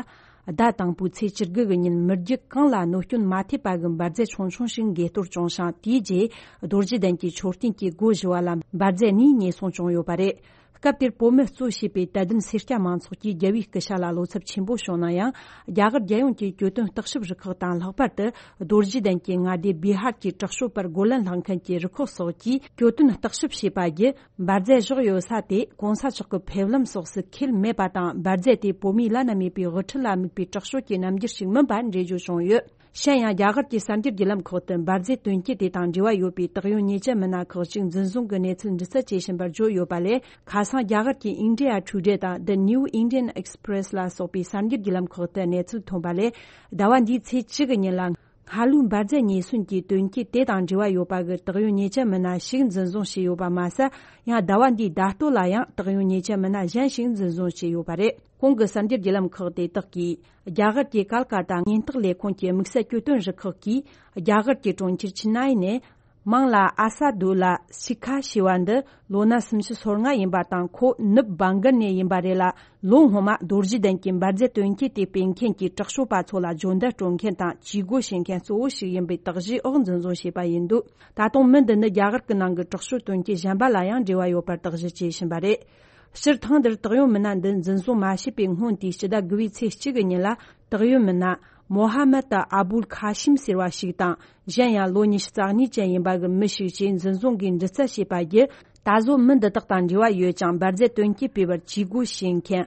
ཟླ་དང་པོའི་ཚེས་བཅུ་དགུ་གི་ཉིན་མི་རྒྱུད་གང་ལ་གནོད་སྐྱོན་མ་ཐེབས་པ་གི་འབར་རྫས་ཆུང་ཆུང་ཞིག་འགས་གཏོར་བྱུང་ཞིང་། དེའི་རྗེས་རྡོ་རྗེ་གདན་གྱི་མཆོད་རྟེན་གྱི་སྒོ་བཞི་བ་ལ་འབར་རྫས་གཉིས་ཉེས་སོང་བྱུང་ཡོད་པ་རེད། སྐབས་དེར་བོད་མི་གཙོས་བྱས་པའི་དད་ལྡན་སེར་སྐྱ་མང་ཚོགས་ཀྱིས་རྒྱལ་བའི་སྐུ་ཕྱྭ་ལ་བློ་འཚབ་ཆེན་པོ་བྱུང་ན་ཡང་། རྒྱ་གར་རྒྱལ་ཡོངས་ཀྱི་གྱོད་དོན་བརྟག་ཞིབ་རུ་ཁག་དང་། ལྷག་པར་དུ་རྡོ་རྗེ་གདན་གྱི་མངའ་སྡེ་བི་ཧར་གྱི་དྲག་ཤོས་པར་རྒོལ་ལན་སློང་མཁན་གྱི་རུ་ཁག་སོགས་ཀྱིས་གྱོད་དོན་བརྟག་ཞིབ་བྱས་པ་བརྒྱུད། འབར་རྫས་བཞག་ཡོད་ས་དེ་༸གོང་ས་མཆོག་གི་ཕེབས་ལམ་སོགས་སུ་འཁེལ་མེད་པ་དང་། འབར་རྫས་དེ་བོད་མིའི་བླ་ན་མེད་པའི་དབུ་ཁྲིད་ལ་དམིགས་པའི་དྲག་ཤོས་ཀྱི་རྣམ་འགྱུར་ཞིག་མིན་པ་འགྲེལ་བརྗོད་བྱུང་ཡོད། གཞན་ཡང་། རྒྱ་གར་གྱི་གསར་འགྱུར་བརྒྱུད་ལམ་ཁག་ཏུ་འབར་རྫས་དོན་རྐྱེན་དེ་དང་འབྲེལ་བ་ཡོད་པའི་དག་ཡོད་ཉེས་ཅན་མི་སྣ་ཁག་ཅིག་འཛིན་བཟུང་གི་གནས་ཚུལ་འདྲི་རྩད་བྱེད་བཞིན་པར་བརྗོད་ཡོད་པ་ལས། ཁ་སང་རྒྱ་གར་གྱི་India Today དང་The New Indian Express ལ་སོགས་པའི་གསར་འགྱུར་བརྒྱུད་ལམ་ཁག་ཏུ་གནས་ཚུལ་ཐོན་པ་ལས། ཟླ་བ་འདིའི་ཚེས་བཅུ་གི་ཉིན་ལ། སྔ་ལོའི་འབར་རྫས་ཉེས་སོན་གྱི་དོན་རྐྱེན་དེ་དང་འབྲེལ་བ་ཡོད་པ་གི་དག་ཡོད་ཉེས་ཅན་མི་སྣ་ཞིག་འཛིན་བཟུང་བྱས་ཡོད་པ་མ་ཟད། ཡང་ཟླ་བ་འདིའི་ཟླ་སྟོད་ལ་ཡང་དག་ཡོད་ཉེས་ཅན་མི་སྣ་གཞན་ཞིག་འཛིན་བཟུང་བྱས་ཡོད་པ་རེད། གོང་གི་གསར་འགྱུར་བརྒྱུད་ལམ་ཁག་དེ་དག་གིས། རྒྱ་གར་གྱི་ཀལ་ཀ་ཏ་ཉེན་རྟོག་ལས་ཁུངས་ཀྱི་དམིགས་བསལ་གྱོད་དོན་རུ་ཁག་གིས། རྒྱ་གར་གྱི་གྲོང་ཁྱེར་ཆི་ནའི་ནས། མང་ལ་ཨ་ས་དུ་ལ་ཤི་ཁ་ཞེས་པ་འདི་ལོ་ན་སུམ་ཅུ་སོ་ལྔ་ཡིན་པ་དང་། ཁོ་ནུབ་བྷང་གལ་ནས་ཡིན་པ་རེད་ལ། ལོ་སྔོན་མ་རྡོ་རྗེ་གདན་གྱི་འབར་རྫས་དོན་རྐྱེན་དེ་སྤེལ་མཁན་གྱི་དྲག་ཤོས་པ་ཚོ་ལ་སྦྱོང་བརྡར་སྤྲོད་མཁན་དང་ཇུས་འགོད་བྱེད་མཁན་གཙོ་བོ་ཞིག་ཡིན་པའི་དག་གཞིའི་འོག་འཛིན་བཟུང་བྱས་པ་ཡིན་འདུག། ད་དུང་མི་འདི་ནི་རྒྱ་གར་གྱི་ནང་གི་དྲག་ཤོས་དོན་རྐྱེན་གཞན་པ་ལ་ཡང་འབྲེལ་བ་ཡོད་པར་དག་གཞི་བྱས་བཞིན་པ་རེད། སྤྱིར་ཐེངས་འདིར་དག་ཡོད་མི་སྣ་འདི་འཛིན་བཟུང་མ་བྱས་པའི་སྔོན་དེའི་སྤྱི་ཟླ་དགུ་པའི་ཚེས་གཅིག་གི་ཉིན་ལ། དག་ཡོད་མི་སྣ་མོ་ཧ་མད་ཨ་བུལ་ཁ་ཤིམ་ཟེར་བ་ཞིག་དང་། གཞན་ཡང་ལོ་ཉི་ཤུ་རྩ་གཉིས་ཅན་ཡིན་པ་གི་མི་ཞིག་བཅས་འཛིན་བཟུང་གིས་འདྲི་རྩད་བྱས་པ་བརྒྱུད། ད་གཟོད་མི་འདི་དག་དང་འབྲེལ་བ་ཡོད་ཅིང་འབར་རྫས་དོན་རྐྱེན་སྤེལ་བར་ཇུས་འགོད་བྱེད་མཁན་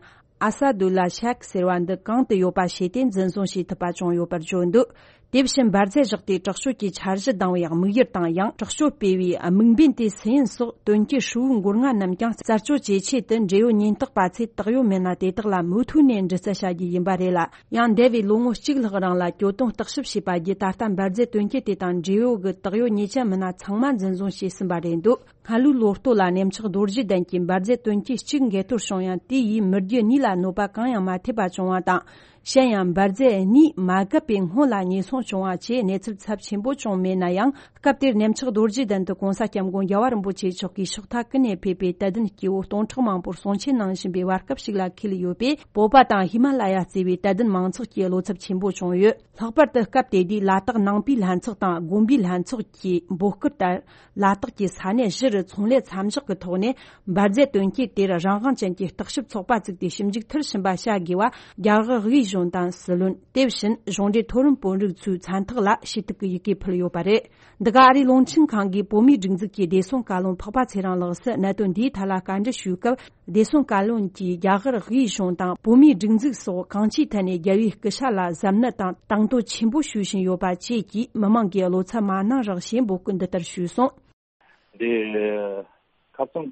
ཨ་ས་དུ་ལ་ཤག་ཟེར་བ་འདི་གང་དུ་ཡོད་པ་ཤེས་ཏེ་འཛིན་བཟུང་བྱེད་ཐུབ་པ་བྱུང་ཡོད་པར་བརྗོད་འདུག། དེ་བཞིན་འབར་རྫས་བཞག་སྟེ་དྲག་སྤྱོད་ཀྱི་འཆར་གཞི་བཏང་བའི་དམིགས་ཡུལ་དང་། ཡང་དྲག་སྤྱོད་སྤེལ་བའི་དམིགས་འབེན་དེ་སུ་ཡིན་སོགས་དོན་རྐྱེན་ཧྲིལ་བོའི་མགོ་རྔ་རྣམས་ཀྱང་རྩད་གཅོད་བྱེད་ཆེད་དུ། འབྲེལ་ཡོད་ཉེན་རྟོག་པ་ཚོས་དག་ཡོད་མི་སྣ་དེ་དག་ལ་མུ་མཐུད་ནས་འདྲི་རྩད་བྱ་རྒྱུ་ཡིན་པ་རེད་ལ། ཡང་འདས་པའི་ལོ་ངོ་གཅིག་ལྷག་རིང་ལ་གྱོད་དོན་བརྟག་ཞིབ་བྱས་པ་བརྒྱུད། ད་ལྟ་འབར་རྫས་དོན་རྐྱེན་དེ་དང་འབྲེལ་ཡོད་ཀྱི་དག་ཡོད་ཉེས་ཅན་མི་སྣ་ཚང་མ་འཛིན་བཟུང་བྱས་ཟིན་པ་རེད་འདུག། སྔ་ལོའི་ལོ་སྟོད་ལ་གནས་མཆོག་རྡོ་རྗེ་གདན་གྱི་འབར་རྫས་དོན་རྐྱེན་གཅིག་འགས་གཏོར་བྱུང་ཡང་། དེ་ཡིས་མི་རྒྱུ་གཉིས་ལ་གནོད་པ་གང་ཡང་མ་ཐེབས་པ་བྱུང་བ་དང་། གཞན་ཡང་འབར་རྫས་གཉིས་མ་བརྒལ་བའི་སྔོན་ལ་ཉེན་སྲུང་བྱུང་བ་བཅས་གནས་ཚུལ་ཚབས་ཆེན་པོ་བྱུང་མེད་ན་ཡང་། སྐབས་དེར་གནས་མཆོག་རྡོ་རྗེ་གདན་དུ་༸གོང་ས་༸སྐྱབས་མགོན་རྒྱལ་བ་རིན་པོ་ཆེ་མཆོག་གིས་ཕྱག་རྟགས་ཀུན་ནས་ཕེབས་པའི་དད་ལྡན་སྐྱེ་བོ་སྟོང་ཕྲག་མང་པོར་གསུང་ཆོས་གནང་བཞིན་པའི་བར་སྐབས་ཤིག་ལ་འཁེལ་ཡོད་པས། བོད་པ་དང་ཧི་མ་ལ་ཡ་གཙོས་པའི་དད་ལྡན་མང་ཚོགས་ཀྱི་བློ་འཚབ་ཆེན་པོ་བྱུང་ཡོད། ལྷག་པར་དུ་སྐབས་དེ་དུས་ལ་དྭགས་ནང་པའི་ལྷན་ཚོགས་དང་དགོན་པའི་ལྷན་ཚོགས་ཀྱི་འབོད་སྐུལ་ལྟར། ལ་དྭགས་ཀྱི་ས་གནས་བཞི་རུ་ཚོང་ལས་མཚམས་འཇོག་གི་ཐོག་ནས་འབར་རྫས་དོན་རྐྱེན་དེར་རང་དབང་ཅན་གྱི་བརྟག་ཞིབ་ཚོགས་པ་བཙུགས་ཏེ་ཞིབ་འཇུག་མཐིལ་ཕྱིན་པ་བྱ་དགོས་པ་རྒྱ་གར་དབུས་གཞུང་དང་སྲིད་བློན། དེ་བཞིན་གཞུང་འབྲེལ་མཐོ་རིམ་དཔོན་རིགས་ཚོའི་མཚན་ཐོག་ལ་ཞུ་གཏུག་གི་ཡི་གེ་ཕུལ་ཡོད་པ་རེད། འདི་ག་ཨ་རིའི་རླུང་འཕྲིན་ཁང་གིས་བོད་མིའི་སྒྲིག་འཛུགས་ཀྱི་བདེ་སྲུང་བཀའ་བློན་འཕགས་པ་ཚེ་རིང་ལགས་སུ་གནད་དོན་འདིའི་ཐད་ལ་བཀའ་འདྲི་ཞུས་སྐབས། བདེ་སྲུང་བཀའ་བློན་གྱིས་རྒྱ་གར་དབུས་གཞུང་དང་བོད་མིའི་སྒྲིག་འཛུགས་སོགས་གང་ཅིའི་ཐད་ནས་རྒྱལ་བའི་སྐུ་ཕྱྭ་ལ་གཟབ་ནན་དང་དང་དོད་ཆེན་པོ་ཞུ་བཞིན་ཡོད་པ་བཅས་ཀྱིས་མི་མང་གི་བློ་འཚབ་མ་གནང་རོགས་ཞེས་འབོད་སྐུལ་འདི་ལྟར་ཞུས་སོང་། འདི་ཁ་སང་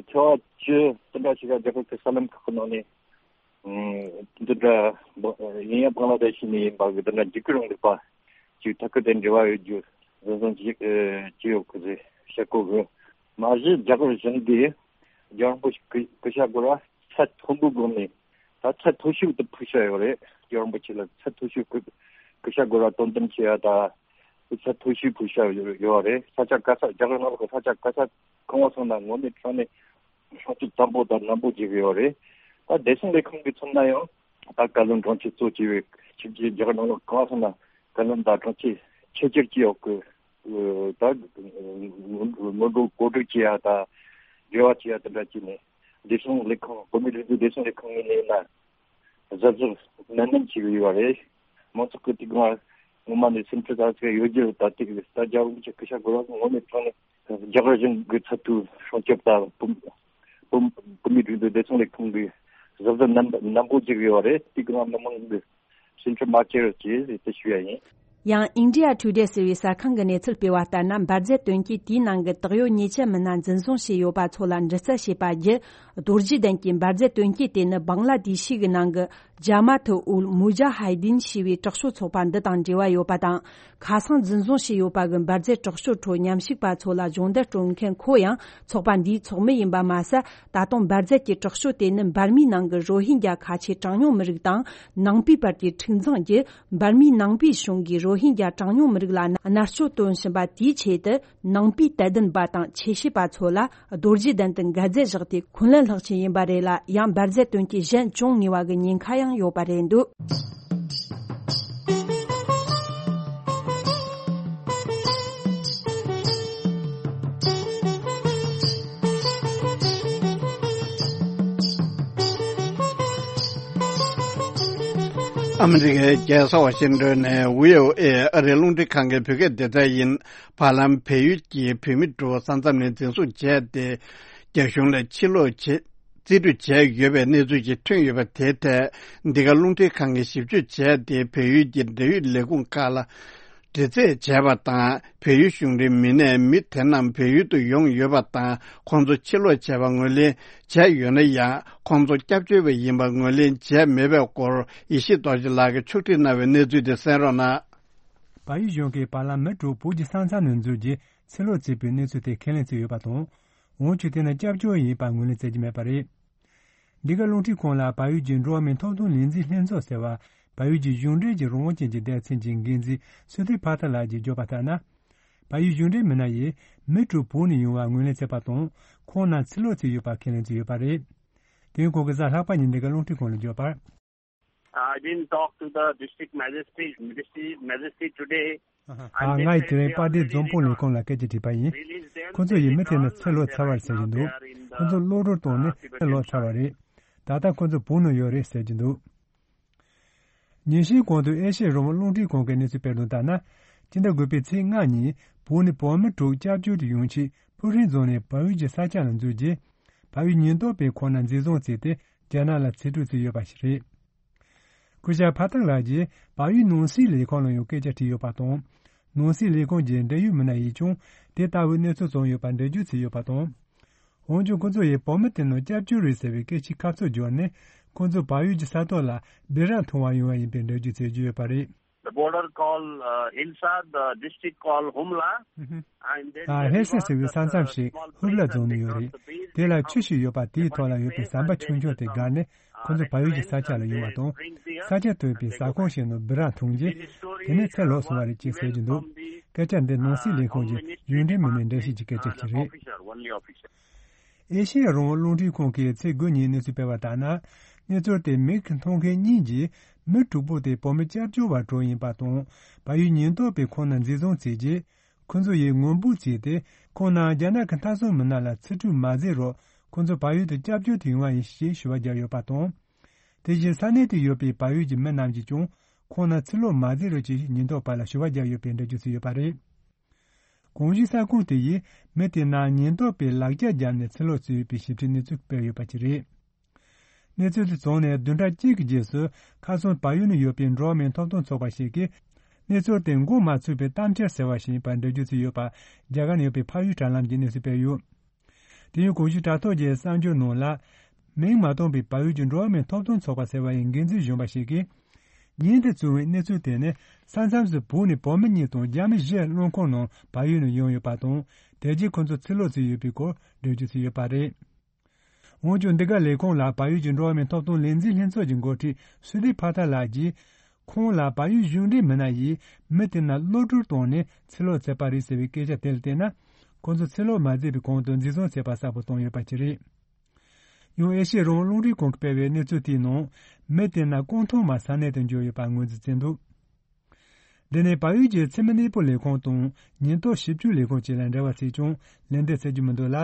ཚེས་པ་བཅུ་དེ་འདྲ་ཞིག་ལ་རྒྱ་གར་གྱི་གསར་ལམ་ཁག་གི་ནང་ནས་འདི་འདྲ་ཡིན་ཡང་བང་ལ་དེ་ཤི་ནས་ཡིན་པ་གི་འདི་འདྲ་འཇིགས་སྐུལ་རིང་ལུགས་པ་ཅིག་ཐད་ཀར་དེ་འབྲེལ་བ་ཡོད་རྒྱུ་འཛིན་བཟུང་ཅིག་ཅི་ཡོད་གི་ཟེར་བཤད་གོ་གི། མ་གཞི་རྒྱ་གར་གཞུང་གིས་རྒྱལ་བ་རིན་པོ་ཆེ་སྐུ་སྐུ་ཤ་དགོས་ར་ཚད་མཐོན་པོའི་སྒོ་ནས་ད་ཚད་མཐོ་ཤོས་དུ་ཕུལ་བྱ་ཡོད་རེད། རྒྱལ་བ་རིན་པོ་ཆེ་ལ་ཚད་མཐོ་ཤོས་སྐུ་སྐུ་ཤ་དགོས་ར་དོ་དམ་བྱེད་ཡ་ད་ཚད་མཐོ་ཤོས་ཕུལ་བྱ་ཡོད་ཡོད་རེད། ས་ཆ་ག་ས་རྒྱ་གར་ནང་ལ་ས་ཆ་ག་ས་གང་བ་སོང་ན་ངོ་མའི་དྲང་ནས་སྲུང་སྐྱོབ་དམ་པོ་དང་ནན་པོ་བྱེད་ཀྱི་ཡོད་རེད། ད་བདེ་སྲུང་ལས་ཁུངས་ཀྱི་མཚོན་ན་ཡང་ད་བཀའ་བློན་དྲུང་ཆེ་གཙོ་བྱས་པའི་ཁྱིམ་མཚེས་རྒྱ་གར་ནང་ལ་གང་བ་སོང་ན་བཀའ་བློན་དང་དྲུང་ཆེ་ཆེ་ཆེར་གྱི་འོག་གི་ད་ངོ་སྤྲོད་གོ་སྒྲིག་བྱེད་ཡ་ད་འབྲེལ་བ་བྱེད་ཡ་དེ་འདྲ་བྱས་ནས་བདེ་སྲུང་ལས་ཁང་བོད་མིའི་སྒྲིག་འཛུགས་བདེ་སྲུང་ལས་ཁང་ངོས་ནས་ཡིན་ན་གཟབ་གཟབ་ནན་ནན་བྱེད་ཀྱི་ཡོད་རེད། མང་ཚོགས་ཀྱི་དེ་ག་ངོ་མ་ནས་སེམས་ཁྲལ་ད་ཚད་ཡོད་རྒྱུ་ད་དེ་ད་རྒྱ་བོད་མི་ཆ་སྐུ་ཞབས་གོ་ར་ངོ་མའི་ཐོག་ནས་རྒྱ་གར་གཞུང་གི་ཚབ་ཏུ་སྲུང་སྐྱོབ་དང་བོད་བོད་བོད་མིའི་སྒྲིག་འཛུགས་བདེ་སྲུང་ལས་ཁང་གིས་གཟབ་གཟབ་ནན་ནན་པོ་བྱེད་ཀྱི་ཡོད་རེད། དེ་ག་མི་མང་གི་སེམས་ཁྲལ་མ་བྱེད་རོགས་ཞེས་དེ་ཞུ་ཡ་ཡིན། ཡང་India Today ཟེར་བའི་གསར་ཁང་གི་གནས་ཚུལ་སྤེལ་བ་ལྟར་ན། འབར་རྫས་དོན་རྐྱེན་དེའི་ནང་གི་དག་ཡོད་ཉེས་ཅན་མི་སྣ་འཛིན་བཟུང་བྱས་ཡོད་པ་ཚོ་ལ་འདྲི་རྩད་བྱས་པ་བརྒྱུད། རྡོ་རྗེ་གདན་གྱི་འབར་རྫས་དོན་རྐྱེན་དེ་ནི་བང་ལ་དེ་ཤི་གི་ནང་གི་ཇ་མ་ཐུ་ཨུལ་མུ་ཇ་ཧའི་དིན་ཞེས་པའི་དྲག་སྤྱོད་ཚོགས་པ་འདི་དང་འབྲེལ་བ་ཡོད་པ་དང་། ཁ་སང་འཛིན་བཟུང་བྱས་ཡོད་པ་གི་འབར་རྫས་དྲག་སྤྱོད་ཁྲོད་ཉམས་ཞིག་པ་ཚོ་ལ་སྦྱོང་བརྡར་སྤྲོད་མཁན་ཁོ་ཡང་ཚོགས་པ་འདིའི་ཚོགས་མི་ཡིན་པ་མ་ཟད། ད་དུང་འབར་རྫས་ཀྱི་དྲག་སྤྱོད་དེ་ནི་འབར་མའི་ནང་གི་རོ་ཧིན་རྒྱ་ཁ་ཆེ་གྲངས་ཉུང་མི་རིགས་དང་ནང་པའི་བར་གྱི་འཁྲུག་འཛིང་བརྒྱུད། འབར་མའི་ནང་པའི་གཞུང་གིས་རོ་ཧིན་རྒྱ་གྲངས་ཉུང་མི་རིགས་ལ་མནར་གཅོད་བཏོན་བཞིན་པ་དེའི་ཆེད་དུ། ནང་པའི་དད་ལྡན་པ་དང་ཆོས་བྱེད་པ་ཚོ་ལ་རྡོ་རྗེ་གདན་དུ་འགལ་རྫས་བཞག་སྟེ་འཁོན་ལན་སློག་ཆེད་ཡིན་པ་རེད་ལ། ཡང་འབར་རྫས་དོན་རྐྱེན་གཞན་བྱུང་ངེས་པ་གི་ཉེན་ཁ་ཡང་ཡོད་པ་རེད་འདུག་ཨ་མི་རི་ཀའི་རྒྱལ་ས་ཝ་ཤིང་ཏོན་ནས་བྷི་ཨོ་ཨེ་ཨ་རིའི་རླུང་འཕྲིན་ཁང་གི་བོད་སྐད་སྡེ་ཚན་ཡིན། བར་ལམ་བལ་ཡུལ་གྱི་བོད་མི་དྲུག་ས་མཚམས་ནས་འཛིན་བཟུང་བྱས་ཏེ། རྒྱ་གཞུང་ལ་ཕྱིར་སློག་བྱེད། རྩིས་སྤྲོད་བྱས་ཡོད་པའི་གནས་ཚུལ་ཞིག་ཐོན་ཡོད་པ་དེའི་ཐད། འདི་ག་རླུང་འཕྲིན་ཁང་གིས་ཞིབ་དཔྱོད་བྱས་ཏེ། བལ་ཡུལ་གྱི་འབྲེལ་ཡོད་ལས་ཁུངས་ཁག་ལ་དྲི་རྩད་བྱས་པ་དང་། བལ་ཡུལ་གཞུང་འབྲེལ་མི་སྣས་མི་དེ་རྣམས་བལ་ཡུལ་དུ་ཡོང་ཡོད་པ་དང་། ཁོང་ཚོ་ཕྱིར་སློག་བྱས་པ་ངོས་ལེན་བྱས་ཡོད་ན་ཡང་། ཁོང་ཚོ་སྐྱབས་བཅོལ་བ་ཡིན་པ་ངོས་ལེན་བྱས་མེད་པའི་སྐོར། ཡེ་ཤེས་རྡོ་རྗེ་ལགས་ཀྱིས་ཕྱོགས་སྒྲིག་གནང་བའི་གནས་ཚུལ་དེ་གསན་རོགས་གནང་། བལ་ཡུལ་གཞུང་གིས་བར་ལམ་མི་དྲུག་བོད་ཀྱི་ས་མཚམས་ནས་འཛུལ་རྗེས་ཕྱིར་སློག་བྱས་པའི་གནས་ཚུལ་དེ་ཁས་ལེན་བྱས་ཡོད་པ་དང་། འོན་ཀྱང་དེ་ནི་སྐྱབས་བཅོལ་ཡིན་པ་ངོས་ལེན་བྱེད་ཀྱི་མེད་པ་རེད། འདི་ག་རླུང་འཕྲིན་ཁང་ལ་བལ་ཡུལ་གྱི་འགྲོ་བ་མིའི་ཐོབ་ཐང་ལས་འཛིན་ལྷན་ཚོགས་ཟེར་བ། བལ་ཡུལ་གྱི་གཞུང་འབྲེལ་གྱི་རང་དབང་ཅན་གྱི་སྡེ་ཚན་གྱི་འགན་འཛིན་སུ་ཐི་ཕ་ཐ་ལགས་ཀྱིས་བརྗོད་པ་ལྟར་ན། བལ་ཡུལ་གཞུང་འབྲེལ་མི་སྣ་ཡིས་མི་དྲུག་བོད་ནས་ཡོང་བ་ངོས་ལེན་བྱས་པ་དང་། ཁོང་རྣམས་ཕྱིར་སློག་བྱས་ཡོད་པ་ཁས་ལེན་བྱས་ཡོད་པ་རེད། དེ་ཡང་ཁོང་གིས་གཟའ་ལྷག་པ་ཉིན་འདི་ག་རླུང་འཕྲིན་ཁང་ལ་བརྗོད་པར། I didn't talk to the district magistrate, district magistrate today. ཨ། ང་ཡིས་དེ་རིང་དཔལ་ལྡན་འཛམ་བུ་གླིང་ལས་ཁུངས་ལ་སྐད་ཆ་དྲིས་པ་ཡིན། ཁོ་ཚོ་ཡིས་མི་དེ་རྣམས་ཕྱིར་སློག་ཚར་བ་རེད་ཟེར་གྱི་འདུག་ཁོ་ཚོ་གློད་བཀྲོལ་བཏང་ནས་ཕྱིར་སློག་ཚར་བ་རེད། ད་ལྟ་ཁོ་ཚོ་བོད་ནང་ཡོད་རེད་ཟེར་གྱི་འདུག་ཉིན་ཤས་གོང་དུ་ཨེ་ཤེ་ཡ་རང་དབང་རླུང་འཕྲིན་ཁང་གིས་གནས་ཚུལ་སྤེལ་དོན་ལྟར་ན། སྤྱི་ཟླ་དགུ་པའི་ཚེས་ལྔ་ཉིན་བོད་ནས་བོད་མི་དྲུག་སྐྱབས་བཅོལ་དུ་ཡོང་ཆེད་ཕུག་རོན་རྫོང་ནས་བལ་ཡུལ་གྱི་ས་ཆ་ལ་འཛུལ་རྗེས། བལ་ཡུལ་ཉེན་རྟོག་པས་ཁོང་རྣམས་འཛིན་བཟུང་བྱས་ཏེ་རྒྱ་ནག་ལ་ཕྱིར་སྤྲོད་བྱས་ཡོད་པ་ཞིག་རེད། སྐུ་ཞབས་ཕ་ཐག་ལགས་ཀྱིས་བལ་ཡུལ་ནང་སྲིད་ལས་ཁང་ལ་ཡང་སྐད་ཆ་དྲིས་ཡོད་པ་དང་། ནང་སྲིད་ལས་ཁང་གི་འབྲེལ་ཡོད་མི་སྣ་ཡིས་ཀྱང་དེ་ལྟ་བུའི་གནས་ཚུལ་བྱུང་ཡོད་པར་འགྲེལ་བརྗོད་བྱས་ཡོད་པ་དང་། འོན་ཀྱང་ཁོ་ཚོ་ཡིས་བོད་མི་དེ་རྣམས་སྐྱབས་བཅོལ་རེད་ཟེར་བའི་སྐད་ཆའི་ཁ་ཕྱོགས་བསྒྱུར་ནས། ཁོ་ཚོ་བལ་ཡུལ་གྱི་ས་ཐོག་ལ་སྦི་རག་འཐུང་བར་ཡོང་བ་ཡིན་པའི་འགྲེལ་བརྗོད་བྱེད་ཀྱི་ཡོད་པ་རེད། The border called, uh, Hilsa, the district called Humla. ཧིལ་ས་ཟེར་བའི་ས་མཚམས་ཤིག་ཧུབ་ལ་རྫོང་ནས་ཡོད་རེད། དེ་ལ་ཆུ་ཞིག་ཡོད་པ་དེའི་ཐོག་ལ་ཡོད་པའི་ཟམ་པ་ཆུང་ཆུང་དེ་བརྒལ་ནས་ ཁོ་ཚོ་བལ་ཡུལ་གྱི་ས་ཆ་ལ་ཡོང་བ་དང་། ས་ཆ་སྟོན་པའི་ས་ཁོངས་ཤིག་ནང་སྦི་རག་འཐུང་རྗེས། དེ་ནས་ཚུར་ལོག་སོང་བ་རེད་ཅེས་ཟེར་གྱི་འདུག་སྐད་ཆ་འདི་ནང་སྲིད་ལས་ཁུངས་ཀྱི་གཞུང་འབྲེལ་མི་སྣས་འགྲེལ་བཤད་ཀྱི་སྐད་ཆ་ཞིག་རེད། ཨེ་ཤེ་ཡ་རང་དབང་རླུང་འཕྲིན་ཁང་གིས་ཚེས་དགུ་ཉིན་གནས་ཚུལ་སྤེལ་བ་ལྟར་ན། གནས་ཚུལ་དེ་མིག་གིས་མཐོང་མཁན་གཉིས་ཀྱིས་མི་དྲུག་པོ་དེ་བོད་མི་སྐྱབས་བཅོལ་བ་དྲུག་ཡིན་པ་དང་། བལ་ཡུལ་ཉེན་རྟོག་པས་ཁོང་རྣམས་འཛིན་བཟུང་བྱས་རྗེས། ཁོ་ཚོ་ཡིས་ངོ་འབུལ་བྱས་ཏེ། ཁོང་རྣམས་རྒྱ་ནག་གི་མཐའ་སྲུང་མི་སྣ་ལ་ཚིག་འཕྲུལ་མ་བརྩེ་རོགས། ཁོ་ཚོ་བལ་ཡུལ་དུ་སྐྱབས་བཅོལ་དུ་ཡོང་བ་ཡིན་ཞེས་ཞུ་བ་བརྒྱབ་ཡོད་པ་དང་། དེ་བཞིན་ས་གནས་དུ་ཡོད་པའི་བལ་ཡུལ་གྱི་མི་རྣམས་ཀྱིས་ཀྱང་། ཁོང་རྣམས་ཚུར་ལོག་མ་བྱེད་རོགས་ཅེས་ཉེན་རྟོག་པ་ལ་ཞུ་བ་བརྒྱབ་ཡོད་པའི་འགྲེལ་བརྗོད་བྱས་ཡོད་པ་རེད། གོང་ཞུས་ས་ཁུངས་དེ་ཡིས་མི་དེ་རྣམས་ཉེན་རྟོག་པས་ལག་ཆ་བརྒྱབ་ནས་ཚུར་ལོག་བྱས་ཡོད་པའི་ཞིབ་ཕྲའི་གནས་ཚུལ་སྤེལ་ཡོད་པ་ཞིག་རེད། གནས་ཚུལ་དེ་རྫོགས་ནས་བདུན་ཕྲག་གཅིག་གི་རྗེས་སུ། ཁ་སང་བལ་ཡུལ་ནང་ཡོད་པའི་འགྲོ་བ་མིའི་ཐོབ་ཐང་ཚོགས་པ་ཞིག་གིས། གནས་ཚུལ་དེ་མགོ་མ་ཚོས་པའི་གཏམ་འཆལ་ཟེར་བ་ཞིག་ཡིན་པར་འགྲེལ་བརྗོད་བྱས་ཡོད་པ། རྒྱ་གར་ནང་ཡོད་པའི་འཕགས་ཡུལ་དྲ་ལམ་གྱིས་གནས་ཚུལ་སྤེལ་ཡོད། དེ་ཡང་གོང་ཞུས་དྲ་ཐོག་གི་གསར་འགྱུར་ནང་ལ། མིང་མ་བཏོན་པའི་བལ་ཡུལ་གྱི་འགྲོ་བ་མིའི་ཐོབ་ཐང་ཚོགས་པ་ཟེར་བ་ཡི་འགན་འཛིན་གཞོན་པ་ཞིག་གིས། ཉིན་དེ་བཙུགས་པའི་གནས་ཚུལ་དེ་ནི། ས་མཚམས་སུ་བོད་ནས་བོད་མི་གཉིས་དང་རྒྱ་མི་བཞི་རླངས་འཁོར་ནང་བལ་ཡུལ་ནང་ཡོང་ཡོད་པ་དང་། དེ་རྗེས་ཁོ་ཚོ་ཚུར་ལོག་བྱས་ཡོད་པའི་སྐོར་འགྲེལ་བརྗོད་བྱས་ཡོད་པ་རེད། འོན་ཀྱང་། འདི་ག་ལས་ཁུངས་ལ་བལ་ཡུལ་གྱི་འགྲོ་བ་མིའི་ཐོབ་ཐང་ལས་འཛིན་ལྷན་ཚོགས་ཀྱི་འགོ་ཁྲིད་སུ་དི་ཕ་ཐ་ལགས་ཀྱིས། ཁོང་ལ་བལ་ཡུལ་གཞུང་འབྲེལ་མི་སྣ་ཡིས་མི་དེ་རྣམས་གློད་བཀྲོལ་བཏང་ནས་ཚུར་ལོག་བྱས་པ་རེད་ཟེར་བའི་སྐད་ཆ་དེ་ལ་བལྟས་ན། ཁོང་ཚོ་ཚུར་ལོག་མ་བྱས་པའི་གོང་དུ་འཛིན་བཟུང་བྱས་པ་གསལ་པོ་བཏོན་ཡོད་པ་ཞིག་རེད། ཡང་། ཨེ་ཤེ་ཡ་རང་དབང་རླུང་འཕྲིན་ཁང་གིས་སྤེལ་བའི་གནས་ཚུལ་དེའི་ནང་། མི་དེ་རྣམས་སྐུ་ཐོག་མར་ས་གནས་དུ་འབྱོར་ཡོད་པར་ངོས་འཛིན་བྱས་འདུག་འདི་ནི་བལ་ཡུལ་གྱི་འཚེ་མེད་གནས་སྤོ་ལས་ཁུངས་དང་ཉེན་རྟོག་ཞིབ་དཔྱོད་ལས་ཁུངས་བཅས་ལ་འབྲེལ་བ་བྱས་ཀྱང་ལན་འདེབས་བྱེད་རྒྱུ་མི་འདུག་ལ།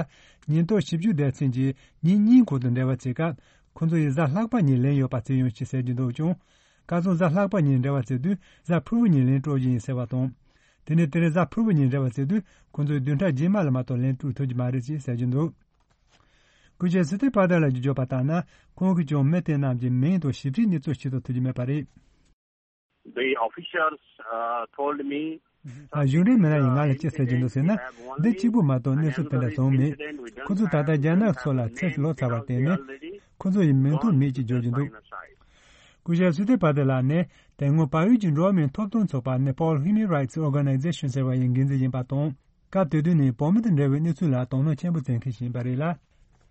ཉེན་རྟོག་ཞིབ་དཔྱོད་སྡེ་ཚན་གྱིས་ཉིན་གཉིས་གོང་དུ་འབྲེལ་བ་བྱེད་སྐབས། ཁོ་ཚོ་ཡིས་གཟའ་ལྷག་པ་ཉིན་ལན་ཡོད་པ་བྱས་ཡོང་ཞེས་ཟེར་གྱི་འདུག་ཀྱང་། ཁ་སང་གཟའ་ལྷག་པ་ཉིན་འབྲེལ་བ་བྱེད་དུས་གཟའ་ཕུར་བུ་ཉིན་ལན་སྤྲོད་རྒྱུ་ཡིན་ཟེར་བ་དང་། དེ་ནས་དེ་རིང་གཟའ་ཕུར་བུ་ཉིན་འབྲེལ་བ་བྱེད་དུས་ཁོ་ཚོས་བདུན་ཕྲག་རྗེས་མ་ལ་མ་གཏོགས་ལན་སྤྲོད་ཐུབ་ཀྱི་མ་རེད་ཅེས་ཟེར་གྱི་འདུག་སྐུ་ཞབས་སི་ཏི་པ་ཏ་ལགས་ཀྱིས་བརྗོད་པ་ལྟར་ན། ཁོང་གིས་ཀྱང་མི་དེ་རྣམས་ཀྱི་མིང་དང་ཞིབ་ཕྲའི་གནས་ཚུལ་ཤེས་རྟོགས་ཐུབ་ཀྱི་མེད་པ་རེད། The officials, uh, told me གཞུང་འབྲེལ་མི་སྣ་ཡིས་ང་ལ་ཅི་ཟེར་གྱི་འདུག་ཟེར་ན། འདི་གཅིག་པུ་མ་གཏོགས་གནས་ཚུལ་དེ་འདྲ་བྱུང་མེད། ཁོ་ཚོས་ད་ལྟ་རྒྱ་ནག་ཕྱོགས་ལ་ཚུར་ལོག་ཚར་བར་བརྟེན་ནས། ཁོ་ཚོ་ཡི་མིང་ཐོ་མེད་ཅེས་བརྗོད་ཀྱི་འདུག་སྐུ་ཞབས་སི་ཏི་པ་ཏེ་ལགས་ནི་དེ་སྔོན་བལ་ཡུལ་གྱི་འགྲོ་བ་མིའི་ཐོབ་ཐང་ཚོགས་པ་Nepal Human Rights Organization ཟེར་བ་ཡི་འགན་འཛིན་ཡིན་པ་དང་། སྐབས་དེ་དུས་ནས་བོད་མི་དང་འབྲེལ་བའི་གནས་ཚུལ་ལ་དོ་སྣང་ཆེན་པོ་བྱེད་མཁན་ཞིག་ཡིན་པ་རེད་ལ།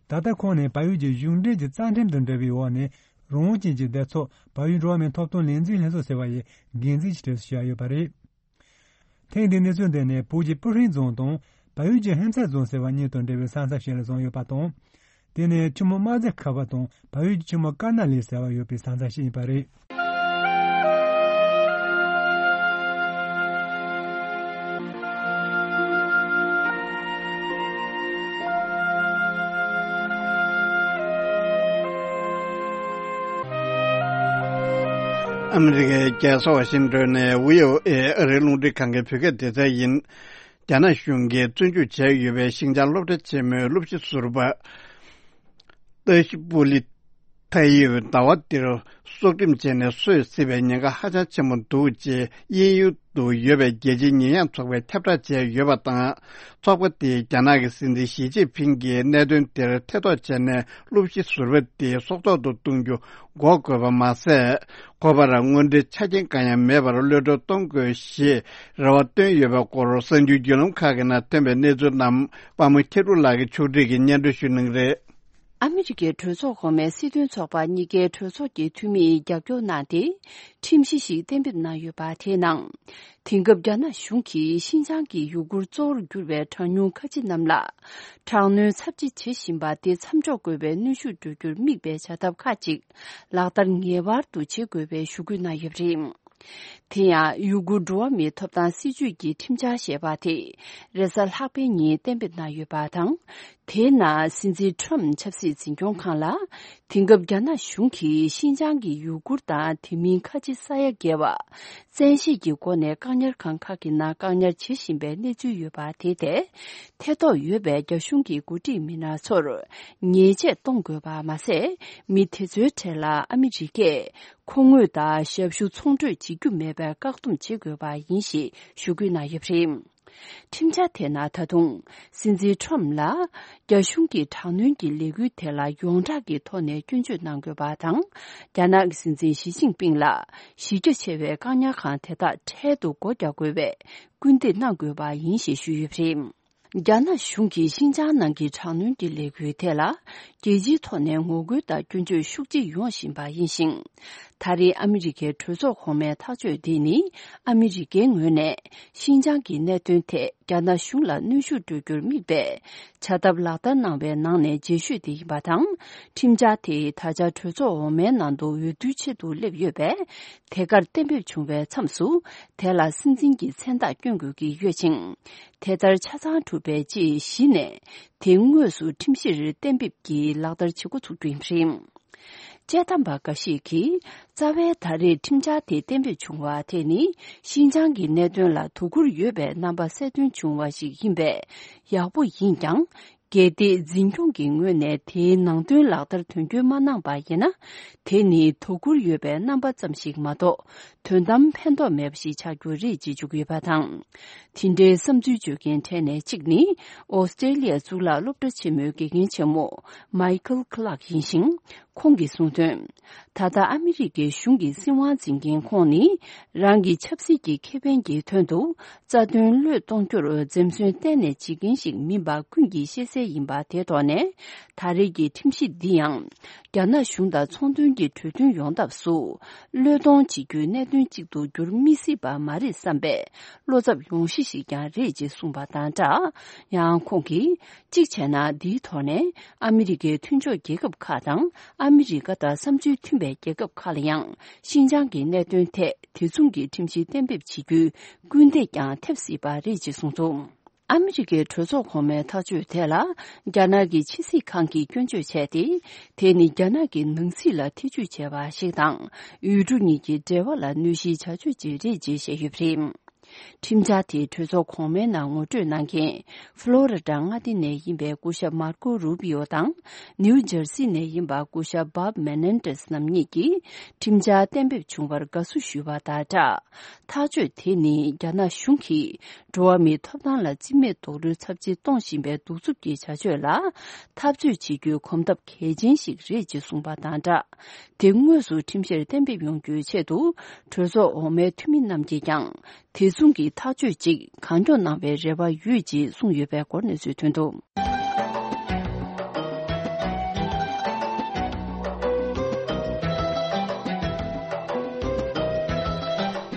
ད་ལྟ་ཁོང་ནི་བལ་ཡུལ་གྱི་གཞུང་འབྲེལ་གྱི་རྩ་ཁྲིམས་དང་འབྲེལ་བའི་འོག་ནས། རང་དབང་ཅན་གྱི་སྡེ་ཚོགས་བལ་ཡུལ་འགྲོ་བ་མིའི་ཐོབ་ཐང་ལས་འཛིན་ལྷན་ཚོགས་ཟེར་བ་ཡི་འགན་འཛིན་གྱི་གྲས་སུ་བཞག་ཡོད་པ་རེད། ཐེངས་འདིའི་གནས་ཚུལ་འདི་ནི་བོད་ཀྱི་སྤུ་ཧྲེང་རྫོང་དང་བལ་ཡུལ་གྱི་ཧན་ཚ་རྫོང་ཟེར་བ་གཉིས་དང་འབྲེལ་བའི་ས་མཚམས་ཤིག་ལ་བྱུང་ཡོད་པ་དང་། དེ་ནི་ཆུ་མོ་དམར་རྫ་ཁ་བ་དང་བལ་ཡུལ་གྱི་ཆུ་མོ་ཀར་ན་ལི་ཟེར་བ་ཡོད་པའི་ས་མཚམས་ཤིག་ཡིན་པ་རེད། ཨ་མི་རི་ཀའི་རྒྱལ་ས་ཝ་ཤིང་ཏོན་ནས་བྷི་ཨོ་ཨེ་ཨ་རིའི་རླུང་འཕྲིན་ཁང་གི་བོད་སྐད་སྡེ་ཚན་ཡིན། རྒྱ་ནག་གཞུང་གིས་བཙོན་འཇུག་བྱས་ཡོད་པའི་ཤིན་ཅང་སློབ་གྲྭ་ཆེན་མོའི་སློབ་སྤྱི་ཟུར་པ་ཏཱ་ཤི་པུ་ལི་ཐའི་ཡིས་ཟླ་བ་འདིར་སྲོག་ཁྲིམས་བཅད་ནས་སོད་སྲིད་པའི་ཉེན་ཁ་ཧ་ཅང་ཆེན་པོ་འདུག་ཅེས་དབྱིན་ཡུལ་དུ་ཡོད་པའི་རྒྱལ་སྤྱིའི་ཉེས་ཡངས་ཚོགས་པས་ཁྱབ་བསྒྲགས་བྱས་ཡོད་པ་དང་། ཚོགས་པ་དེས་རྒྱ་ནག་གི་སྲིད་འཛིན་ཞི་ཅིན་ཕིང་གིས་གནད་དོན་དེར་ཐེ་གཏོགས་བྱས་ནས་སློབ་སྤྱི་ཟུར་པ་དེ་སྲོག་ཐོག་ཏུ་གཏོང་རྒྱུ་འགོག་དགོས་པ་མ་ཟད། ཁོ་པར་དངོས་འབྲེལ་ཆ་རྐྱེན་གང་ཡང་མེད་པར་གློད་བཀྲོལ་གཏོང་དགོས་ཞེས་རེ་བ་བཏོན་ཡོད་པའི་སྐོར་གསར་འགྱུར་བརྒྱུད་ལམ་ཁག་གི་ནང་ཐོན་པའི་གནས་ཚུལ་རྣམས་པདྨ་མཁས་གྲུབ་ལགས་ཀྱིས་ཕྱོགས་སྒྲིག་གིས་སྙན་སྒྲོན་ཞུ་གནང་གི་རེད། ཨ་མི་རི་ཀའི་གྲོས་ཚོགས་གོང་མའི་སྲིད་དོན་ཚོགས་པ་གཉིས་ཀའི་གྲོས་ཚོགས་ཀྱི་འཐུས་མིས་རྒྱབ་སྐྱོར་གནང་སྟེ། ཁྲིམས་གཞི་ཞིག་གཏན་འབེབས་གནང་ཡོད་པ་དེའི་ནང་། དེང་སྐབས་རྒྱ་ནག་གཞུང་གིས་ཤིན་ཅང་གི་ཡུ་གུར་གཙོ་བོར་གྱུར་པའི་གྲངས་ཉུང་ཁ་ཆེ་རྣམས་ལ། དྲག་གནོན་ཚབས་ཆེ་བྱེད་བཞིན་པ་དེ་མཚམས་འཇོག་དགོས་པའི་གནོན་ཤུགས་སྤྲོད་རྒྱུར་དམིགས་པའི་བྱ་ཐབས་ཁག་ཅིག་ལག་བསྟར་ངེས་པར་དུ་བྱེད་དགོས་པའི་ཞུ་སྐུལ་གནང་ཡོད་པ་རེད། དེ་ཡང་ཡུ་གུར་འགྲོ་བ་མིའི་ཐོབ་ཐང་སྲིད་བྱུས་ཀྱི་ཁྲིམས་འཆར་ཞེས་པ་དེ་རེས་གཟའ་ལྷག་པའི་ཉིན་གཏན་འབེབས་གནང་ཡོད་པ་དང་། དེའི་ནང་སྲིད་འཛིན་ཁྲོམ་ཆབ་སྲིད་འཛིན་སྐྱོང་ཁང་ལ། དེང་སྐབས་རྒྱ་ནག་གཞུང་གིས་ཤིན་ཅང་གི་ཡུ་གུར་དང་དེ་མིན་ཁ་ཆེ་ས་ཡ་བརྒལ་བ། བཙན་ཤེད་ཀྱི་སྒོ་ནས་བཀག་ཉར་ཁང་ཁག་གི་ནང་བཀག་ཉར་བྱེད་བཞིན་པའི་གནས་ཚུལ་ཡོད་པ་དེ་ཐད། ཐེ་གཏོགས་ཡོད་པའི་རྒྱ་གཞུང་གི་འགོ་ཁྲིད་མི་སྣ་ཚོར་ཉེས་ཆད་གཏོང་དགོས་པ་མ་ཟད། མི་དེ་ཚོའི་གྲས་ལ་ཨ་མི་རི་ཀས་ཁོ་ངོས་དང་ཞབས་ཞུ་ཚོང་སྤྲོད་བྱེད་རྒྱུ་མེད་པའི་བཀག་སྡོམ་བྱེད་དགོས་པ་ཡིན་ཞེས་ཞུ་སྐུལ་གནང་ཡོད་པ་རེད། ཁྲིམས་འཆར་དེ་ནང་ད་དུང་། སྲིད་འཛིན་ཁྲོམ་ལ། རྒྱ་གཞུང་གི་དྲག་གནོན་གྱི་ལས་འགུལ་དེ་ལ་ཡོངས་གྲགས་ཀྱི་ཐོག་ནས་སྐྱོན་བརྗོད་གནང་དགོས་པ་དང་། རྒྱ་ནག་གི་སྲིད་འཛིན་ཞི་ཅིན་ཕིང་ལ། གཞི་རྒྱ་ཆེ་བའི་བཀག་ཉར་ཁང་དེ་དག་འཕྲལ་དུ་སྒོ་རྒྱག་དགོས་པའི་སྐུལ་འདེད་གནང་དགོས་པ་ཡིན་ཞེས་ཞུས་ཡོད་པ་རེད། རྒྱ་ནག་གཞུང་གིས་ཤིན་ཅང་ནང་གི་དྲག་གནོན་གྱི་ལས་འགུལ་ཐད་ལ། རྒྱལ་སྤྱིའི་ཐོག་ནས་ངོ་རྒོལ་དང་སྐྱོན་བརྗོད་ཤུགས་ཆེ་ཡོང་བཞིན་པ་ཡིན་ཞིང་། ད་རེས་ཨ་མི་རི་ཀའི་གྲོས་ཚོགས་གོང་མའི་ཐག་གཅོད་འདི་ནི། ཨ་མི་རི་ཀའི་ངོས་ནས་ཤིན་ཅང་གི་གནད་དོན་ཐད་རྒྱ་ནག་གཞུང་ལ་གནོན་ཤུགས་སྤྲོད་རྒྱུར་དམིགས་པའི་བྱ་ཐབས་ལག་བསྟར་གནང་བའི་ནང་ནས་རྗེས་ཤོས་དེ་ཡིན་པ་དང་། ཁྲིམས་འཆར་དེ་ད་ཆ་གྲོས་ཚོགས་འོག་མའི་ནང་དུ་འོས་བསྡུའི་ཆེད་དུ་སླེབས་ཡོད་པས། དེ་གར་གཏན་འབེབས་བྱུང་བའི་མཚམས་སུ། དེ་ལ་སྲིད་འཛིན་གྱི་མཚན་རྟགས་བསྐྱོན་དགོས་ཀྱི་ཡོད་ཅིང་། དེ་ལྟར་ཆ་ཚང་གྲུབ་པའི་རྗེས་གཞི་ནས། དེ་དངོས་སུ་ཁྲིམས་གཞིར་གཏན་འབེབས་ཀྱིས་ལག་བསྟར་བྱེད་འགོ་ཚུགས་རྒྱུ་ཡིན་པ་རེད། དཔྱད་གཏམ་པ་འགའ་ཞིག་གིས། རྩ་བའི་ད་རེས་ཁྲིམས་འཆར་དེ་གཏན་འབེབས་བྱུང་བ་དེ་ནི། ཤིན་ཅང་གི་གནད་དོན་ལ་དོ་ཁུར་ཡོད་པའི་རྣམ་པ་གསལ་སྟོན་བྱུང་བ་ཞིག་ཡིན་པས། ཡག་པོ་ཡིན་ཀྱང་། གལ་ཏེ་འཛིན་སྐྱོང་གི་ངོས་ནས་དེའི་ནང་དོན་ལག་བསྟར་དོན་འཁྱོལ་མ་གནང་པ་ཡིན་ན། དེ་ནི་དོ་ཁུར་ཡོད་པའི་རྣམ་པ་ཙམ་ཞིག་མ་གཏོགས། དོན་དམ་ཕན་ཐོགས་མེད་པ་ཞིག་ཆགས་རྒྱུ་རེད་ཅེས་བརྗོད་ཀྱི་ཡོད་པ་དང་། དེ་འདྲའི་བསམ་ཚུལ་བརྗོད་མཁན་གྲས་ནས་གཅིག་ནི། ཨོ་སི་ཀྲེ་ལི་ཡ་གཙུག་ལག་སློབ་གྲྭ་ཆེན་མོའི་དགེ་རྒན་ཆེན་མོ། མའི་ཁལ་ཁི་ལག་ཡིན་ཞིང་། ཁོང་གིས་གསུངས་དོན། ད་ལྟ་ཨ་མི་རི་ཀའི་གཞུང་གི་སྲིད་དབང་འཛིན་མཁན་ཁོང་ནི། རང་གི་ཆབ་སྲིད་ཀྱི་ཁེ་ཕན་གྱི་དོན་དུ། རྩ་དོན་བློས་གཏོང་རྒྱུར་འཛེམ་ཟོན་གཏན་ནས་བྱེད་མཁན་ཞིག་མིན་པ་ཀུན་གྱིས་ཤེས་གསལ་ཡིན་པ་དེ་ཐོག་ནས། ད་རེས་ཀྱི་ཁྲིམས་གཞི་འདི་ཡང་། རྒྱ་ནག་གཞུང་དང་ཚོང་དོན་གྱི་གྲོས་མཐུན་ཡོང་ཐབས་སུ། བློས་གཏོང་བྱེད་རྒྱུའི་གནད་དོན་གཅིག་ཏུ་འགྱུར་མི་སྲིད་པ་མ་རེད་བསམ་པའི། བློ་འཚབ་ཡོང་གཞི་ཞིག་ཀྱང་རེད་ཅེས་གསུངས་པ་དང་སྦྲགས། ཡང་ཁོང་གིས། གཅིག་བྱས་ན། འདིའི་ཐོག་ནས། ཨ་མི་རི་ཀའི་མཐུན་ཕྱོགས་རྒྱལ་ཁབ་ཁག་དང་། ཨ་མི་རི་ཀ་དང་བསམ་ཚུལ་མཐུན་པའི་རྒྱལ་ཁབ་ཁག་ལ་ཡང་། ཤིན་ཅང་གི་གནད་དོན་ཐད། དེ་མཚུངས་ཀྱི་ཁྲིམས་གཞི་གཏན་འབེབས་བྱེད་རྒྱུའི་སྐུལ་འདེད་ཀྱང་ཐེབས་སྲིད་པ་རེད་ཅེས་གསུངས་འདུག་ཨ་མི་རི་ཀའི་གྲོས་ཚོགས་གོང་མའི་ཐག་གཅོད་དེ་ལ། རྒྱ་ནག་གི་ཕྱི་སྲིད་ཁང་གིས་སྐྱོན་བརྗོད་བྱས་ཏེ། དེ་ནི་རྒྱ་ནག་གི་ནང་སྲིད་ལ་ཐེ་ཇུས་བྱས་པ་ཞིག་དང་། ཡུལ་གྲུ་གཉིས་ཀྱི་འབྲེལ་བ་ལ་གནོད་གཞིའི་བྱ་སྤྱོད་ཅིག་རེད་ཅེས་བཤད་ཡོད་པ་རེད། ཁྲིམས་འཆར་དེ་གྲོས་ཚོགས་གོང་མའི་ནང་ངོ་སྤྲོད་གནང་མཁན། ཧྥ་ལོ་རི་ཌ་མངའ་སྡེ་ནས་ཡིན་པའི་སྐུ་ཞབས་མར་ཀོ་རུ་པི་ཡོ་དང་། ནིའུ་ཇར་སི་ནས་ཡིན་པ་སྐུ་ཞབས་བྷབ་མེ་ནན་ཏེས་རྣམ་གཉིས་ཀྱིས། ཁྲིམས་འཆར་གཏན་འབེབས་བྱུང་བར་དགའ་བསུ་ཞུས་པ་དང་སྦྲགས། ཐག་གཅོད་དེ་ནི་རྒྱ་ནག་གཞུང་གིས། འགྲོ་བ་མིའི་ཐོབ་ཐང་ལ་བརྩི་མེད་རྡོག་རོལ་ཚབས་ཆེ་གཏོང་བཞིན་པའི་གདུག་རྩུབ་ཀྱི་བྱ་སྤྱོད་ལ། འཐབ་རྩོད་བྱེད་རྒྱུའི་གོམ་སྟབས་གལ་ཆེན་ཞིག་རེད་ཅེས་གསུངས་པ་དང་སྦྲགས། དེ་དངོས་སུ་ཁྲིམས་གཞིར་གཏན་འབེབས་ཡོང་རྒྱུའི་ཆེད་དུ། གྲོས་ཚོགས་འོག་མའི་འཐུས་མི་རྣམས་ཀྱིས་ཀྱང་། དེ་མཚུངས་ཀྱི་ཐག་གཅོད་ཅིག་གང་མགྱོགས་གནང་བའི་རེ་བ་ཡོད་ཅེས་གསུངས་ཡོད་པའི་སྐོར་གནས་ཚུལ་ཐོན་འདུག་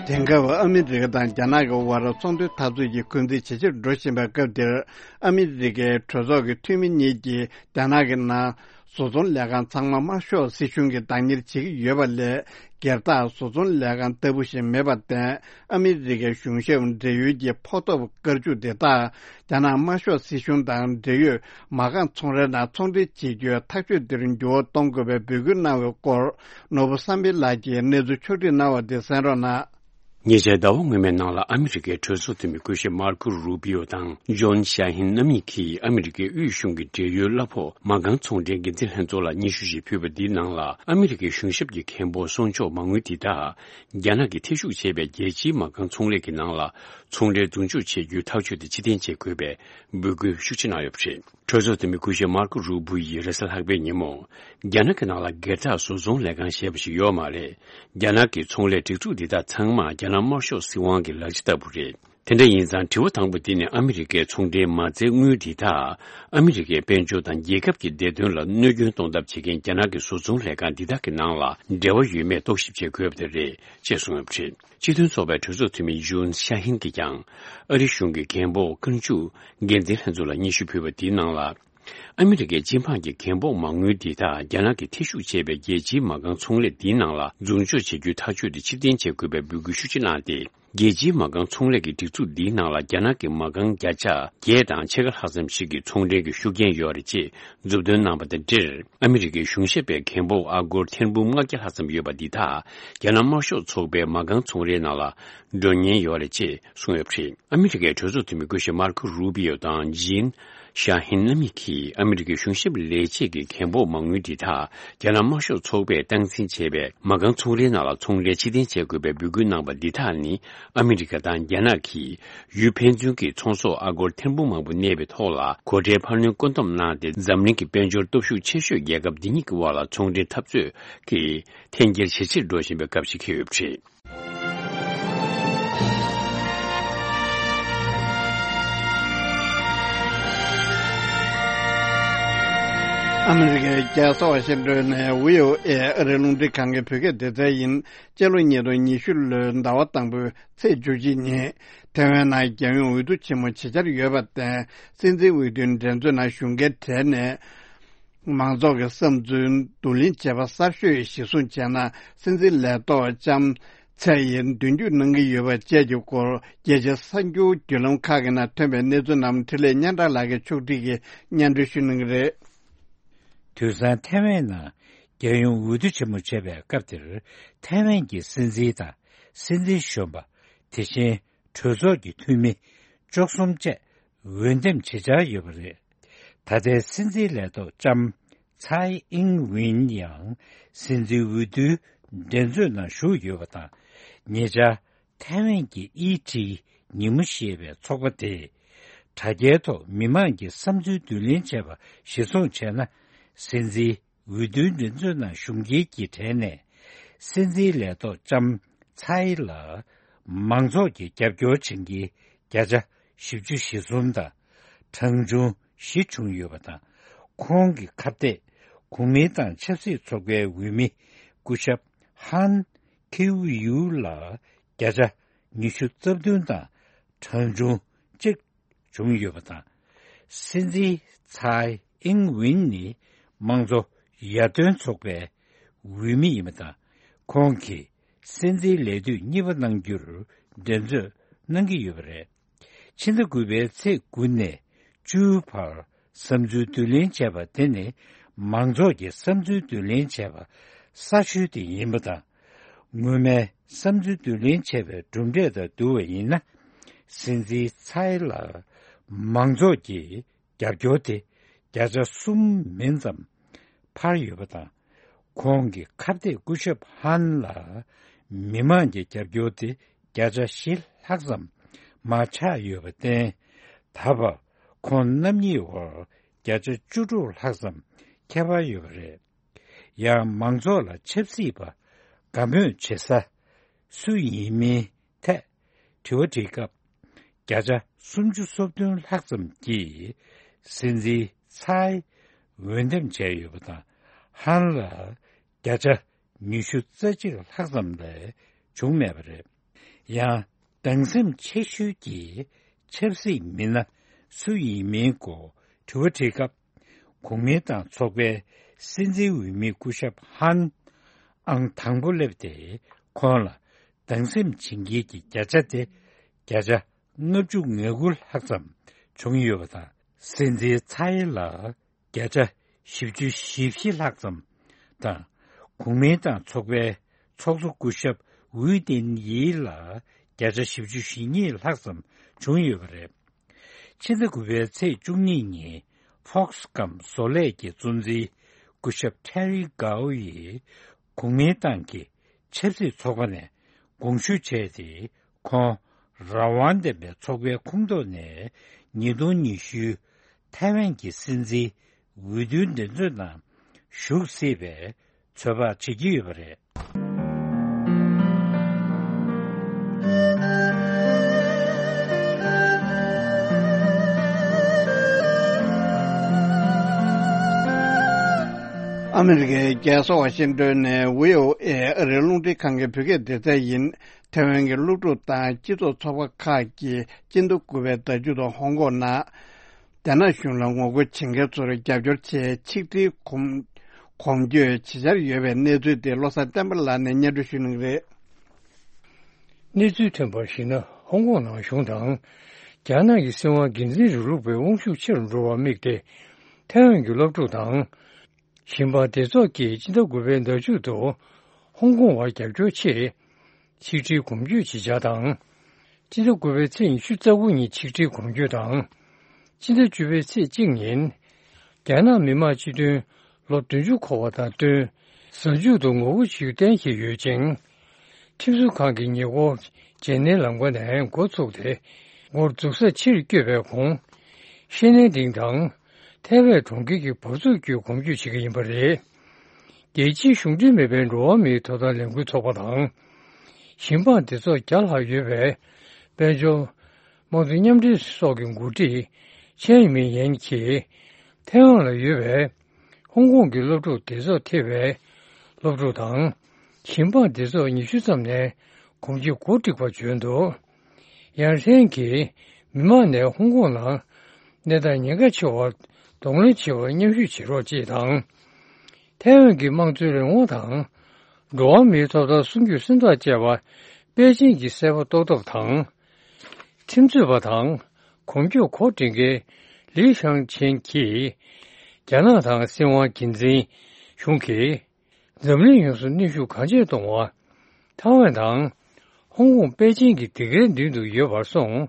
དེང་སྐབས་ཨ་མི་རི་ཀ་དང་རྒྱ་ནག་གི་དབར་ཚོང་དོན་འཐབ་རྩོད་ཀྱི་འཁོན་འཛིན་ཇེ་ཆེར་འགྲོ་བཞིན་པའི་སྐབས་འདིར། ཨ་མི་རི་ཀའི་གྲོས་ཚོགས་ཀྱི་འཐུས་མི་གཉིས་ཀྱིས་རྒྱ་ནག་གི་ནང་བཟོ་ཚོང་ལས་ཁང་ཚང་མ་དམར་ཤོག་སྲིད་གཞུང་གིས་བདག་གཉེར་བྱེད་ཀྱི་ཡོད་པ་ལས། སྒེར་བདག་བཟོ་ཚོང་ལས་ཁང་ལྟ་བུ་ཞིག་མེད་པར་བརྟེན། ཨ་མི་རི་ཀའི་གཞུང་ཞབས་འབྲེལ་ཡོད་ཀྱི་ཕོགས་ཐོབ་བཀར་འཇུག་དེ་དག་རྒྱ་ནག་དམར་ཤོག་སྲིད་གཞུང་དང་འབྲེལ་ཡོད་མ་རྐང་ཚོང་རའི་ནང་ཚོང་འབྲེལ་བྱེད་རྒྱུའི་ཐག་གཅོད་འདིར་འགྱུར་བ་གཏོང་དགོས་པའི་འབོད་སྐུལ་གནང་བའི་སྐོར། ནོར་བུ་བསམ་འཕེལ་ལགས་ཀྱིས་གནས་ཚུལ་ཕྱོགས་བསྒྲིགས་གནང་བ་དེ་གསན་རོགས་གནང་། ཉེ་ཆར་ཟླ་བ་སྔོན་མའི་ནང་ལ་ཨ་མི་རི་ཀའི་གྲོས་ཚོགས་འཐུས་མི་སྐུ་ཞབས་མར་ཀོ་རུ་པི་ཡོ་དང་ཇོན་ཤ་ཧིན་རྣམ་གཉིས་ཀྱིས་ཨ་མི་རི་ཀའི་དབུས་གཞུང་གི་འབྲེལ་ཡོད་གླ་ཕོགས་མ་རྐང་ཚོང་འབྲེལ་འགན་འཛིན་ལྷན་ཚོགས་ལ་སྙན་ཞུ་ཞིག་ཕུལ་བ་འདིའི་ནང་ལ། ཨ་མི་རི་ཀའི་གཞུང་ཞབས་ཀྱི་མཁན་པོ་གསོག་འཇོག་མ་དངུལ་འདི་དག་རྒྱ་ནག་གིས་འཐེན་ཤུགས་བྱས་པའི་རྒྱལ་སྤྱིའི་མ་རྐང་ཚོང་ལས་ཀྱི་ནང་ལ་ཚོང་འབྲེལ་བསྡུ་འཇོག་བྱེད་རྒྱུའི་ཐག་གཅོད་དེ་ཕྱིར་འཐེན་བྱེད་དགོས་པའི་འབོད་སྐུལ་ཤུགས་ཆེ་གནང་ཡོད་པ་རེད། གྲོས་ཚོགས་འཐུས་མི་སྐུ་ཞབས་མར་ཀོ་རུ་པུ་ཡིས་རེས་གཟའ་ལྷག་པའི་ཉིན་མོ། རྒྱ་ནག་གི་ནང་ལ་སྒེར་བདག་བཟོ་ཚོང་ལས་ཁང་ཞེས་པ་ཞིག་ཡོད་མ་རེད། རྒྱ་ནག་གི་ཚོང་ལས་སྒྲིག་འཛུགས་འདི་དག་ཚང་མ་རྒྱ་ནག་དམར་ཤོག་སྲིད་དབང་གི་ལག་ཆ་ལྟ་བུ་རེད། དེ་འདྲ་ཡིན་ཙང་དྲི་བ་དང་པོ་འདི་ནི་ཨ་མི་རི་ཀའི་ཚོང་འབྲེལ་མ་རྩའི་དངུལ་འདི་དག་ཨ་མི་རི་ཀའི་དཔལ་འབྱོར་དང་རྒྱལ་ཁབ་ཀྱི་བདེ་དོན་ལ་གནོད་སྐྱོན་གཏོང་ཐབས་བྱེད་མཁན་རྒྱ་ནག་གི་བཟོ་ཚོང་ལས་ཁང་འདི་དག་གི་ནང་ལ་འབྲེལ་བ་ཡོད་མེད་རྟོག་ཞིབ་བྱེད་དགོས་པ་དེ་རེད་ཅེས་གསུངས་ཡོད་པ་རེད། སྤྱི་མཐུན་ཚོགས་པའི་གྲོས་ཚོགས་འཐུས་མི་ཇུན་ཤ་ཧིན་གྱིས་ཀྱང་ཨ་རི་གཞུང་གི་རྒན་པོ་བཀའ་འཇུག་འགན་འཛིན་ལྷན་ཚོགས་ལ་སྙན་ཞུ་ཕུལ་བ་འདིའི་ནང་ལ། ཨ་མི་རི་ཀའི་སྤྱི་འབངས་ཀྱི་རྒན་པོ་མ་དངུལ་འདི་དག་རྒྱ་ནག་གིས་འཐེན་ཤུགས་བྱས་པའི་རྒྱལ་སྤྱིའི་མ་རྐང་ཚོང་ལས་འདིའི་ནང་ལ་འཛུགས་འཇོག་བྱེད་རྒྱུའི་ཐག་གཅོད་དེ་ཕྱིར་འཐེན་བྱེད་དགོས་པའི་འབོད་སྐུལ་ཤུགས་ཆེ་གནང་སྟེ། རྒྱལ་སྤྱིའི་མ་རྐང་ཚོང་ལས་ཀྱི་སྒྲིག་འཛུགས་འདིའི་ནང་ལ་རྒྱ་ནག་གི་མ་རྐང་བརྒྱ་ཆ་བརྒྱད་དང་ཕྱེད་ཀ་ལྷག་ཙམ་ཞིག་གི་ཚོང་འབྲེལ་གྱི་ཤུགས་རྐྱེན་ཡོད་རེད་ཅེས་མཛུབ་སྟོན་གནང་བ་དང་འབྲེལ། ཨ་མི་རི་ཀའི་གཞུང་ཞབས་པའི་རྒན་པོ་ཨ་སྒོར་ཐེར་འབུམ་ལྔ་བརྒྱ་ལྷག་ཙམ་ཡོད་པ་འདི་དག་རྒྱ་ནག་དམར་ཤོག་ཚོགས་པའི་མ་རྐང་ཚོང་རའི་ནང་ལ་འགྲོ་ཉེན་ཡོད་རེད་ཅེས་གསུངས་ཡོད་པ་རེད། ཨ་མི་རི་ཀའི་གྲོས་ཚོགས་འཐུས་མི་སྐུ་ཞབས་མར་ཁོ་རུ་པི་ཡོ་དང་ཇིན་ཤ་ཧིན་རྣམ་གཉིས་ཀྱིས་ཨ་མི་རི་ཀའི་གཞུང་ཞབས་ལས་བྱེད་ཀྱི་རྒན་པོ་མ་དངུལ་འདི་དག་རྒྱ་ནག་དམར་ཤོག་ཚོགས་པས་སྟངས་འཛིན་བྱས་པའི་མ་རྐང་ཚོང་རའི་ནང་ལ་ཚོང་ལས་ཕྱིར་འཐེན་བྱེད་དགོས་པའི་འབོད་སྐུལ་གནང་བ་འདི་དག་ནི། ཨ་མི་རི་ཀ་དང་རྒྱ་ནག་གིས་ཡུལ་ཕན་ཚུན་གྱི་ཚོང་ཟོག་ཨ་སྒོར་ཐེར་འབུམ་མང་པོ་གནས་པའི་ཐོག་ལ་སྒོ་ཁྲལ་འཕར་སྣོན་བཀོད་འདོམས་གནང་སྟེ། འཛམ་གླིང་གི་དཔལ་འབྱོར་སྟོབས་ཤུགས་ཆེ་ཤོས་རྒྱལ་ཁབ་འདི་གཉིས་ཀྱི་དབར་ལ་ཚོང་འབྲེལ་འཐབ་རྩོད་ཀྱི་འཐེན་འཁྱེར་ཇེ་ཆེར་འགྲོ་བཞིན་པའི་སྐབས་ཤིག་འཁེལ་ཡོད་པ་རེད། ཨ་མི་རི་ཀའི་རྒྱལ་ས་ཝ་ཤིང་ཏོན་ནས་བྷི་ཨོ་ཨེ་ཨ་རིའི་རླུང་འཕྲིན་ཁང་གི་བོད་སྐད་སྡེ་ཚན་ཡིན། སྤྱི་ལོ་ཉིས་སྟོང་ཉི་ཤུ་ལོའི་ཟླ་བ་དང་པོའི་ཚེས་བཅུ་གཅིག་ཉིན། ཐའེ་ཝན་ནང་རྒྱལ་ཡོངས་འོས་བསྡུ་ཆེན་མོ་ཇི་ཆགས་ཡོད་པར་བརྟེན། སྲིད་འཛིན་འོས་བསྡུའི་འགྲན་རྩོད་ནང་ཞུགས་མཁན་གྲས་ནས། མང་ཚོགས་ཀྱི་བསམ་ཚུལ་བསྡུ་ལེན་བྱས་པ་གསར་ཤོས་གཞིར་བཟུང་བྱས་ན། སྲིད་འཛིན་ལས་ཐོག་ལྕམ་ཚའེ་ཡིས་མདུན་སྐྱོད་གནང་གི་ཡོད་པ་བཅས་ཀྱི་སྐོར། རྒྱལ་སྤྱིའི་གསར་འགྱུར་བརྒྱུད་ལམ་ཁག་གི་ནང་ཐོན་པའི་གནས་ཚུལ་རྣམས་འཕྲིན་ལས་སྙན་གྲགས་ལགས་ཀྱིས་ཕྱོགས་སྒྲིག་གིས་སྙན་སྒྲོན་ཞུ་གནང་གི་རེད། དུས་སང་ཐའེ་ཝན་ནང་རྒྱལ་ཡོངས་འོས་བསྡུ་ཆེན་མོ་བྱས་པའི་སྐབས་དེར། ཐའེ་ཝན་གྱི་སྲིད་འཛིན་དང་སྲིད་འཛིན་གཞོན་པ། དེ་བཞིན་གྲོས་ཚོགས་ཀྱི་འཐུས་མི་བཅུ་གསུམ་བཅས་འོས་འདེམས་བྱེད་འཆར་ཡོད་པ་རེད། ད་ལྟའི་སྲིད་འཛིན་ལས་ཐོག་ལྕམ་ཚའེ་ཨིང་ཝིན་ཡང་སྲིད་འཛིན་འོས་བསྡུའི་འགྲན་རྩོད་ནང་ཞུགས་ཡོད་པ་དང་། ཉེ་ཆར་ཐའེ་ཝན་གྱི་ཨི་ཊི་ཉིན་མོ་ཞེས་པའི་ཚོགས་པ་དེས་དྲ་རྒྱའི་ཐོག་མི་མང་གི་བསམ་ཚུལ་བསྡུ་ལེན་བྱས་པ་གཞིར་བཟུང་བྱས་ན། སྲིད་འཛིན་འོས་བསྡུའི་འགྲན་རྩོད་ནང་ཞུགས་མཁན་གྱི་གྲས་ནས། སྲིད་འཛིན་ལས་ཐོག་ལྕམ་ཚའེ་ལ་མང་ཚོགས་ཀྱིས་རྒྱབ་སྐྱོར་བྱེད་མཁན་བརྒྱ་ཆ་བཞི་བཅུ་ཞེ་གསུམ་དང་། གྲངས་ཆུང་བཞི་བྱུང་ཡོད་པ་དང་། ཁོང་གི་ཁ་གཏད་གོང་མའི་ཏང་ཆབ་སྲིད་ཚོགས་པའི་འོས་མི་སྐུ་ཞབས་ཧན་ཁིའུ་ཡུའུ་ལ་བརྒྱ་ཆ་ཉི་ཤུ་རྩ་བདུན་དང་། གྲངས་ཆུང་གཅིག་བྱུང་ཡོད་པ་དང་། སྲིད་འཛིན་ཚའེ་ཨིང་ཝིན་ནི་དམངས་གཙོ་ཡར་ཐོན་ཚོགས་པའི་འོས་མི་ཡིན་པ་དང་། ཁོང་གིས་སྲིད་འཛིན་ལས་དུས་གཉིས་པ་གནང་རྒྱུར་འགྲན་རྩོད་གནང་གི་ཡོད་པ་རེད། ཕྱི་ཟླ་དགུ་པའི་ཚེས་དགུ་ནས་བཅུའི་བར་བསམ་ཚུལ་བསྡུ་ལེན་བྱས་པ་དེ་ནི། མང་ཚོགས་ཀྱི་བསམ་ཚུལ་བསྡུ་ལེན་བྱས་པ་གསར་ཤོས་དེ་ཡིན་པ་དང་། སྔོན་མའི་བསམ་ཚུལ་བསྡུ་ལེན་བྱས་པའི་གྲུབ་འབྲས་དང་བསྡུར་བ་ཡིན་ན། སྲིད་འཛིན་ཚའེ་ལ་མང་ཚོགས་ཀྱི་རྒྱབ་སྐྱོར་དེ་བརྒྱ་ཆ་གསུམ་མིན་ཙམ་འཕར་ཡོད་པ་དང་། ཁོང་གི་ཁ་གཏད་སྐུ་ཞབས་ཧན་ལ་མི་མང་གི་རྒྱབ་སྐྱོར་དེ་བརྒྱ་ཆ་བཞི་ལྷག་ཙམ་མར་ཆག་ཡོད་པར་བརྟེན། ད་བར་ཁོང་རྣམ་གཉིས་བར་བརྒྱ་ཆ་བཅུ་དྲུག་ལྷག་ཙམ་ཁྱད་པར་ཡོད་པ་རེད། ཡང་མང་ཚོགས་ལ་ཆབ་སྲིད་པ་དགའ་མོས་བྱེད་ས་སུ་ཡིན་མིན་ཐད་དྲི་བ་དྲིས་སྐབས། བརྒྱ་ཆ་སུམ་ཅུ་སོ་བདུན་ལྷག་ཙམ་གྱིས་སྲིད་འཛིན་ཚའེ་འོས་འདེམས་བྱས་ཡོད་པ་དང་། ཧན་ལ་བརྒྱ་ཆ་ཉི་ཤུ་རྩ་གཅིག་ལྷག་ཙམ་ལས་བྱུང་མེད་པ་རེད། ཡང་། སྡང་སེམས་ཆེ་ཤོས་ཀྱི་ཆབ་སྲིད་མི་སྣ་སུ་ཡིན་མིན་སྐོར་དྲི་བ་དྲིས་སྐབས། གོང་མའི་ཏང་ཚོགས་པའི་སྲིད་འཛིན་འོས་མི་སྐུ་ཞབས་ཧན་ཨང་དང་པོ་སླེབས་ཏེ། ཁོང་ལ་སྡང་སེམས་བྱེད་མཁན་གྱི་བརྒྱ་ཆ་དེ་བརྒྱ་ཆ་ལྔ་བཅུ་ང་དགུ་ལྷག་ཙམ་བྱུང་ཡོད་པ་དང་། སྲིད་འཛིན་ཚའེ་ལ་བརྒྱ་ཆ་བཞི་བཅུ་ཞེ་བཞི་ལྷག་ཙམ་དང་། གོང་མའི་ཏང་ཚོགས་པའི་ཚོགས་གཙོ་སྐུ་ཞབས་ཝུའུ་ཏིན་ཡི་ལ་བརྒྱ་ཆ་བཞི་བཅུ་ཞེ་གཉིས་ལྷག་ཙམ་བྱུང་ཡོད་པ་རེད། ཕྱི་ཟླ་དགུ་པའི་ཚེས་བཅུ་གཉིས་ཉིན་ཧྥོག་སི་སྒམ་བཟོ་ལས་ཀྱི་གཙོ་འཛིན་སྐུ་ཞབས་ཁྲེ་རི་གའོ་ཡིས་གོང་མའི་ཏང་གི་ཆབ་སྲིད་ཚོགས་པ་ནས་དགོངས་ཞུ་བྱས་ཏེ། ཁོང་རང་དབང་ལྡན་པའི་ཚོགས་པའི་ཁོངས་གཏོགས་ནས་ཉིས་སྟོང་ཉི་ཤུའི་ཐའེ་ཝན་གྱི་སྲིད་འཛིན་འོས་བསྡུའི་འགྲན་རྩོད་ནང་ཞུགས་སྲིད་པའི་ཚོད་དཔག་བྱེད་ཀྱི་ཡོད་པ་རེད། ཨ་མི་རི་ཀའི་རྒྱལ་ས་ཝ་ཤིང་ཏོན་ནས་བྷི་ཨོ་ཨེ་ཨ་རིའི་རླུང་འཕྲིན་ཁང་གི་བོད་སྐད་སྡེ་ཚན་ཡིན། ཐའེ་ཝན་གྱི་སློབ་ཕྲུག་དང་སྤྱི་ཚོགས་ཚོགས་པ་ཁག་གིས་སྤྱི་ཟླ་དགུ་པའི་ཟླ་མཇུག་ཏུ་ཧོང་ཀོང་ནང་། རྒྱ་ནག་གཞུང་ལ་ངོ་རྒོལ་བྱེད་མཁན་ཚོར་རྒྱབ་སྐྱོར་ཆེད་ཆིག་སྒྲིལ་གོམ་གོམ་བགྲོད་བྱེད་འཆར་ཡོད་པའི་གནས་ཚུལ་དེ་བློ་བཟང་བསྟན་པ་ལགས་ནས་སྙན་སྒྲོན་ཞུ་གནང་གི་རེད། གནས་ཚུལ་ཐོན་པར་གཞིགས་ན། ཧོང་ཀོང་ནང་གཞུང་དང་རྒྱ་ནག་གི་སྲིད་དབང་སྒེར་འཛིན་རིང་ལུགས་པའི་དབང་ཤུགས་ཆེ་རུ་འགྲོ་བར་དམིགས་ཏེ། ཐའེ་ཝན་གྱི་སློབ་ཕྲུག་དང་། ཞིང་པ་སྡེ་ཚོགས་ཀྱིས་སྤྱི་ཟླ་དགུ་པའི་ཟླ་མཇུག་ཏུ་ཧོང་ཀོང་བར་རྒྱབ་སྐྱོར་ཆེད་ཆིག་སྒྲིལ་གོམ་བགྲོད་བྱེད་འཆར་དང་། སྤྱི་ཟླ་དགུ་པའི་ཚེས་ཉི་ཤུ་རྩ་དགུ་ཉིན་ཆིག་སྒྲིལ་གོམ་བགྲོད་དང་། སྤྱི་ཟླ་བཅུ་པའི་ཚེས་གཅིག་ཉིན། རྒྱ་ནག་མི་དམངས་སྤྱི་མཐུན་ལོ་བདུན་ཅུ་འཁོར་བ་དང་བསྟུན། གཟའ་མཇུག་ཏུ་ངོ་རྒོལ་བྱེད་རྒྱུ་གཏན་འཁེལ་ཡོད་ཅིང་། ཁྲིམས་བཟོ་ཁང་གི་ཉེ་འཁོར་བརྗེ་ལེན་ལམ་ཁ་ནས་འགོ་ཚུགས་ཏེ། འགོར་འཛུགས་སར་ཕྱིར་བསྐྱོད་པའི་གོང་། ཤེས་ནན་ཏིང་དང་། ཐའེ་ཝན་གྲོང་ཁྱེར་གྱི་བབས་ཚུགས་བརྒྱུད་གོམ་བགྲོད་བྱེད་ཀྱི་ཡིན་པ་རེད། རྒྱལ་སྤྱིའི་གཞུང་འབྲེལ་མེད་པའི་འགྲོ་བ་མིའི་ཐོབ་ཐང་ལས་འགུལ་ཚོགས་པ་དང་། ཞིང་པ་སྡེ་ཚོགས་བརྒྱ་ལྷག་ཡོད་པའི་དཔལ་འབྱོར་དམངས་གཙོ་མཉམ་འབྲེལ་སོགས་ཀྱི་འགོ་ཁྲིད་ཆན་ཡི་མིན་ཡན་གྱིས། ཐའེ་ཝན་ལ་ཡོད་པའི་ ཧོང་ཀོང་གི་སློབ་ཕྲུག་སྡེ་ཚོགས་ཐེ་བའི་སློབ་ཕྲུག་དང་། ཞིང་འབངས་སྡེ་ཚོགས་ཉི་ཤུ་ཙམ་ནས་གོམ་གྱིས་གོ་བསྒྲིགས་པ་བྱོན་འདུག་ཡང་ཧྲེན་གྱིས་མི་མང་ནས་ཧོང་ཀོང་ནང་གནས་སྟངས་ཉེན་ཁ་ཆེ་བར་གདོང་ལེན་བྱེད་པར་མཉམ་ཞུགས་བྱེད་རོགས་ཅེས་དང་། ཐའེ་ཝན་གྱི་དམངས་གཙོའི་རང་དབང་དང་། འགྲོ་བ་མིའི་ཐོབ་ཐང་སྲུང་སྐྱོབ་སེམས་ཐག་བཅད་པ། པེ་ཅིང་གི་གསལ་པོ་རྟོགས་ཐབས་དང་། ཁྲིམས་རྩོད་པ་དང་གོམ་སྐྱོར་གོ་སྒྲིག་མཁན་ལི་ཤང་ཆེན་གྱིས། རྒྱ་ནག་དང་སྲིད་དབང་སྒེར་འཛིན་གཞུང་གིས་འཛམ་གླིང་ཡོངས་སུ་གནོན་ཤུགས་གང་ཆེ་གཏོང་བ། ཐའེ་ཝན་དང་ཧོང་ཀོང་པེ་ཅིང་གི་སྡིགས་རའི་མདུན་དུ་ཡོད་པར་སོང་།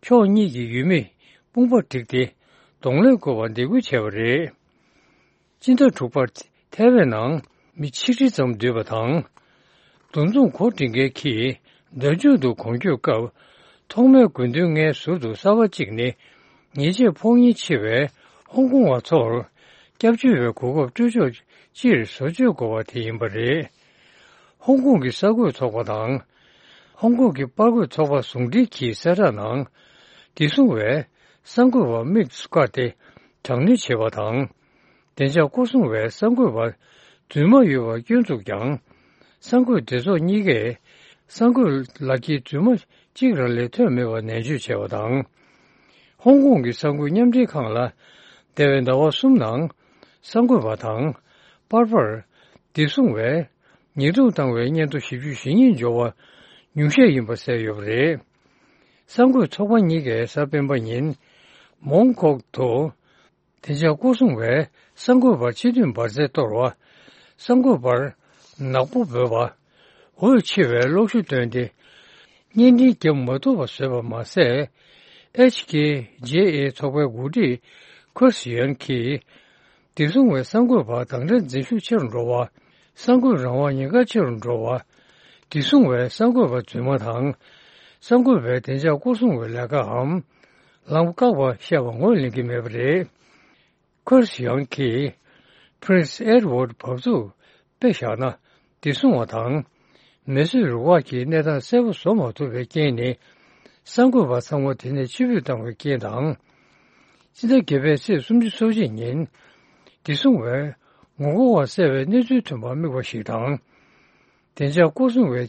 ཕྱོགས་གཉིས་ཀྱི་ཡུལ་མིས་དཔུང་པ་བསྒྲིགས་ཏེ་གདོང་ལེན་དགོས་པར་འདེད་སྐུལ་བྱས་པ་རེད། སྤྱི་ཟླ་དྲུག་པར་ཐའེ་ཝན་ནང་མི་ཆིག་ཁྲི་ཙམ་འདུས་པ་དང་། འདུ་འཛོམས་གོ་སྒྲིག་མཁན་གྱིས་ལྡབ་མཇུག་ཏུ་གོམ་བསྐྱོད་སྐབས། ཐོག་མའི་དགོས་འདུན་ལྔའི་ཟུར་དུ་གསར་པ་གཅིག་ནི། ཉེས་ཆད་ཕོག་ཉེན་ཆེ་བའི་ཧོང་ཀོང་བ་ཚོར་སྐྱབས་བཅོལ་བའི་གོ་སྐབས་སྤྲོད་ཕྱོགས་སྤྱིར་བཟོ་བཅོས་དགོས་པ་དེ་ཡིན་པ་རེད། ཧོང་ཀོང་གི་གསར་འགོད་ཚོགས་པ་དང་། ཧོང་ཀོང་གི་པར་འགོད་ཚོགས་པ་ཟུང་འབྲེལ་གྱིས་གསལ་བསྒྲགས་ནང་། བདེ་སྲུང་བས་གསར་འགོད་པར་དམིགས་སུ་བཀར་ཏེ་དྲག་གནོན་བྱེད་པ་དང་། བདེ་འཇགས་སྐོར་སྲུང་བས་གསར་འགོད་པ་རྫུན་མ་ཡོད་པར་སྐྱོན་བཙུགས་ཀྱང་། གསར་འགོད་སྡེ་ཚོགས་གཉིས་ཀས་གསར་འགོད་ལག་འཁྱེར་རྫུན་མ་གཅིག་རང་ལས་ཐོན་མེད་པར་ནན་བརྗོད་བྱས་པ་དང་། ཧོང་ཀོང་གི་གསར་འགོད་མཉམ་འབྲེལ་ཁང་ལ་འདས་པའི་ཟླ་བ་གསུམ་ནང་གསར་འགོད་པ་དང་པར་པར་བདེ་སྲུང་བས་ཉེས་རྡུང་བཏང་བའི་སྙན་ཐོ་ཞེ་བཅུ་ཞེ་གཉིས་འབྱོར་བ་ཉུང་ཤས་ཡིན་པ་གསལ་ཡོད་པ་རེད། གསར་འགོད་ཚོགས་པ་གཉིས་ཀས་གཟའ་སྤེན་པ་ཉིན་མོང་ཀོག་ཏུ། བདེ་འཇགས་སྐོར་སྲུང་བས་གསར་འགོད་པར་སྤྱི་འཐུས་འབར་རྫས་གཏོར་བ། གསར་འགོད་པར་ནག་པོ་འབོད་པ། འོད་ཆེ་བའི་གློག་ཞུ་བཏོན་ཏེ། བརྙན་འཕྲིན་བརྒྱབ་མ་ཐུབ་པ་བཟོས་པ་མ་ཟད། ཨེཆ་ཀེ་ཇེ་ཨེ་ཚོགས་པའི་འགོ་ཁྲིད་ཁོས་ཡོན་གྱིས། བདེ་སྲུང་བས་གསར་འགོད་པ་དང་འདྲ་འཛིན་ཤུགས་ཆེ་རུ་འགྲོ་བ། གསར་འགོད་རང་དབང་ཉེན་ཁ་ཆེ་རུ་འགྲོ་བ། བདེ་སྲུང་བས་གསར་འགོད་པ་རྫུན་མ་དང་། གསར་འགོད་པའི་བདེ་འཇགས་སྐོར་སྲུང་བའི་ལས་ཀའམ། ལམ་བཀག་པ་བཤད་པ་ངོས་ལེན་གྱི་མེད་པ་རེད། ཁོས་ཡང་གིས། Prince Edward་བབས་ཚུགས་དཔེ་བཞག་ན། བདེ་སྲུང་བ་དང་། མེ་གསོད་རུ་ཁག་གིས་གནས་སྟངས་གསལ་པོ་བཟོ་མ་ཐུབ་པའི་རྐྱེན་ནི། གསར་འགོད་པ་ཚང་མ་དེ་ནས་ཕྱིར་འབུད་བཏང་བའི་རྐྱེན་དང་། སྤྱི་ཟླ་བརྒྱད་པའི་ཚེས་སུམ་ཅུ་སོ་གཅིག་ཉིན། བདེ་སྲུང་བས་ངོ་རྒོལ་བ་བསད་པའི་གནས་ཚུལ་ཐོན་པར་དམིགས་པ་ཞིག་དང་། བདེ་འཇགས་སྐོར་སྲུང་བའི་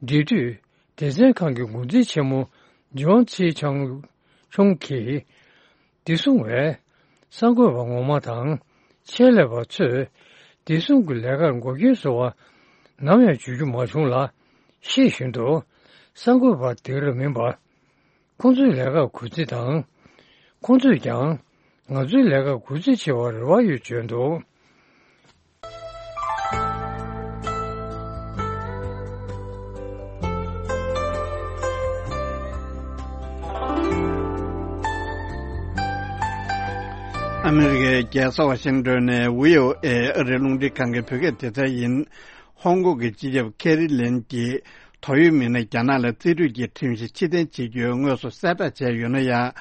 འབྲེལ་མཐུད་སྡེ་ཚན་ཁང་གི་འགོ་འཛིན་ཆེན་མོ་ཇོན་ཚི་ཆང་ཆུང་གིས། བདེ་སྲུང་བས་གསར་འགོད་པ་ངོ་མ་དང་ཆེད་ལས་པ་ཚོས་བདེ་སྲུང་གི་ལས་ཀར་འགོག་རྐྱེན་བཟོ་བ་ནམ་ཡང་བྱེད་རྒྱུ་མ་བྱུང་ལ། ཤེས་བཞིན་དུ་གསར་འགོད་པ་དེ་རུ་མིན་པ། ཁོང་ཚོའི་ལས་ཀར་གུས་བརྩི་དང་། ཁོང་ཚོས་ཀྱང་ང་ཚོའི་ལས་ཀར་གུས་བརྩི་བྱེད་པར་རེ་བ་ཡོད་བརྗོད་འདུག་ཨ་མི་རི་ཀའི་རྒྱལ་ས་ཝ་ཤིང་ཏོན་ནས་བྷི་ཨོ་ཨེ་ཨ་རིའི་རླུང་འཕྲིན་ཁང་གི་བོད་སྐད་སྡེ་ཚན་ཡིན། ཧོང་ཀོང་གི་སྤྱི་ཁྱབ་ཁེ་རི་ལེམ་གྱིས། དོགས་ཡོད་མི་སྣ་རྒྱ་ནག་ལ་རྩིས་སྤྲོད་ཀྱི་ཁྲིམས་གཞི་ཕྱིར་འཐེན་བྱེད་རྒྱུའི་དངོས་སུ་གསལ་བསྒྲགས་བྱས་ཡོད་ན་ཡང་།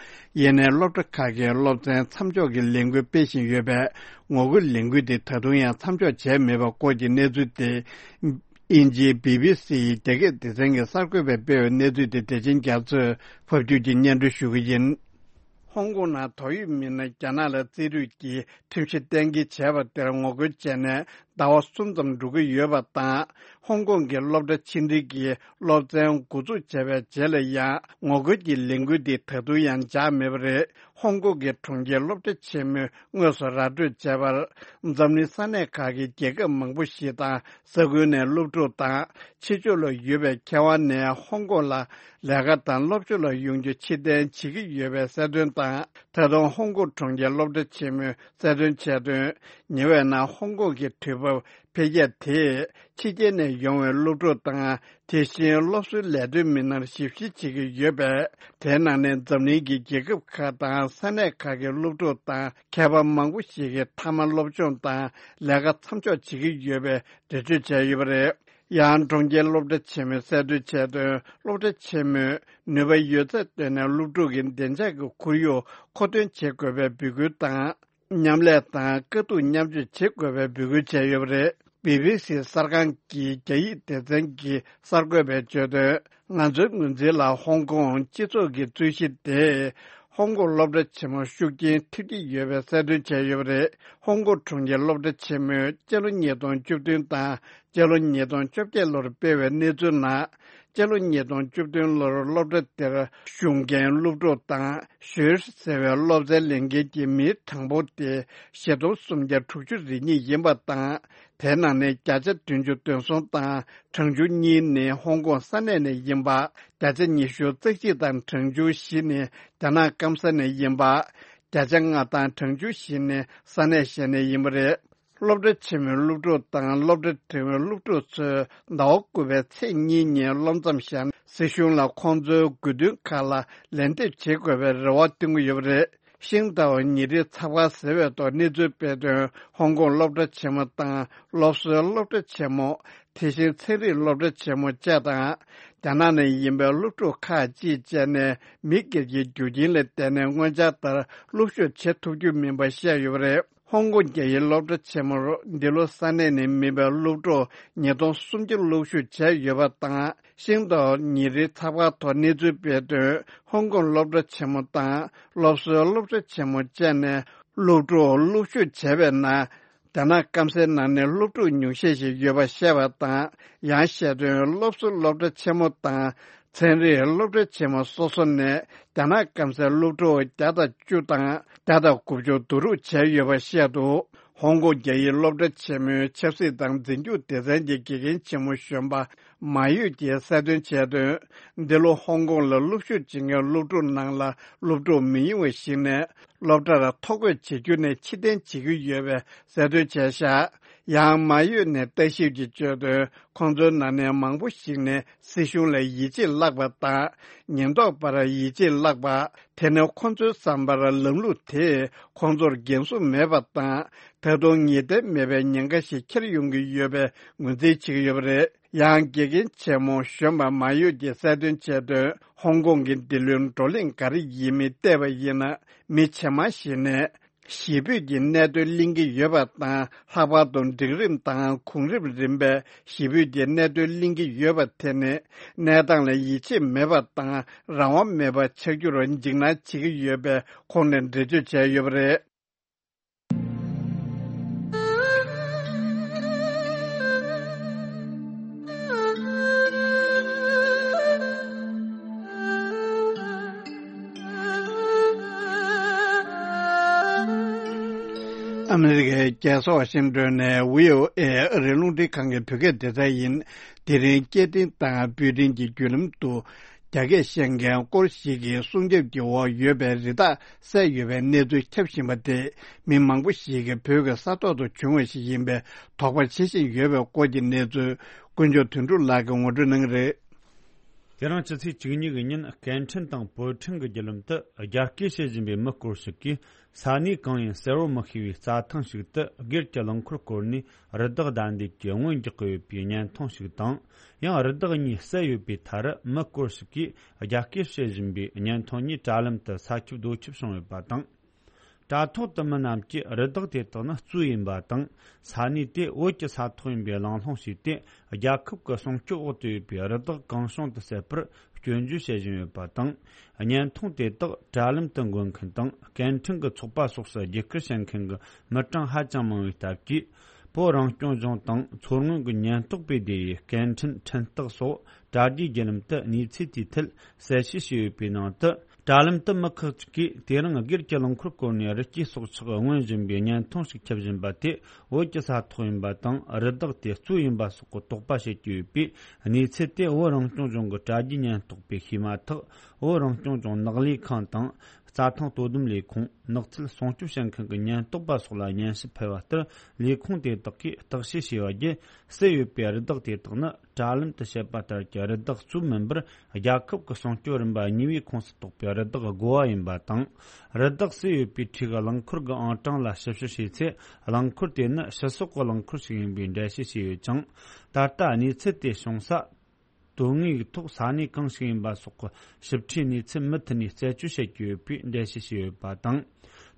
ཡིན་ནའི་སློབ་གྲྭ་ཁག་གིས་སློབ་ཚན་མཚམས་འཇོག་གི་ལས་འགུལ་སྤེལ་བཞིན་ཡོད་པས། ངོ་རྒོལ་ལས་འགུལ་དེ་ད་དུང་ཡང་མཚམས་འཇོག་བྱས་མེད་པའི་སྐོར་གྱི་གནས་ཚུལ་དེ། དབྱིན་ཇིའི་བྷི་བྷི་སི་ཡི་རྒྱ་སྐད་སྡེ་ཚན་གྱི་གསར་འགོད་པས་སྤེལ་བའི་གནས་ཚུལ་དེ་བདེ་ཆེན་རྒྱ་མཚོས་ཕབ་སྒྱུར་གྱིས་སྙན་སྒྲོན་ཞུ་གི་ཡིན། ཧོང་ཀོང་ནང་དོགས་ཡོད་མི་སྣ་རྒྱ་ནག་ལ་རྩིས་སྤྲོད་ཀྱི་ཁྲིམས་གཞི་གཏན་འཁེལ་བྱས་པ་དེར་ངོ་རྒོལ་བྱས་ནས་ཟླ་བ་གསུམ་ཙམ་འགྲོ་གི་ཡོད་པ་དང་། ཧོང་ཀོང་གི་སློབ་གྲྭ་ཕྱི་འབྲེལ་གྱིས་སློབ་ཚན་འགོ་འཛུགས་བྱས་པའི་རྗེས་ལ་ཡང་ངོ་རྒོལ་གྱི་ལས་འགུལ་འདི་ད་དུང་ཡང་འཇགས་མེད་པ་རེད། ཧོང་ཀོང་གི་གྲོང་ཁྱེར་སློབ་གྲྭ་ཆེན་མོས་དངོས་སུ་ར་སྤྲོད་བྱས་པར། འཛམ་གླིང་ས་གནས་ཁག་གི་རྒྱལ་ཁབ་མང་པོ་ཞིག་དང་། ས་ཁུལ་ནས་སློབ་ཕྲུག་དང་། ཕྱི་ཕྱོགས་ལ་ཡོད་པའི་མཁས་དབང་ནས་ཧོང་ཀོང་ལ་ལས་ཀ་དང་སློབ་སྦྱོང་ལ་ཡོང་རྒྱུ་ཕྱིར་འཐེན་བྱེད་ཀྱི་ཡོད་པའི་གསལ་སྟོན་དང་། ད་དུང་ཧོང་ཀོང་གྲོང་ཁྱེར་སློབ་གྲྭ་ཆེན་མོས་གསལ་སྟོན་བྱས་དོན། ཉེ་བའི་ནང་ཧོང་ཀོང་གི་དུས་བབ་འཕེལ་རྒྱས་དེས་ཕྱི་རྒྱལ་ནས་ཡོང་བའི་སློབ་ཕྲུག་དང་། དེ་བཞིན་སློབ་གསོའི་ལས་དོན་མི་སྣར་ཞིབ་བཤེར་བྱེད་ཀྱི་ཡོད་པས། དེའི་ནང་ནས་འཛམ་གླིང་གི་རྒྱལ་ཁབ་ཁག་དང་ས་གནས་ཁག་གི་སློབ་ཕྲུག་དང་མཁས་པ་མང་པོ་ཞིག་གིས་མཐའ་མ་སློབ་སྦྱོང་དང་ལས་ཀ་མཚམས་འཇོག་བྱེད་ཀྱི་ཡོད་པའི་འགྲེལ་བརྗོད་བྱས་ཡོད་པ་རེད། ཡང་གྲོང་ཁྱེར་སློབ་གྲྭ་ཆེན་མོས་གསལ་སྟོན་བྱས་དོན། སློབ་གྲྭ་ཆེན་མོས་ནུས་པ་ཡོད་ཚད་བཏོན་ནས་སློབ་ཕྲུག་གི་བདེ་འཇགས་ཀྱི་ཁོར་ཡུག་མཁོ་འདོན་བྱེད་དགོས་པའི་འབོད་སྐུལ་དང་། མཉམ་ལས་དང་དཀའ་སྡུག་མཉམ་སྤྱོད་བྱེད་དགོས་པའི་འབོད་སྐུལ་བྱས་ཡོད་པ་རེད། བྷི་བྷི་སི་གསར་ཁང་གི་རྒྱ་ཡིག་སྡེ་ཚན་གྱི་གསར་འགོད་པས་བརྗོད་དོན། ང་ཚོའི་ངོས་འཛིན་ལ་ཧོང་ཀོང་སྤྱི་ཚོགས་ཀྱི་རྩོད་གཞི་དེ། ཧོང་ཀོང་སློབ་གྲྭ་ཆེན་མོ་ཤུགས་རྐྱེན་ཐེབས་ཀྱི་ཡོད་པའི་གསལ་སྟོན་བྱས་ཡོད་པ་རེད། ཧོང་ཀོང་གྲོང་ཁྱེར་སློབ་གྲྭ་ཆེན་མོས་སྤྱི་ལོ་ཉིས་སྟོང་བཅུ་བདུན་དང་སྤྱི་ལོ་ཉིས་སྟོང་བཅོ་བརྒྱད་ལོར་སྤེལ་བའི་གནས་ཚུལ་ནང་། སྤྱི་ལོ་ཉིས་སྟོང་བཅུ་བདུན་ལོར་སློབ་གྲྭ་དེར་ཞུགས་མཁན་སློབ་ཕྲུག་དང་ཞུས་ཟེར་བའི་སློབ་ཚན་ལེན་མཁན་གྱི་མིའི་གྲངས་འབོར་དེ་བཞི་སྟོང་སུམ་བརྒྱ་དྲུག་ཅུ་རེ་གཉིས་ཡིན་པ་དང་། དེའི་ནང་ནས་བརྒྱ་ཆ་བདུན་ཅུ་དོན་གསུམ་དང་གྲངས་ཆུང་གཉིས་ནི་ཧོང་ཀོང་ས་གནས་ནས་ཡིན་པ། བརྒྱ་ཆ་ཉི་ཤུ་རྩ་གཅིག་དང་གྲངས་ཆུང་བཞི་ནི་རྒྱ་ནག་སྐམ་ས་ནས་ཡིན་པ། བརྒྱ་ཆ་ལྔ་དང་གྲངས་ཆུང་བཞི་ནི་ས་གནས་གཞན་ནས་ཡིན་པ་རེད། སློབ་གྲྭ་ཆེན་མོའི་སློབ་ཕྲུག་དང་སློབ་གྲྭ་འབྲིང་བའི་སློབ་ཕྲུག་ཚོས་ཟླ་བ་དགུ་པའི་ཚེས་གཉིས་ཉིན་སློབ་མཚམས་བཞག་ན། སྲིད་གཞུང་ལ་ཁོང་ཚོའི་དགོས་འདུན་ཁག་ལ་ལན་འདེབས་བྱེད་དགོས་པའི་རེ་བ་བཏོན་གྱི་ཡོད་པ་རེད། ཤིང་ཏའོ་ཉིན་རེའི་ཚགས་པར་ཟེར་བའི་ཐོག་གནས་ཚུལ་སྤེལ་དོན། ཧོང་ཀོང་སློབ་གྲྭ་ཆེན་མོ་དང་སློབ་གསོའི་སློབ་གྲྭ་ཆེན་མོ། དེ་བཞིན་ཚན་རིག་སློབ་གྲྭ་ཆེན་མོ་བཅས་དང་། རྒྱ་ནག་ནས་ཡིན་པའི་སློབ་ཕྲུག་ཁག་ཅིག་བཅས་ནས་མི་སྒེར་གྱི་རྒྱུ་རྐྱེན་ལ་བརྟེན་ནས་སྔོན་འཆར་ལྟར་སློབ་ཞུགས་བྱེད་ཐུབ་རྒྱུ་མིན་པ་བཤད་ཡོད་པ་རེད། ཧོང་ཀོང་རྒྱ་ཡིག་སློབ་གྲྭ་ཆེན་མོར་འདི་ལོ་ས་གནས་ནས་མིན་པའི་སློབ་ཕྲུག་ཉིས་སྟོང་སུམ་བརྒྱ་སློབ་ཞུགས་བྱས་ཡོད་པ་དང་། ཤིང་ཏའོ་ཉིན་རེའི་ཚགས་པར་ཐོག་གནས་ཚུལ་སྤེལ་དོན། ཧོང་ཀོང་སློབ་གྲྭ་ཆེན་མོ་དང་སློབ་གསོའི་སློབ་གྲྭ་ཆེན་མོ་བཅས་ནས་སློབ་ཕྲུག་སློབ་ཞུགས་བྱས་པའི་ནང་། རྒྱ་ནག་སྐམ་སའི་ནང་ནས་སློབ་ཕྲུག་ཉུང་ཤས་ཤིག་ཡོད་པ་བཤད་པ་དང་། ཡང་བཤད་དོན། སློབ་གསོ་སློབ་གྲྭ་ཆེན་མོ་དང་ཚན་རིག་སློབ་གྲྭ་ཆེན་མོ་སོ་སོ་ནས་རྒྱ་ནག་སྐམ་སའི་སློབ་ཕྲུག་བརྒྱ་དང་བཅུ་དང་བརྒྱ་དང་དགུ་བཅུ་བསྡུ་རུབ་བྱས་ཡོད་པ་བཤད་འདུག་ཧོང་ཀོང་རྒྱ་ཡིག་སློབ་གྲྭ་ཆེན་མོའི་ཆབ་སྲིད་དང་འཛིན་སྐྱོང་སྡེ་ཚན་གྱི་དགེ་རྒན་ཆེན་མོ་གཞོན་པ་མ་ཡོད་ཀྱིས་གསལ་སྟོན་བྱས་དོན། འདི་ལོ་ཧོང་ཀོང་ལ་སློབ་ཞུགས་བྱེད་མཁན་སློབ་ཕྲུག་ནང་ལ་སློབ་ཕྲུག་མི་ཉུང་བ་ཞིག་ནས་སློབ་གྲྭར་ཐོ་འགོད་བྱེད་རྒྱུ་ནས་ཕྱིར་འཐེན་བྱེད་ཀྱི་ཡོད་པའི་གསལ་སྟོན་བྱས་བཞག་ཡང་མ་ཡོད་ནས་ལྟ་ཞིབ་ཀྱིས་བརྗོད་དོན། ཁོང་ཚོའི་ནང་ནས་མང་པོ་ཞིག་ནས་སྲིད་གཞུང་ལ་ཡིད་ཆེས་བརླག་པ་དང་། ཉེན་རྟོག་པར་ཡིད་ཆེས་བརླག་པ། དེ་ནི་ཁོང་ཚོའི་བསམ་པར་ལམ་ལུགས་དེས་ཁོང་ཚོར་འགན་སྲུང་མེད་པ་དང་། ད་དུང་ངེས་གཏན་མེད་པའི་ཉེན་ཁ་ཞིག་འཁྱེར་ཡོང་གི་ཡོད་པའི་ངོས་འཛིན་བྱེད་ཀྱི་ཡོད་པ་རེད། ཡང་དགེ་རྒན་ཆེན་མོ་གཞོན་པ་མ་ཡོད་ཀྱིས་གསལ་སྟོན་བྱས་དོན། ཧོང་ཀོང་གི་འདི་ལོའི་བགྲོ་གླེང་ག་རེ་ཡིན་མིན་བལྟས་པ་ཡིན་ན། མི་ཇེ་མང་ཞིག་ནས་གཞིས་སྤོས་ཀྱི་གནད་དོན་གླེང་གི་ཡོད་པ་དང་། ལྷག་པར་དུ་འབྲིང་རིམ་དང་གོང་རིམ་རིམ་པས་གཞིས་སྤོས་ཀྱི་གནད་དོན་གླེང་གི་ཡོད་པ་དེ་ནི་གནས་སྟངས་ལ་ཡིད་ཆེས་མེད་པ་དང་རང་དབང་མེད་པ་ཆགས་རྒྱུར་འཇིགས་སྣང་བྱེད་ཀྱི་ཡོད་པའི་ཁོངས་ནས་འགྲེལ་བརྗོད་བྱས་ཡོད་པ་རེད། ཨ་མི་རི་ཀའི་རྒྱལ་ས་ཝ་ཤིང་ཏོན་ནས་བྷི་ཨོ་ཨེ་ཨ་རིའི་རླུང་འཕྲིན་ཁང་གི་བོད་སྐད་སྡེ་ཚན་ཡིན། དེ་རིང་སྐྱེ་ཕྲེང་དང་སྤོས་ཕྲེང་གི་བརྒྱུད་ལམ་དུ། རྒྱ་སྐད་བཤད་མཁན་སྐོར་ཞིག་གི་སྲུང་སྐྱོབ་ཀྱི་འོག་ཡོད་པའི་རི་དྭགས་བསད་ཡོད་པའི་གནས་ཚུལ་ཁྱབ་བཞིན་པ་དེ། མི་མང་པོ་ཞིག་གིས་བོད་ཀྱི་ས་ཐོག་ཏུ་བྱུང་བ་ཞིག་ཡིན་པའི་དོགས་པ་བྱེད་བཞིན་ཡོད་པའི་སྐོར་གྱི་གནས་ཚུལ། དཀོན་མཆོག་དོན་གྲུབ་ལགས་ཀྱིས་ངོ་སྤྲོད་གནང་གི་རེད། དེ་རིང་སྤྱི་ཚེས་བཅུ་གཉིས་ཀྱི་ཉིན་སྐད་འཕྲིན་དང་སྤོས་འཕྲིན་གྱི་བརྒྱུད་ལམ་དུ་རྒྱ་སྐད་བཤད་བཞིན་པའི་མི་སྐོར་ཞིག་གིས། ས་གནས་གང་ཡིན་གསལ་བོ་མི་ཤེས་པའི་རྩྭ་ཐང་ཞིག་ཏུ་སྒེར་གྱི་རླངས་འཁོར་བསྐོར་ནས་རི་དྭགས་བདའ་འདེད་ཀྱིས་རྔོན་རྒྱག་གི་ཡོད་པའི་བརྙན་ཐུང་ཞིག་དང་། ཡང་རི་དྭགས་གཉིས་བསད་ཡོད་པའི་མཐར། མི་སྐོར་ཞིག་གིས་རྒྱ་སྐད་བཤད་བཞིན་པའི་བརྙན་ཐུང་གཉིས་དྲ་ལམ་དུ་ས་ཁྱབ་རྡོ་ཁྱབ་བྱུང་ཡོད་པ་དང་། དྲ་ཐོག་ཏུ་མི་རྣམས་ཀྱིས་རི་དྭགས་དེ་དག་ནི་གཙོད་ཡིན་པ་དང་། ས་གནས་དེ་བོད་ཀྱི་ས་ཐོག་ཡིན་པའི་གླེང་སློང་བྱས་ཏེ། རྒྱལ་ཁབ་ཀྱི་སྲུང་སྐྱོབ་འོག་ཏུ་ཡོད་པའི་རི་དྭགས་གང་བྱུང་དུ་བསད་པར་སྐྱོན་བརྗོད་བྱེད་བཞིན་ཡོད་པ་དང་། བརྙན་ཐུང་དེ་དག་དྲ་ལམ་དུ་འགོད་མཁན་དང་། སྐད་འཕྲིན་གྱི་ཚོགས་པ་སོགས་སུ་རྒྱུད་སྐུར་བྱེད་མཁན་གྱི་མི་གྲངས་ཧ་ཅང་མང་བའི་སྟབས་ཀྱིས། བོད་རང་སྐྱོང་ལྗོངས་དང་མཚོ་སྔོན་གྱི་ཉེན་རྟོག་པའི་སྡེ་བའི་སྐད་འཕྲིན་འཕྲིན་སྟེགས་སོགས་དྲ་རྒྱའི་བརྒྱུད་ལམ་དུ་གནས་ཚུལ་དེའི་ཐད་གསལ་བཤད་བྱས་ཡོད་པའི་ནང་དུ། དྲ་ལམ་དུ་མི་ཁག་ཅིག་གིས་དེ་རིང་སྒེར་གྱི་རླངས་འཁོར་བསྐོར་ནས་རི་སྐྱེས་སྲོག་ཆགས་རྔོན་བཞིན་པའི་བརྙན་ཐུང་ཞིག་ཁྱབ་བཞིན་པ་དེ་བོད་ཀྱི་ས་ཐོག་ཡིན་པ་དང་། རི་དྭགས་དེ་གཙོད་ཡིན་པ་སོགས་ཀྱི་དོགས་པ་བྱེད་ཀྱི་ཡོད་པས། གནས་ཚུལ་དེ་བོད་རང་སྐྱོང་ལྗོངས་ཀྱི་དྲ་རྒྱའི་ཉེན་རྟོག་པས་ཤེས་མ་ཐག་བོད་རང་སྐྱོང་ལྗོངས་ནགས་ལས་ཁང་དང་། རྩྭ་ཐང་དོ་དམ་ལས་ཁུངས། ནགས་ཚལ་སྲུང་སྐྱོབ་བྱེད་མཁན་གྱི་ཉེན་རྟོག་པ་སོགས་ལ་སྙན་ཞུ་ཕུལ་བ་ལྟར། ལས་ཁུངས་དེ་དག་གིས་བརྟག་དཔྱད་བྱས་པ་བརྒྱུད། བསད་ཡོད་པའི་རི་དྭགས་དེ་དག་ནི། དྲ་ལམ་དུ་བཤད་པ་ལྟར་གྱི་རི་དྭགས་གཙོད་མིན་པར། རྒྱལ་ཁབ་ཀྱི་སྲུང་སྐྱོབ་རིམ་པ་གཉིས་པའི་ཁོངས་སུ་གཏོགས་པའི་རི་དྭགས་དགོ་བ་ཡིན་པ་དང་། རི་དྭགས་བསད་ཡོད་པའི་འཁྲིས་ཀྱི་རླངས་འཁོར་གྱི་ཨང་གྲངས་ལ་ཞིབ་དཔྱད་བྱས་ཚེ། རླངས་འཁོར་དེ་ནི་ཕྱི་སོག་གི་རླངས་འཁོར་ཞིག་ཡིན་པའི་འགྲེལ་བཤད་བྱས་ཡོད་ཅིང་། ད་ལྟ་གནས་ཚུལ་དེ་བྱུང་ས། དོན་དངོས་ཀྱི་ཐོག་ས་གནས་གང་ཞིག་ཡིན་པ་སོགས་ཀྱི་ཞིབ་ཕྲའི་གནས་ཚུལ་མུ་མཐུད་ནས་རྩད་གཅོད་བྱེད་ཀྱི་ཡོད་པའི་འགྲེལ་བཤད་བྱས་ཡོད་པ་དང་།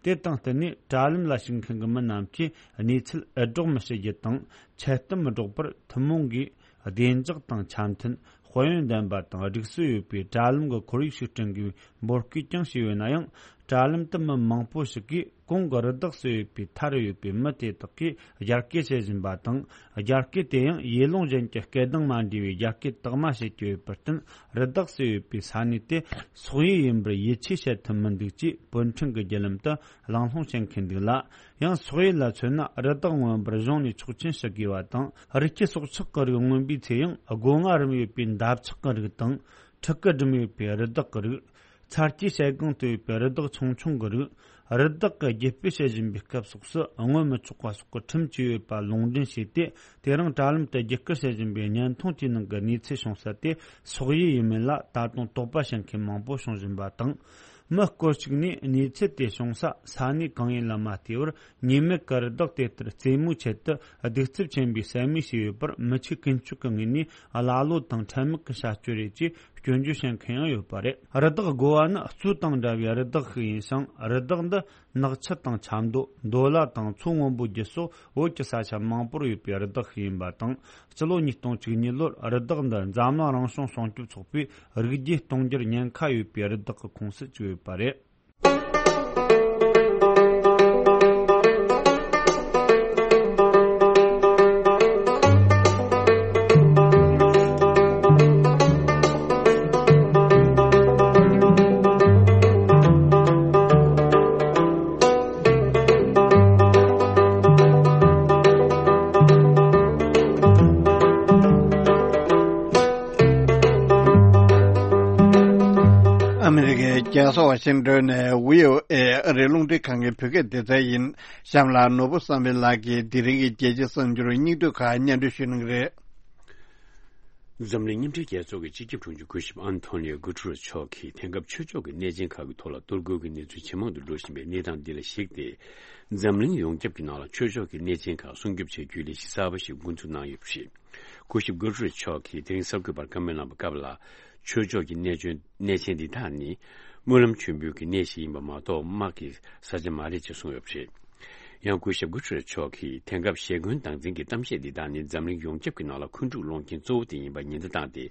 དེ་དང་བསྟུན་ནས་དྲ་ལམ་ལ་ཞུགས་མཁན་གྱི་མི་རྣམས་ཀྱིས་གནས་ཚུལ་འུར་སྒྲོག་མི་བྱེད་རྒྱུ་དང་། འཆལ་གཏམ་མི་སྒྲོག་པར་ཐུན་མོང་གིས་ བདེ་འཇགས་དང་འཆམ་མཐུན། དཔལ་ཡོན་ལྡན་པ་དང་སྒྲིག་སྲོལ་ཡོད་པའི་དྲ་ལམ་གྱི་ཁོར་ཡུག་ཞིག་བསྐྲུན་དགོས་པའི་འབོད་སྐུལ་ཀྱང་བྱས་ཡོད་ན་ཡང་། དྲ་ལམ་དུ་མི་མང་པོ་ཞིག་གིས་གོང་གི་རི་དྭགས་སུ་ཡོད་པའི་མཐའ་རུ་ཡོད་པའི་མི་དེ་དག་གིས་རྒྱ་སྐད་བཤད་བཞིན་པ་དང་། རྒྱ་སྐད་དེ་ཡང་ཡེ་ལུང་ཅན་གྱི་སྐད་གདངས་མ་འདྲེས་པའི་རྒྱ་སྐད་དག་མ་བཤད་ཀྱི་ཡོད་པར་བརྟེན། རི་དྭགས་སུ་ཡོད་པའི་ས་གནས་དེ་སོག་ཡུལ་ཡིན་པར་ཡིད་ཆེས་བྱེད་ཐུབ་མི་འདུག་ཅེས་བོད་ཕྲན་གྱི་བརྒྱུད་ལམ་དུ་གླེང་སློང་བྱེད་མཁན་འདུག་ལ། ཡང་སོག་ཡུལ་ལ་མཚོན་ན། རི་དྭགས་མངོན་པར་གཞུང་ནས་ཆོག་མཆན་ཞུ་དགོས་པ་དང་། རི་སྐྱེས་སྲོག་ཆགས་ཀྱི་རིགས་མངོན་པའི་ཚེ་ཡང་སྒོ་ང་རིམ་ཡོད་པའི་འདབ་ཆགས་ཀྱི་རིགས་དང་། ཕྲུ་གུ་སྒྲིམ་ཡོད་པའི་རི་དྭགས་ཀྱི་རིགས། ཚ་སྐྱེས་ཞལ་གང་དུ་ཡོད་པའི་རི་དྭགས་ཆུང་ཆུང་གི་རིགས། རི་དྭགས་ཀྱི་རྒྱུ་སྤུས་བཤད་བཞིན་པའི་སྐབས་སོགས་སུ་སྔོན་མི་ཆོག་པ་སོགས་ཀྱི་ཁྲིམས་བཅས་ཡོད་པ་ལུང་འདྲེན་བྱས་ཏེ། དེ་རིང་དྲ་ལམ་དུ་རྒྱུད་སྐུལ་བྱེད་བཞིན་པའི་བརྙན་ཐུང་དེའི་ནང་གི་གནས་ཚུལ་བྱུང་ས་དེ་སོག་ཡུལ་ཡིན་མིན་ལ་ད་དུང་དོགས་པ་བྱེད་མཁན་མང་པོ་བྱུང་བཞིན་པ་དང་། མི་སྐོར་ཞིག་ནས་གནས་ཚུལ་དེ་བྱུང་ས་ས་གནས་གང་ཡིན་ལ་མ་ལྟོས་པར། ཉེས་མེད་ཀྱི་རི་དྭགས་དེ་ལྟར་རྩེད་མོའི་ཆེད་དུ་གདུག་རྩུབ་ཆེན་པོའི་ཟ་མིག་བྱས་ཡོད་པར་མི་ཆོས་ཀུན་སྤྱོད་ཀྱི་ངོས་ནས་ཀླ་ཀློ་དང་ཁྲེལ་མེད་ཀྱི་བྱ་སྤྱོད་རེད་ཅེས་སྐྱོན་བརྗོད་བྱེད་མཁན་ཡང་ཡོད་པ་རེད། རི་དྭགས་དགོ་བ་ནི་གཙོད་དང་འདྲ་བའི་རི་དྭགས་ཤིག་ཡིན་ཞིང་། རི་དྭགས་འདི་ནགས་ཁྱི་དང་ཆབ་མདོ། འདོ་ལ་དང་མཚོ་སྔོན་པོའི་རྒྱུད་སོགས་བོད་ཀྱི་ས་ཆ་མང་པོར་ཡོད་པའི་རི་དྭགས་ཤིག་ཡིན་པ་དང་། སྤྱི་ལོ་ཉིས་སྟོང་བཅུ་གཉིས་ལོར་རི་དྭགས་འདི་འཛམ་གླིང་རང་བྱུང་སྲུང་སྐྱོབ་ཚོགས་པས་རིགས་རྒྱུད་སྟོང་འགྱུར་ཉེན་ཁ་ཡོད་པའི་རི་དྭགས་ཀྱི་ཁོངས་སུ་བཅུག་ཡོད་པ་རེད། ཨ་མི་རི་ཀའི་རྒྱལ་ས་ཝ་ཤིང་ཏོན་ནས་བྷི་ཨོ་ཨེ་ཨ་རིའི་རླུང་འཕྲིན་ཁང་གི་བོད་སྐད་སྡེ་ཚན་ཡིན། གཤམ་ལ་ནོར་བུ་བསམ་འཕེལ་ལགས་ཀྱིས་དེ་རིང་གི་རྒྱལ་སྤྱིའི་གསར་འགྱུར་སྙིང་བསྡུས་ཁག་སྙན་སྒྲོན་ཞུ་གནང་གི་རེད། འཛམ་གླིང་མཉམ་འབྲེལ་རྒྱལ་ཚོགས་ཀྱི་སྤྱི་ཁྱབ་དྲུང་ཆེ་སྐུ་ཞབས་ཨན་ཐོ་ནིའོ་གུ་ཏུ་རེ་སི་མཆོག་གིས་དེང་སྐབས་ཆོས་ཕྱོགས་ཀྱི་གནས་ཆེན་ཁག་གི་ཐོག་ལ་གཏོར་རྒོལ་གྱི་གནས་ཚུལ་ཇེ་མང་དུ་འགྲོ་བཞིན་པའི་གནས་སྟངས་འདི་ལ་གཞིགས་ཏེ། འཛམ་གླིང་ཡོངས་ཁྱབ་ཀྱི་ནང་ལ་ཆོས་ཕྱོགས་ཀྱི་གནས་ཆེན་ཁག་སྲུང་སྐྱོབ་བྱ་རྒྱུའི་ལས་གཞི་གསར་པ་ཞིག་འགོ་འཛུགས་གནང་ཡོད་པ་རེད། སྐུ་ཞབས་གུ་ཏུ་རེ་སི་མཆོག་གིས་དེ་རིང་གསར་འགོད་པར་བཀའ་མོལ་གནང་བའི་སྐབས་ལ། ཆོས་ཕྱོགས་ཀྱི་གནས་ཆེན་གནས་ཆེན་འདི་དག་ནི་སྨོན་ལམ་མཆོད་འབུལ་གྱི་གནས་ཤིག་ཡིན་པ་མ་གཏོགས་དམག་གི་ས་ཆ་མ་རེད་ཅེས་གསུངས་ཡོད་པ་རེད། ཡང་སྐུ་ཞབས་གུ་ཏུ་རེ་སི་མཆོག་གིས་དེང་སྐབས་ཞེ་འཁོན་སྡང་འཛིན་གྱི་གཏམ་བཤད་འདི་དག་ནི་འཛམ་གླིང་ཡོངས་ཁྱབ་ཀྱི་ནང་ལ་འཁོན་འཁྲུག་སློང་མཁན་གཙོ་བོ་དེ་ཡིན་པ་ཉེན་བརྡ་བཏང་སྟེ།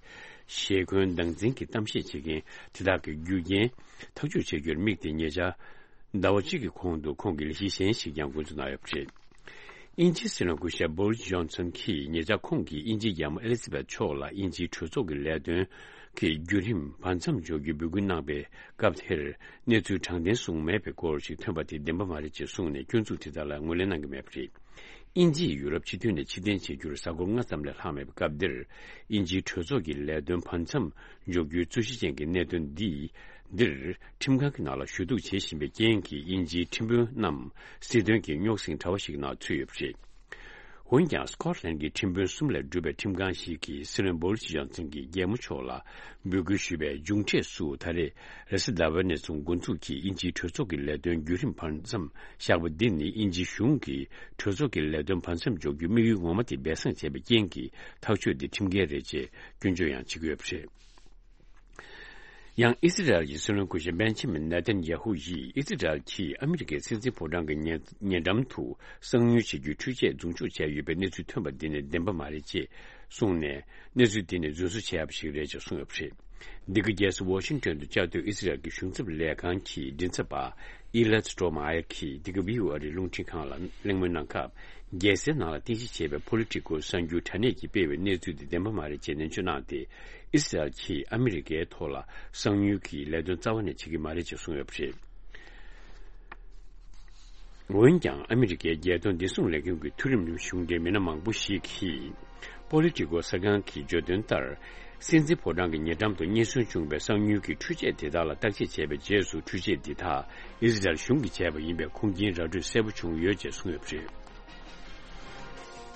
ཞེ་འཁོན་སྡང་འཛིན་གྱི་གཏམ་བཤད་བྱེད་མཁན་དེ་དག་གི་རྒྱུ་རྐྱེན་ཐག་གཅོད་བྱེད་རྒྱུར་དམིགས་ཏེ་ཉེ་ཆར་ཟླ་བ་གཅིག་གི་གོང་དུ་ཁོང་གིས་ལས་གཞི་གཞན་ཞིག་ཀྱང་འགོ་འཛུགས་གནང་ཡོད་པ་རེད། དབྱིན་ཇིའི་སྲིད་བློན་སྐུ་ཞབས་བྷོ་རིས་ཇོན་སན་གྱིས་ཉེ་ཆར་ཁོང་གིས་དབྱིན་ཇིའི་རྒྱལ་མོ་ཨེ་ལི་ཛ་བེད་མཆོག་ལ་དབྱིན་ཇིའི་གྲོས་ཚོགས་ཀྱི་ལས་དོན་གྱི་བརྒྱུད་རིམ་བར་མཚམས་འཇོག་རྒྱུའི་འབོད་སྐུལ་གནང་པའི་སྐབས་དེར། གནས་ཚུལ་དྲང་བདེན་གསུངས་མེད་པའི་སྐོར་ཞིག་ཐོན་པ་དེ་བདེན་པ་མ་རེད་ཅེས་གསུངས་ནས། སྐྱོན་འཛུགས་དེ་དག་ལ་ངོས་ལེན་གནང་གི་མེད་པ་རེད། དབྱིན་ཇིས་ཡུ་རོབ་སྤྱི་མཐུན་ནས་ཕྱིར་འཐེན་བྱེད་རྒྱུར་གཟའ་འཁོར་ལྔ་ཙམ་ལས་ལྷག་མེད་པའི་སྐབས་འདིར། དབྱིན་ཇིའི་གྲོས་ཚོགས་ཀྱི་ལས་དོན་བར་མཚམས་འཇོག་རྒྱུའི་རྩོད་གཞི་ཅན་གྱི་གནད་དོན་འདི། འདིར་ཁྲིམས་ཁང་གི་ནང་ལ་ཞུ་གཏུག་བྱེད་བཞིན་པའི་རྐྱེན་གྱིས། དབྱིན་ཇིའི་ཁྲིམས་དཔོན་རྣམས་སྲིད་དོན་གྱི་རྙོག་ཟིང་དྲ་བ་ཞིག་ནང་ཚུད་ཡོད་པ་རེད། འོན་ཀྱང་། སྐོ་ཊ་ལན་གྱི་ཁྲིམས་དཔོན་གསུམ་ལས་གྲུབ་པའི་ཁྲིམས་ཁང་ཞིག་གིས་སྲིད་བློན་བྷོ་རི་སི་ཇོན་སན་གྱིས་རྒྱལ་མོ་མཆོག་ལ་འབོད་སྐུལ་ཞུས་པའི་མཇུག་འབྲས་སུ། ད་རེས་རེས་གཟའ་ཟླ་བའི་ནས་བཟུང་འགོ་འཛུགས་ཀྱིས་དབྱིན་ཇིའི་གྲོས་ཚོགས་ཀྱི་ལས་དོན་བརྒྱུད་རིམ་བར་མཚམས་བཞག་པ་འདི་ནི། དབྱིན་ཇིའི་གཞུང་གིས་གྲོས་ཚོགས་ཀྱི་ལས་དོན་བར་མཚམས་འཇོག་རྒྱུའི་དམིགས་ཡུལ་ངོ་མ་དེ་སྦས་གསང་བྱས་པའི་རྐྱེན་གྱིས། ཐག་གཅོད་འདི་ཁྲིམས་འགལ་རེད་ཅེས་སྐྱོན་བརྗོད་ཡང་བྱེད་ཀྱི་ཡོད་པ་རེད། ཡང་ཨི་སི་རལ་གྱི་སྲིད་བློན་སྐུ་ཞབས་བན་ཇི་མིན་ནེ་ཐན་ཡ་ཧུ་ཡིས། ཨི་སི་རལ་གྱིས་ཨ་མི་རི་ཀའི་སྲིད་འཛིན་ཕོ་བྲང་གི་ཉེ་ཉེ་འགྲམ་དུ་གསང་ཉུལ་བྱེད་རྒྱུའི་འཕྲུལ་ཆས་རྫུན་སྤྱོད་བྱས་ཡོད་པའི་གནས་ཚུལ་ཐོན་པ་འདི་ནི་བདེན་པ་མ་རེད་ཅེས་གསུངས་ནས། གནས་ཚུལ་འདི་ནི་རྫུན་བཟོ་བྱས་ཡོད་པ་ཞིག་རེད་ཅེས་གསུངས་ཡོད་པ་རེད། འདི་ག་རྒྱལ་ས་ཝ་ཤིང་ཏོན་དུ་བཅའ་སྡོད་ཨི་སི་རལ་གྱི་གཞུང་ཚབ་ལས་ཁང་གི་མགྲིན་ཚབ་པ་ཨི་ལད་སི་ཏྲོ་མ་ཡར་གྱིས་འདི་ག་བྷི་ཨོ་ཨེ་རླུང་འཕྲིན་ཁང་ལ་གླེང་མོལ་གནང་སྐབས། རྒྱལ་སའི་ནང་ལ་རྟེན་གཞི་བྱས་པའི་ཕོ་ལི་ཊི་ཀོ་གསར་འགྱུར་དྲ་གནས་ཀྱིས་སྤེལ་བའི་གནས་ཚུལ་འདི་བདེན་པ་མ་རེད་ཅེས་ནན་བརྗོད་གནང་སྟེ། ཨི་སི་རལ་གྱིས་ཨ་མི་རི་ཀའི་ཐོག་ལ་གསང་ཉུལ་གྱི་ལས་དོན་རྩ་བ་ནས་བྱེད་ཀྱི་མ་རེད་ཅེས་གསུངས་ཡོད་པ་རེད། འོན་ཀྱང་། ཨ་མི་རི་ཀའི་རྒྱལ་དོན་བདེ་སྲུང་ལས་ཁུངས་ཀྱི་མཐོ་རིམ་གཞུང་འབྲེལ་མི་སྣ་མང་པོ་ཞིག་གིས། པོ་ལི་ཊི་ཀོ་གསར་ཁང་གིས་བརྗོད་དོན་ལྟར། སྲིད་འཛིན་ཕོ་བྲང་གི་ཉེ་འགྲམ་དུ་རྙེད་སོན་བྱུང་བའི་གསང་ཉུལ་གྱི་འཕྲུལ་ཆས་དེ་དག་ལ་བརྟག་དཔྱད་བྱས་པའི་རྗེས་སུ། འཕྲུལ་ཆས་འདི་དག་ཨི་སི་རལ་གཞུང་གིས་བྱས་པ་ཡིན་པའི་ཁུངས་སྐྱེལ་ར་སྤྲོད་གསལ་པོ་བྱུང་ཡོད་ཅེས་གསུངས་ཡོད་པ་རེད།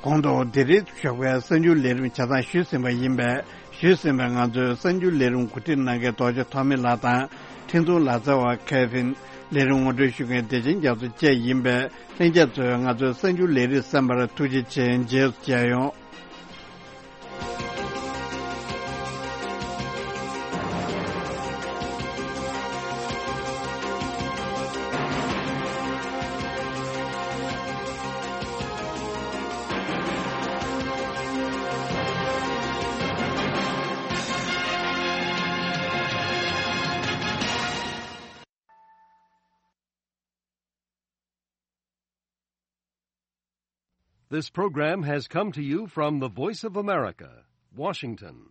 གོང་དུ་འདི་རིང་ཞོགས་པའི་གསར་འགྱུར་ལས་རིམ་ཆ་ཚང་ཞུས་ཟིན་པ་ཡིན་པས། ཞུས་ཟིན་པའི་ང་ཚོའི་གསར་འགྱུར་ལས་རིམ་གོ་སྒྲིག་གནང་མཁན་རྡོ་རྗེ་ཐོགས་མེད་ལགས་དང་། འཕྲིན་གཏོང་ལག་རྩལ་བ་ཁེ་ཕིན། ལས་རིམ་ངོ་སྤྲོད་ཞུ་མཁན་བདེ་ཆེན་རྒྱ་མཚོ་བཅས་ཡིན་པས། ལྷན་རྒྱས་ཚོས་ང་ཚོའི་གསར་འགྱུར་ལས་རིམ་གསན་པར་ཐུགས་རྗེ་ཆེ། རྗེས་སུ་མཇལ་ཡོང་། This program has come to you from the Voice of America, Washington.